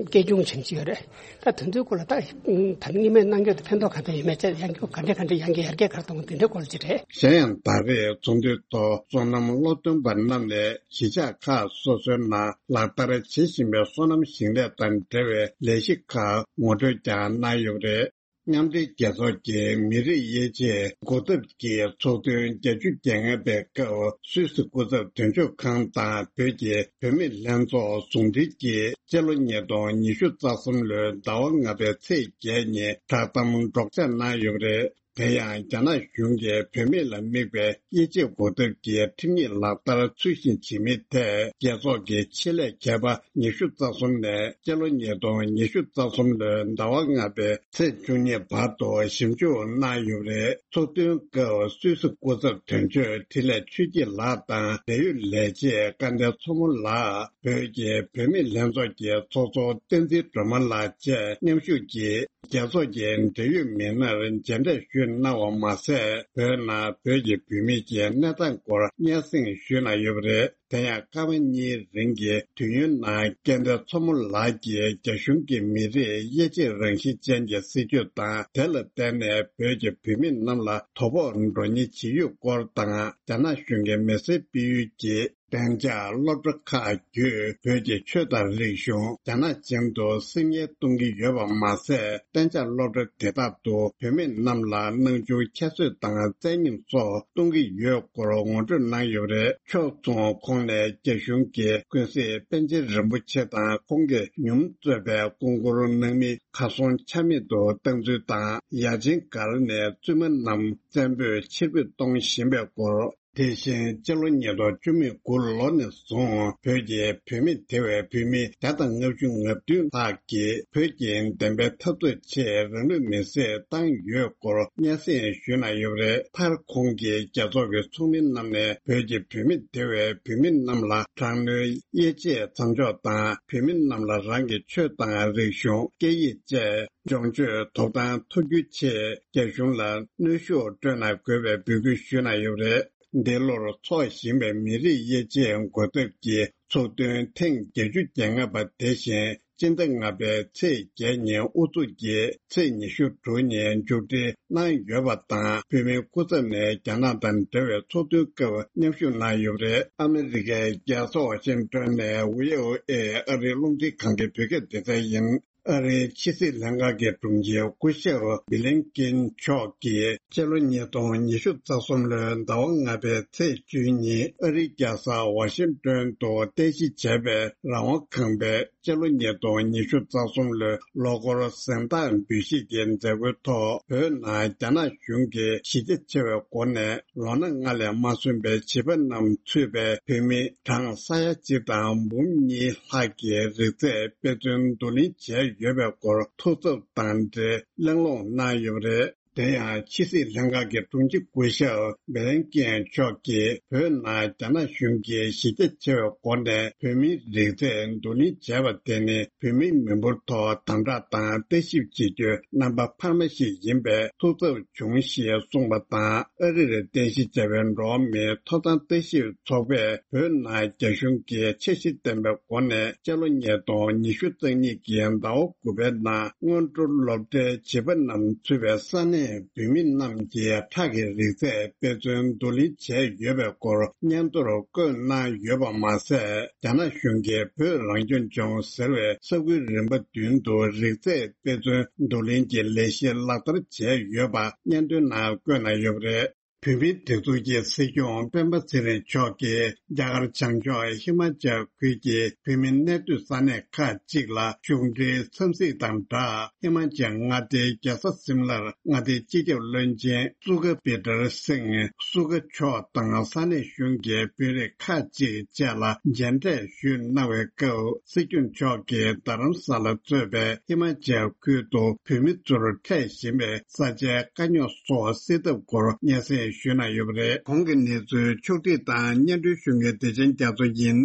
སྐྱེ་ཆུང་ཅན་ཅིག་ཡོད་རེད། ད་དེ་ཚོའི་སྐོར་ལ་ད་ད་སྔོན་མའི་གནང་སྐྱོར་དེ་ཕན་ཐོགས་ག་འདྲ་ཡོད་མེད་བཅས། ཡང་སྐྱོར་ག་འདྲ་ག་འདྲ་ཡང་སྐྱོར་ཡར་རྒྱས་ག་རེ་གཏོང་དགོས་དེ་འདྲའི་སྐོར་ཅིག་རེད། གཞན་ཡང་ད་རེས་ཚོགས་འདུའི་ཐོག་སོ་ནམ་སློབ་སྟོན་པ་རྣམས་ནས་གཞིས་ཆགས་ཁག་སོ་སོའི་ནང་ལག་བསྟར་བྱེད་བཞིན་པའི་སོ་ནམ་ཞིང་ལས་དང་འབྲེལ་བའི་ལས་གཞི་ཁག་ངོ་སྤྲོད་ཀྱང་གནང་ཡོད་པ་རེད། མཉམ་འབྲེལ་རྒྱལ་ཚོགས་ཀྱི་མི་རིགས་དབྱེ་འབྱེད་འགོག་ཐབས་ཀྱི་ཚོགས་ཐུན་བརྒྱད་ཅུ་གྱ་ལྔ་པའི་སྐབས། སུད་སི་སྐུ་ཚབ་དོན་གཅོད་ཁང་དང་བོད་ཀྱི་བུད་མེད་ལྷན་ཚོགས་ཟུང་འབྲེལ་གྱིས་སྤྱི་ལོ་ཉིས་སྟོང་ཉི་ཤུ་རྩ་གསུམ་ལོའི་ཟླ་བ་ལྔ་པའི་ཚེས་བརྒྱད་ཉིན་བསྒྲགས་གཏམ་སྒྲོག་སྦྱང་གནང་ཡོད་པ་རེད། དེ་ཡང་རྒྱ་ནག་གཞུང་གིས་བུད་མེད་ལ་དམིགས་པའི་དབྱེ་འབྱེད་འགོག་ཐབས་ཀྱི་ཁྲིམས་ཡིག་ལག་བསྟར་ཚུལ་བཞིན་བྱེད་མིན་ཐད། རྒྱལ་ཚོགས་ཀྱི་ཆེད་ལས་མཁས་པ་ཉི་ཤུ་རྩ་གསུམ་ནས་སྤྱི་ལོ་ཉིས་སྟོང་ཉི་ཤུ་རྩ་གསུམ་ལོའི་ཟླ་བ་ལྔ་པའི་ཚེས་བཅུ་གཉིས་བར་དུ་ཞིབ་འཇུག་གནང་ཡོད་པ་རེད། ཚོགས་ཐུན་སྐབས་སུད་སི་སྐུ་ཚབ་དོན་གཅོད་འཕྲིན་ལས་ཆོས་སྐྱིད་ལགས་དང་འབྲེལ་ཡོད་ལས་བྱེད་སྐལ་ལྡན་མཚོ་མོ་ལགས། བོད་ཀྱི་བུད་མེད་ལྷན་ཚོགས་ཀྱི་ཚོགས་གཙོ་བསྟན་འཛིན་སྒྲོལ་མ་ལགས་བཅས་མཉམ་ཞུགས་ཀྱིས། རྒྱལ་ཚོགས་ཀྱི་འབྲེལ་ཡོད་མི་སྣར་མཇལ་འཕྲད་ཞུས་གནང་བ་མ་ཟད། བོད་ནང་བོད་ཀྱི་བུད་མེད་ཀྱི་གནས་སྟངས་སྐོར་སྙན་སེང་ཞུས་གནང་ཡོད་པ་རེད། དེ་ཡང་སྐར་མ་གཉིས་རིང་གི་དུས་ཡུན་ནང་སྐལ་ལྡན་མཚོ་མོ་ལགས་ཀྱིས་རྒྱ་གཞུང་གི་མི་རིགས་དབྱེ་འབྱེད་རང་བཞིན་ཅན་གྱི་སྲིད་བྱུས་དང་། དེ་ལ་བརྟེན་ནས་བོད་ཀྱི་བུད་མེད་རྣམས་ལ་དོ་ཕོག་འགྲོ་ཉེན་ཇི་ཡོད་སྐོར་དང་། རྒྱ་ནག་གཞུང་གི་མི་སེར་སྤེལ་ཡུལ་གྱི་གཏན་འཇགས་སློབ་གྲྭ་ཁག་བརྒྱུད། བོད་ཀྱི་ཆོས་དང་རིག་གཞུང་རྒྱ་ནག་ཅན་དུ་སིམ་ཉེལ་གཏོང་གི་ཡོད་པ་མ་ཟད། གཏན་འཇགས་སློབ་གྲྭ་དེ་དག་ཏུ་བུད་མེད་རྣམས་ལ་སྣང་ཆུང་ཁྱད་གསོད་དང་བཙན་ཉམས་སོགས་གཏོང་གི་ཡོད་སྐོར་ངོ་སྤྲོད་གནང་ཡོད་པ་རེད། ཕྱོགས་མཚུངས་ཁོང་ནས་རྒྱ་གཞུང་གིས་ཀུན་གཟིགས་པཎ་ཆེན་རིན་པོ་ཆེ་དང་ཁོང་གིས་ཉུང་གཙོས་པའི་སྐུ་འཁོར་སྣང་མེད་གར་སོང་ཆ་མེད་དུ་བཏང་ཚུལ་དང་། ཡ་ཆེན་སྒར་ནས་བཙུན་མ་རྣམས་བཙན་པོས་ཕྱིར་འབུད་གཏོང་བཞིན་པའི་སྐོར། དེ་བཞིན་སྤྱི་ལོ་ཉིས་སྟོང་བཅུ་མེད་དགུ་ལོ་ནས་བཟུང་བོད་ཀྱི་བུད་མེད་དེ་བས་བུད་མེད་བརྒྱ་དང་ལྔ་བཅུ་ང་བདུན་ལྷག་གིས་བོད་ཀྱི་བདེན་པའི་འཐབ་རྩོད་ཆེད་རང་ལུས་མེར་སྲེག་བཏང་ཡོད་སྐོར་སྙན་སེང་ཞུས་གནང་ཡོད་པ་རེད། མཐར་ཁོང་གིས་རྒྱལ་ཚོགས་ཀྱི་ཚོགས་མི་རྣམས་ནས་བོད་ཀྱི་བུད་མེད་དེ་བས་བུད་མེད་རྣམས་ལ་དྲག་གནོན་དབྱེ་འབྱེད་མཚམས་འཇོག་དང་། བུད་མེད་རྣམས་ལ་རང་གི་ཆོས་དང་རིག་གཞུང་། སྐད་ཡིག་བཅས་སྦྱོང་སྤྱོད་ཐོབ་ཐང་ཐོབ་རྒྱུའི་ཆེད་རྒྱ་གཞུང་ལ་གནོན་ཤུགས་སྤྲོད་གནང་དགོས་པའི་འབོད་སྐུལ་ཞུས་གནང་ཡོད་པ་རེད། འདི་ལོར་འཚོགས་བཞིན་པའི་མི་རིགས་དབྱེ་འབྱེད་འགོ་ཐབས་ཀྱི་ཚོགས་ཐུན་ཐེངས་བརྒྱད་ཅུ་གྱ་ལྔ་པ་དེ་བཞིན་སྤྱི་ཟླ་ལྔ་པའི་ཚེས་བརྒྱད་ཉིན་དབུ་འཛུགས་ཀྱིས་ཚེས་ཉི་ཤུ་དྲུག་ཉིན་མཇུག་སྒྲིལ་གནང་ཡོད་པ་དང་། བོད་མིའི་སྐུ་ཚབ་ནས་རྒྱ་ནག་དང་འབྲེལ་བའི་ཚོགས་ཐུན་སྐབས་མཉམ་ཞུགས་གནང་ཡོད་པ་རེད། ཨ་མི་རི་ཀའི་རྒྱལ་ས་ཝ་ཤིང་ཏོན་ནས་ཝི་ཨོ་ཨེ་ཨ་རིའི་རླུང་འཕྲིན་ཁང་གི་བོད་སྐད་སྡེ་ཚན་ཡིན། ཨ་རིའི་ཕྱི་སྲིད་ལྷན་ཁང་གི་དྲུང་ཆེ་སྐུ་ཞབས་བྷི་ལིན་ཀིན་མཆོག་གིས་སྤྱི་ལོ་ཉིས་སྟོང་ཉི་ཤུ་རྩ་གསུམ་ལོའི་ཟླ་བ་ལྔ་པའི་ཚེས་བཅུ་ཉིན་ཨ་རིའི་རྒྱལ་ས་ཝ་ཤིང་ཏོན་དུ་རྟེན་གཞི་བྱས་པའི་རང་དབང་ཁང་པའི་སྤྱི་ལོ་ཉིས་སྟོང་ཉི་ཤུ་རྩ་གསུམ་ལོའི་ལོ་འཁོར་གཟེངས་རྟགས་འབུལ་བཞེས་ཀྱི་མཛད་སྒོའི་ཐོག་བོད་ནང་རྒྱ་ནག་གཞུང་གིས་གཞི་རྒྱ་ཆེ་བའི་སྒོ་ནས་ལོ་ན་ལྔ་ལས་མ་སོན་པའི་བྱིས་པ་རྣམས་ཚུད་པའི་བོད་མི་གྲངས་ས་ཡ་གཅིག་དང་འབུམ་གཉིས་ལྷག་གི་རིག་རྩལ་དཔེ་མཚོན་བསྡུ་ལེན་བྱས་ཡོད་པའི་སྐོར་ཐུགས་འཚབ་དང་འབྲེལ་གླེང་སློང་གནང་ཡོད་པ་རེད། དེ་ཡང་ཕྱི་སྲིད་ལྷན་ཁང་གི་དྲུང་ཆེ་སྐུ་ཞབས་བྷི་ལན་ཀེན་མཆོག་གིས་བོད་ནང་རྒྱ་ནག་གཞུང་གིས་གཞི་རྒྱ་ཆེ་བའི་སྒོ་ནས་བོད་མིའི་རིག་རྩལ་བསྡུ་ལེན་བྱས་པ་དེ་ནི་བོད་མིའི་མི་འབོར་ཐོག་དམ་དྲག་དང་ལྟ་ཞིབ་བྱེད་རྒྱུའི་རྣམ་པ་འཕར་མ་ཞིག་ཡིན་པས་ཐུགས་འཚབ་བྱུང་ཞེས་གསུངས་པ་དང་། ཨ་རིར་རྟེན་གཞི་བྱས་པའི་འགྲོ་བ་མིའི་ཐོབ་ཐང་ལྟ་ཞིབ་ཚོགས་པས་བོད་ནང་རྒྱ་གཞུང་གིས་འཆར་གཞི་ལྡན་པའི་སྒོ་ནས་སྤྱི་ལོ་ཉིས་སྟོང་ཉི་ཤུ་རྩ་གཉིས་ཀྱི་ཟླ་བ་དགུ་པའི་ནང་སྔོན་འགྲོ་སློབ་གྲྭའི་བྱིས་པ་རྣམས་ཚུད་པའི་ས་གནས་བོད་མི་རྣམས་ཀྱི་ཁྲག་གི་རིག་རྩལ་དཔེ་མཚོན་བསྡུ་ལེན་བྱས་ཡོད་པའི་སྐོར་སྙན་ཐོར་བཀོད་གནང་ཡོད་པ་མ་ཟད། རྒྱ་ནག་གཞུང་གིས་བོད་རང་སྐྱོང་ལྗོངས་ཟེར་བའི་ས་ཁུལ་རིམ་པ་བདུན་དུ་རིག་རྩལ་དཔེ་མཚོན་བསྡུ་ལེན་གྱི་ལས་གཞི་ལག་བསྟར་བྱས་ཡོད་པ་སྙན་ཐོའི་ནང་བཀོད་གནང་ཡོད་པ་རེད། བོད་མིའི་སྒྲིག་འཛུགས་ཀྱི་སྲིད་སྐྱོང་སྤེན་པ་ཚེ་རིང་མཆོག་གིས་རྒྱ་གར་བྱང་ཕྱོགས་ཧི་མ་ཅལ་ཁུལ་གྱི་བོད་མི་གནས་སྡོད་ས་གནས་ཁག་ཅིག་ལ་གཞུང་འབྲེལ་འཚམས་གཟིགས་དང་སྦྲགས། ཧི་མ་ཅལ་མངའ་སྡེའི་རྒྱལ་ས་སིམ་ལར་མངའ་སྡེའི་སྤྱི་ཁྱབ་བློན་ཆེན་སུ་ཁ་བི་ཏར་སིང་སུ་ཁ་མཆོག་དང་ས་གནས་གཞུང་གི་དཔོན་རིགས་ཁག་ཅིག་བཅས་ལ་མཇལ་འཕྲད་ཞུས་གནང་བའི་སྐབས། སྲིད་སྐྱོང་མཆོག་གིས་རྡ་རམ་ས་ལ་གཙོས་པའི་ཧི་མ་ཅལ་ཁུལ་དུ་བོད་མི་ཚོར་འཕྲད་བཞིན་པའི་ས་ཆའི་དཀའ་རྙོག་སོགས་སེལ་ཐབས་སྐོར་སྙན་སེང་ཞུས་གནང་ཡོད་པ་རེད། གོང་གི་གནས་ཚུལ་ཕྱོགས་སྒྲིག་དང་སྙན་སྒྲོན་ཞུ་མཁན་བདེ་ཆེན་རྒྱ་མཚོ་ཡིན།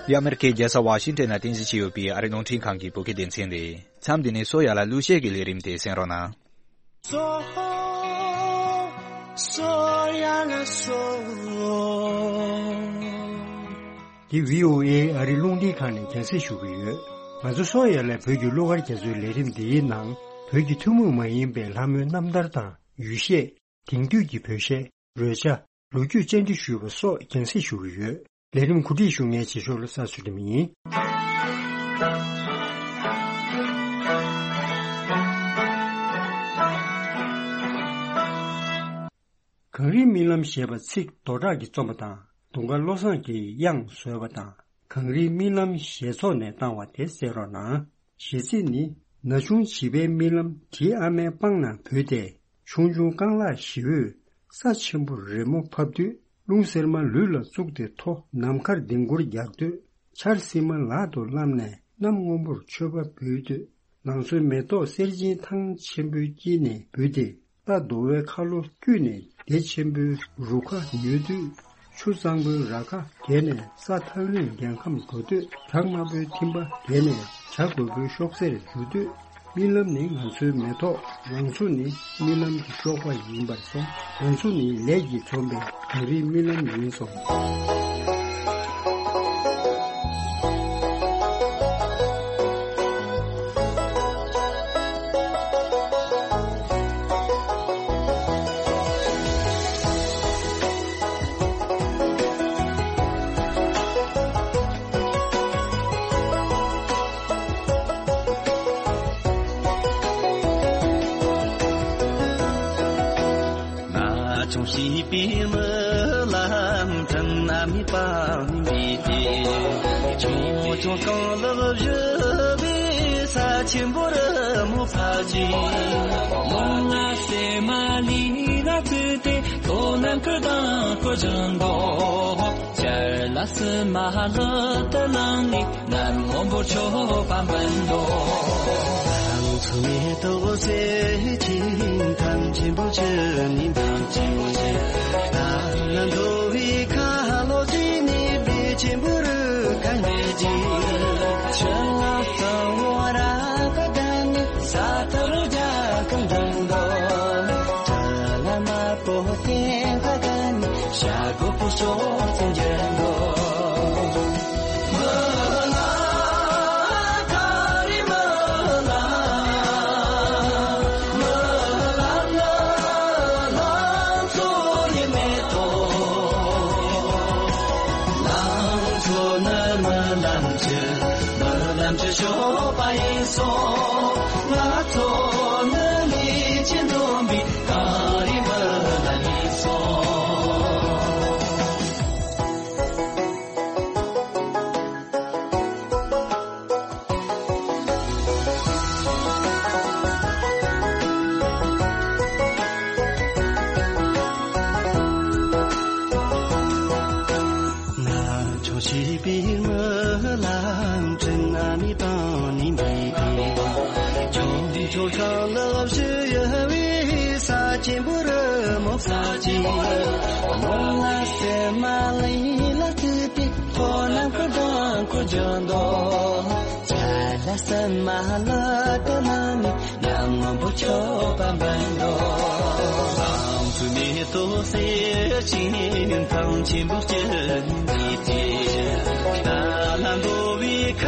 འདི་ཨ་མེ་རི་ཁའི་རྒྱལ་ས་ཝ་ཤིང་ཊོན་ནང་རྟེན་གཞི་བྱས་ཡོད་པའི་ཨ་རིའི་རླུང་འཕྲིན་ཁང་གི་བོད་སྐད་སྡེ་ཚན་རེད། མཚམས་འདི་ནས་སོ་ཡ་ལ་གླུ་གཞས་ཀྱི་ལས་རིམ་དེ་གསན་རོགས་གནང་། སོ། སོ་ཡ་ལ་སོ། འདི་བྷི་ཨོ་ཨེ་ཨ་རིའི་རླུང་འཕྲིན་ཁང་ནས་རྒྱང་སྲིང་ཞུ་གི་ཡོད། ང་ཚོ་སོ་ཡ་ལ་བོད་ཀྱི་གླུ་གར་རྒྱ་མཚོའི་ལས་རིམ་འདིའི་ནང་བོད་ཀྱི་ཐུན་མོང་མ་ཡིན་པའི་ལྷ་མོའི་རྣམ་ཐར་དང་ཡུལ་གཞས། དེང་དུས་ཀྱི་བོད་གཞས། རོལ་ཆ། ལོ་རྒྱུས་བཅར་འདྲི་ཞུས་པ་སོགས་རྒྱང་སྲིང་ཞུ་གི་ཡོད། ལས་རིམ་གོ་སྒྲིག་ཞུ་མཁན་རྗེས་ཕྱོགས་ལ་ས་ཚུལ་ཁྲིམས་ཡིན། གངས་རིའི་རྨི་ལམ་ཞེས་པ་ཚིག་རྡོ་གྲགས་ཀྱིས་རྩོམ་པ་དང་། དུང་དཀར་བློ་བཟང་གིས་དབྱངས་བཟོས་པ་དང་། གངས་རིའི་རྨི་ལམ་ཞེས་ཚོགས་ནས་བཏང་བ་དེ་གསན་རོགས་གནང་། གཞས་ཚིག་ནི། ན་ཆུང་བྱིས་པའི་རྨི་ལམ་དྲི་ཨ་མའི་པང་ནང་བུད་དེ། ཆུང་ཆུང་རྐང་ལག་ཞི་བོས་ས་ཆེན་པོར་རི་མོ་ཕབ་དུས། རླུང་གསེར་མ་ལུས་ལ་བཙུགས་ཏེ་མཐོ། ནམ་མཁར་ལྡིང་སྐོར་རྒྱག་དུས། ཆར་བསིལ་མ་ལག་ཏུ་བསླངས་ནས་གནམ་སྔོན་པོར་མཆོད་པ་འབུལ་དུས། ལང་ཚོའི་མེ་ཏོག་གསེར་ཆེན་ཐང་ཆེན་པོའི་དཀྱིལ་ནས་འབུད་དེ། རྟ་འདོ་བའི་ཁ་ལོ་བརྒྱུད་ནས་སྡེ་ཆེན་པོའི་རུ་ཁ་ཉོས་དུས། ཆུ་གཙང་པོའི་ར་ཁ་བརྒལ་ནས་ས་ཐག་རིང་རྒྱལ་ཁམས་འགྲོ་དུས། བྲག་དམར་པོའི་ཐིམ་པ་བརྒལ་ནས་བྱ་རྒོད་པོའི་གཤོག་རྩེར་འགྲོ་དུས། རྨི་ལམ་ནི་ང་ཚོའི་མེ་ཏོག་ལང་ཚོ་ནི་རྨི་ལམ་གྱི་གཤོག་པ་ཡིན་པར་སོང་། ལང་ཚོ་ནི་ལས་ཀྱིས་འཛོམས་པའི་གངས་རིའི་རྨི་ལམ་ཡིན་སོང་། ན་ཆུང་བྱིས་པའི་རྨི་ལམ་དྲན་ན་མི་པང་མི་དེ། ཆུང་ཆུང་རྐང་ལག་བཞི། ཆེན་པོ་རི་མོ་ཕ་ཅི། ལོང་ལ་སེ་མ་ལི་ལ་ཚུ་ཏེ་ཏོ་ནམ་ཁུ་དང་ཁོ་ཇང་དོ། ཅར་ལ་སི་མ་ལོ་ཏ་ལང་ནི་ནམ་ཧོན་པོ་ཆོ་པ་མན་དོ། ཚུ་མེ་ཏོག་སེ་ཆིན་ཐང་ཆེན་པོ་ཆེ་ནི་དང་ཆེན་པོ་ཆེ། ད་ན་འདོ་བི་ཁ་ལོ་ཅི་ནི་བི་ཆེན་པོ་རུ་ཁ་ནེ་ཅི། ཆ་ལ་ཏ་བོ་ར་ཁ་ག་ནི་ས་ཏ་རུ་ཇ་ཁམ་དང་དོ། ཅ་ལ་མ་པོ་ཏེ་ཁ་ག་ནི་ཤ་གོ་པོ་སོ་ཚེ་ཇན་དོ། ང་ཆོས་ཤིག་པའི་མི་ལ་འཕྲིན་ན་མི་དང་ནི་མི་དེ། ཆོས་ཆོས་ཁང་ལ་བཞི་ཡ་བའི་ས་ཆེན་པོ་རི་མོ་ས་ཆེན། ལོ་ལ་སེ་མ་ལི་ལ་ཚུ་ཏེ་ཁོ་ན་ཁོ་དང་ཁོ་ཇང་དོ། ཅ་ལ་སེ་མ་ལ་ཏ་ན་ནི་ནམ་མོ་པོ་ཆོ་པ་མན་དོ། ཨང་ཚུ་མེ་ཏོག་སེ་ཆིན་ཐང་ཆེན་པོ་ཅི་ནི་ཏེ། ད་ལ་འདོ་བི་ཁ་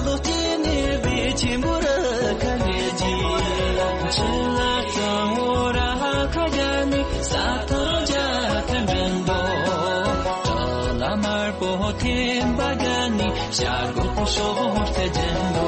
ལོ་ཅི་ནི་བི་ཆེན་པོ་ར་ཁ་ནེ་ཅི། ཆ་ལ་ཏ་བོ་ར་ཁ་ག་ནི་ས་ཏ་རུ་ཇ་ཁམ་དང་དོ། ཅ་ལ་མ་པོ་ཏེ་བ་ག་ནི་ཤ་གོ་པོ་སོ་ཚེ་ཇན་དོ།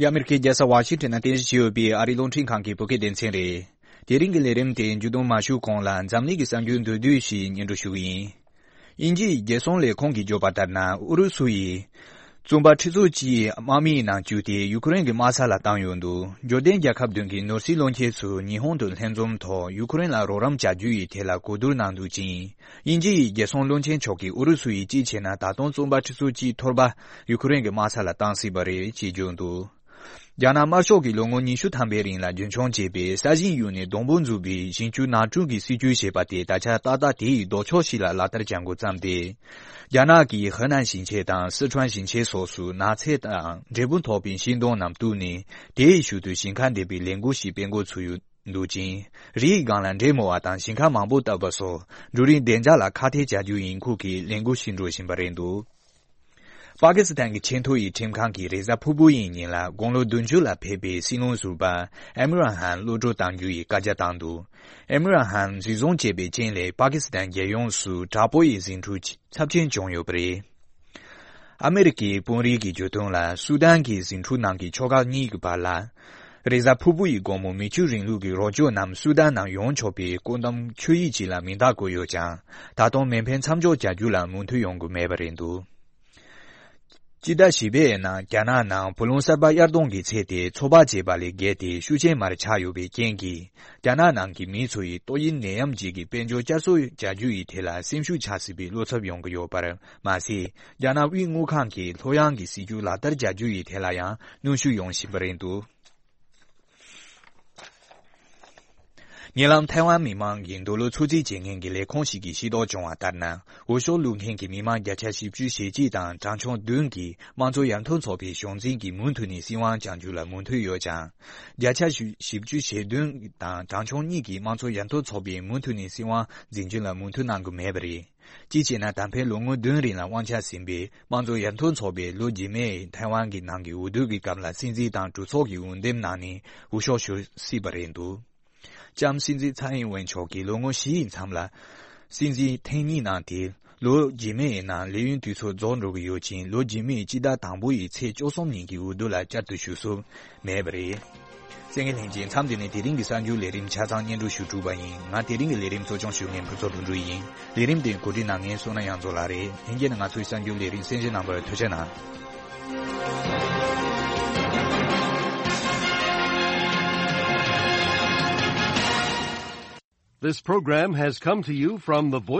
འདི་ཨ་མེ་རི་ཁའི་རྒྱལ་ས་ཝ་ཤིང་ཊོན་ནང་རྟེན་གཞི་བྱས་ཡོད་པའི་ཨ་རིའི་རླུང་འཕྲིན་ཁང་གི་བོད་སྐད་སྡེ་ཚན་རེད། དེ་རིང་གི་ལས་རིམ་དེ་མཇུག་བསྡོམས་མ་ཞུས་གོང་ལ་འཛམ་གླིང་གི་གསར་འགྱུར་མདོར་བསྡུས་ཤིག་སྙན་སྒྲོན་ཞུ་གི་ཡིན། དབྱིན་ཇིའི་རྒྱལ་སྲུང་ལས་ཁུངས་ཀྱིས་བརྗོད་པ་ལྟར་ན། ཨུ་རུ་སུ་ཡིས་བཙོན་པ་ཁྲི་ཚོ་གཅིག་དམག་མིའི་ནང་བཅུག་སྟེ་ཡུ་ཁུ་རེན་གྱི་དམག་ས་ལ་བཏང་ཡོད་འདུག་འབྱོར་ལྡན་རྒྱལ་ཁབ་བདུན་གྱི་ནོར་སྲིད་བློན་ཆེན་ཚོས་ཉི་ཧོང་དུ་ལྷན་འཛོམས་ཐོག་ཡུ་ཁུ་རེན་ལ་རོགས་རམ་བྱ་རྒྱུ་ཡི་ཐད་ལ་གོ་བསྡུར་གནང་འདུག་ཅིང་། དབྱིན་ཇི་ཡི་རྒྱལ་སྲུང་བློན་ཆེན་མཆོག་གིས་ཨུ་རུ་སུ་ཡིས་གཅིག་བྱས་ན་ད་དུང་བཙོན་པ་ཁྲི་ཚོ་གཅིག་འཐོར་པ་ཡུ་ཁུ་རེན་གྱི་དམག་ས་ལ་བཏང་སྲིད་པ་རེད་ཅེས་བརྗོད་འདུག་རྒྱ་ནག་དམར་ཤོག་གིས་ལོ་ངོ་ཉི་ཤུ་ཐམ་པའི་རིང་ལ་རྒྱུན་འཁྱོངས་བྱས་པའི་ས་ཞིང་གཡུགས་ནས་སྡོང་པོ་འཛུགས་པའི་ཞིང་ཆུ་ནགས་གྲོན་གྱི་སྲིད་ཇུས་ཞེས་པ་དེ་ད་ཆ་ཏག་ཏག་དེ་ཡི་ལྡོག་ཕྱོགས་ཤིག་ལ་ལག་བསྟར་བྱ་འགོ་བརྩམས་ཏེ། རྒྱ་ནག་གིས་ཧེ་ནན་ཞིང་ཆེན་དང་སི་ཁྲོན་ཞིང་ཆེན་སོགས་སུ་ནགས་ཚལ་དང་འབྲས་བུ་ཐོགས་པའི་ཤིང་སྡོང་རྣམས་གཏུབས་ནས་དེའི་ཞོར་དུ་ཞིང་ཁ་འདེབས་པའི་ལས་འགུལ་ཞིག་སྤེལ་འགོ་ཚུགས་ཡོད་འདུག་ཅིང་། རི་ཡི་སྒང་ལ་འབྲས་རྨོ་བ་དང་ཞིང་ཁ་མང་པོ་བཏབ་པ་སོགས་འབྲུ་རིགས་བདེ་འཇགས་ལ་ཁག་ཐེག་བྱ་རྒྱུ་ཡིན་ཁུལ་གྱིས་ལས་འགུལ་ཞིག་འགྲོ་བཞིན་པ་རེད་འདུག་པ་ཀི་སི་ཐན་གྱི་ཆེས་མཐོ་ཡི་ཁྲིམས་ཁང་གིས་རེས་གཟའ་ཕུར་བུ་ཡི་ཉིན་ལ་དགུང་ལོ་བདུན་ཅུ་ལ་ཕེབས་པའི་སྲིད་བློན་ཟུར་པ་ཨེམ་ར་ཧན་གློད་གྲོལ་གཏང་རྒྱུ་ཡི་བཀའ་རྒྱ་བཏང་འདུག་ཨེམ་ར་ཧན་འཛིན་བཟུང་བྱས་པའི་རྐྱེན་ལས་པ་ཀི་སི་ཐན་རྒྱལ་ཡོངས་སུ་དྲག་པོ་ཡི་ཟིང་འཁྲུག་ཚབས་ཆེན་བྱུང་ཡོད་པ་རེད། ཨ་མེ་རི་ཀའི་དཔོན་རིགས་ཀྱིས་བརྗོད་དོན་ལ། སུ་དན་གྱི་ཟིང་འཁྲུག་ནང་གི་ཕྱོགས་ཁག་གཉིས་ཀྱི་བར་ལ། རེས་གཟའ་ཕུར་བུ་ཡི་དགོང་མོ་མི་ཆོས་རིང་ལུགས་ཀྱི་རོགས་སྐྱོར་རྣམས་སུ་དན་ནང་ཡོང་ཆོག་པའི་བཀོད་འདོམས་ཆོད་ཡིག་ཅིག་ལ་མིང་རྟགས་བཀོད་ཡོད་ཀྱང་། ད་དུང་མེ་འཕེན་མཚམས་འཇོག་བྱ་རྒྱུ་ལ་མོས་མཐུན་ཡོང་གི་མེད་པ་རེད་འདུག་སྤྱི་ཟླ་བཞི་པའི་ནང་རྒྱ་ནག་ནང་བུ་ལོན་གསར་པ་གཡར་གཏོང་གི་ཚད་དེ་ཚོད་དཔག་བྱས་པ་ལས་བརྒལ་ཏེ་ཤུགས་ཆེན་མར་ཆག་ཡོད་པའི་རྐྱེན་གྱིས། རྒྱ་ནག་ནང་གི་མི་ཚོ་ཡིས་ཏོག་དབྱིབས་ནད་ཡམས་བརྒྱུད་ཀྱི་དཔལ་འབྱོར་བསྐྱར་གསོ་བྱ་རྒྱུ་ཡི་ཐད་ལ་སེམས་ཤུགས་ཆག་སྲིད་པའི་བློ་འཚབ་ཡོང་གི་ཡོད་པར་མ་ཟད། རྒྱ་ནག་དབུས་དངུལ་ཁང་གིས་ལྷོད་ཡངས་ཀྱི་སྲིད་ཇུས་ལག་བསྟར་བྱ་རྒྱུ་ཡི་ཐད་ལ་ཡང་གནོན་ཤུགས་ཡོང་བཞིན་པ་རེད་འདུག་ཉེ་ལམ་ཐའེ་ཝན་མི་མང་གི་འདོད་བློ་ཚོད་རྩིས་བྱེད་མཁན་གྱི་ལས་ཁུངས་ཤིག་གིས་ཤེས་རྟོགས་བྱུང་བ་ལྟར་ན། འོས་ཤོག་བླུག་མཁན་གྱི་མི་མང་བརྒྱ་ཆ་བཞི་བཅུ་ཞེ་གཅིག་དང་གྲངས་ཆུང་བདུན་གྱིས་དམངས་གཙོ་ཡར་ཐོན་ཚོགས་པའི་གཞུང་འཛིན་གྱི་མུ་མཐུད་ནས་སྲིད་དབང་བསྐྱང་རྒྱུ་ལ་མོས་མཐུན་ཡོད་ཀྱང་། བརྒྱ་ཆ་བཞི་བཅུ་ཞེ་བདུན་དང་གྲངས་ཆུང་གཉིས་ཀྱིས་དམངས་གཙོ་ཡར་ཐོན་ཚོགས་པའི་མུ་མཐུད་ནས་སྲིད་དབང་འཛིན་རྒྱུ་ལ་མོས་མཐུན་གནང་གི་མེད་པ་རེད། སྤྱི་བྱས་ན་ད་ཕན་ལོ་ངོ་བདུན་རིང་ལ་དབང་ཆ་ཟིན་པའི་དམངས་གཙོ་ཡར་ཐོན་ཚོགས་པས་ལོ་རྗེས་མའི་ཐའེ་ཝན་གྱི་ནང་གི་འོས་བསྡུ་གི་སྐབས་ལ་སྲིད་འཛིན་དང་གྲོས་ཚོགས་ཀྱི་འོས་འདེམས་གནང་ནས་འོས་ཤོག་ཞུ་སྲིད་པ་རེད་འདུག་ལྕམ་སྲིད་འཛིན་ཚའེ་ཨིན་ཝེན་མཆོག་གིས་ལོ་ངོ་བཞི་ཡི་མཚམས་ལ་སྲིད་འཛིན་ཐེངས་གཉིས་གནང་སྟེ། ལོ་རྗེས་མའི་ནང་ལས་ཡུན་དུས་ཚོད་རྫོགས་འགྲོ་གི་ཡོད་ཅིང་། ལོ་རྗེས་མའི་སྤྱི་ཟླ་དང་པོ་ཡི་ཚེས་བཅུ་གསུམ་ཉིན་གྱི་འོས་བསྡུ་ལ་བསྐྱར་དུ་ཞུགས་སུ་མེད་པ་རེད། གསན་མཁན་ལྷན་རྒྱས། མཚམས་འདི་ནས་དེ་རིང་གི་གསར་འགྱུར་ལས་རིམ་ཆ་ཚང་སྙན་སྒྲོན་ཞུ་གྲུབ་པ་ཡིན། ང་དེ་རིང་གི་ལས་རིམ་གཙོ་སྐྱོང་ཞུ་མཁན་ཕུན་ཚོགས་དོན་གྲུབ་ཡིན། ལས་རིམ་དེ་གོ་སྒྲིག་གནང་མཁན་བསོད་ནམས་དབྱངས་མཚོ་ལགས་རེད། ལྷན་རྒྱས་ནས་ང་ཚོའི་གསར་འགྱུར་ལས་རིམ་གསན་བཞེས་གནང་བར་ཐུགས་རྗེ་གནང་། This program has come to you from the Voice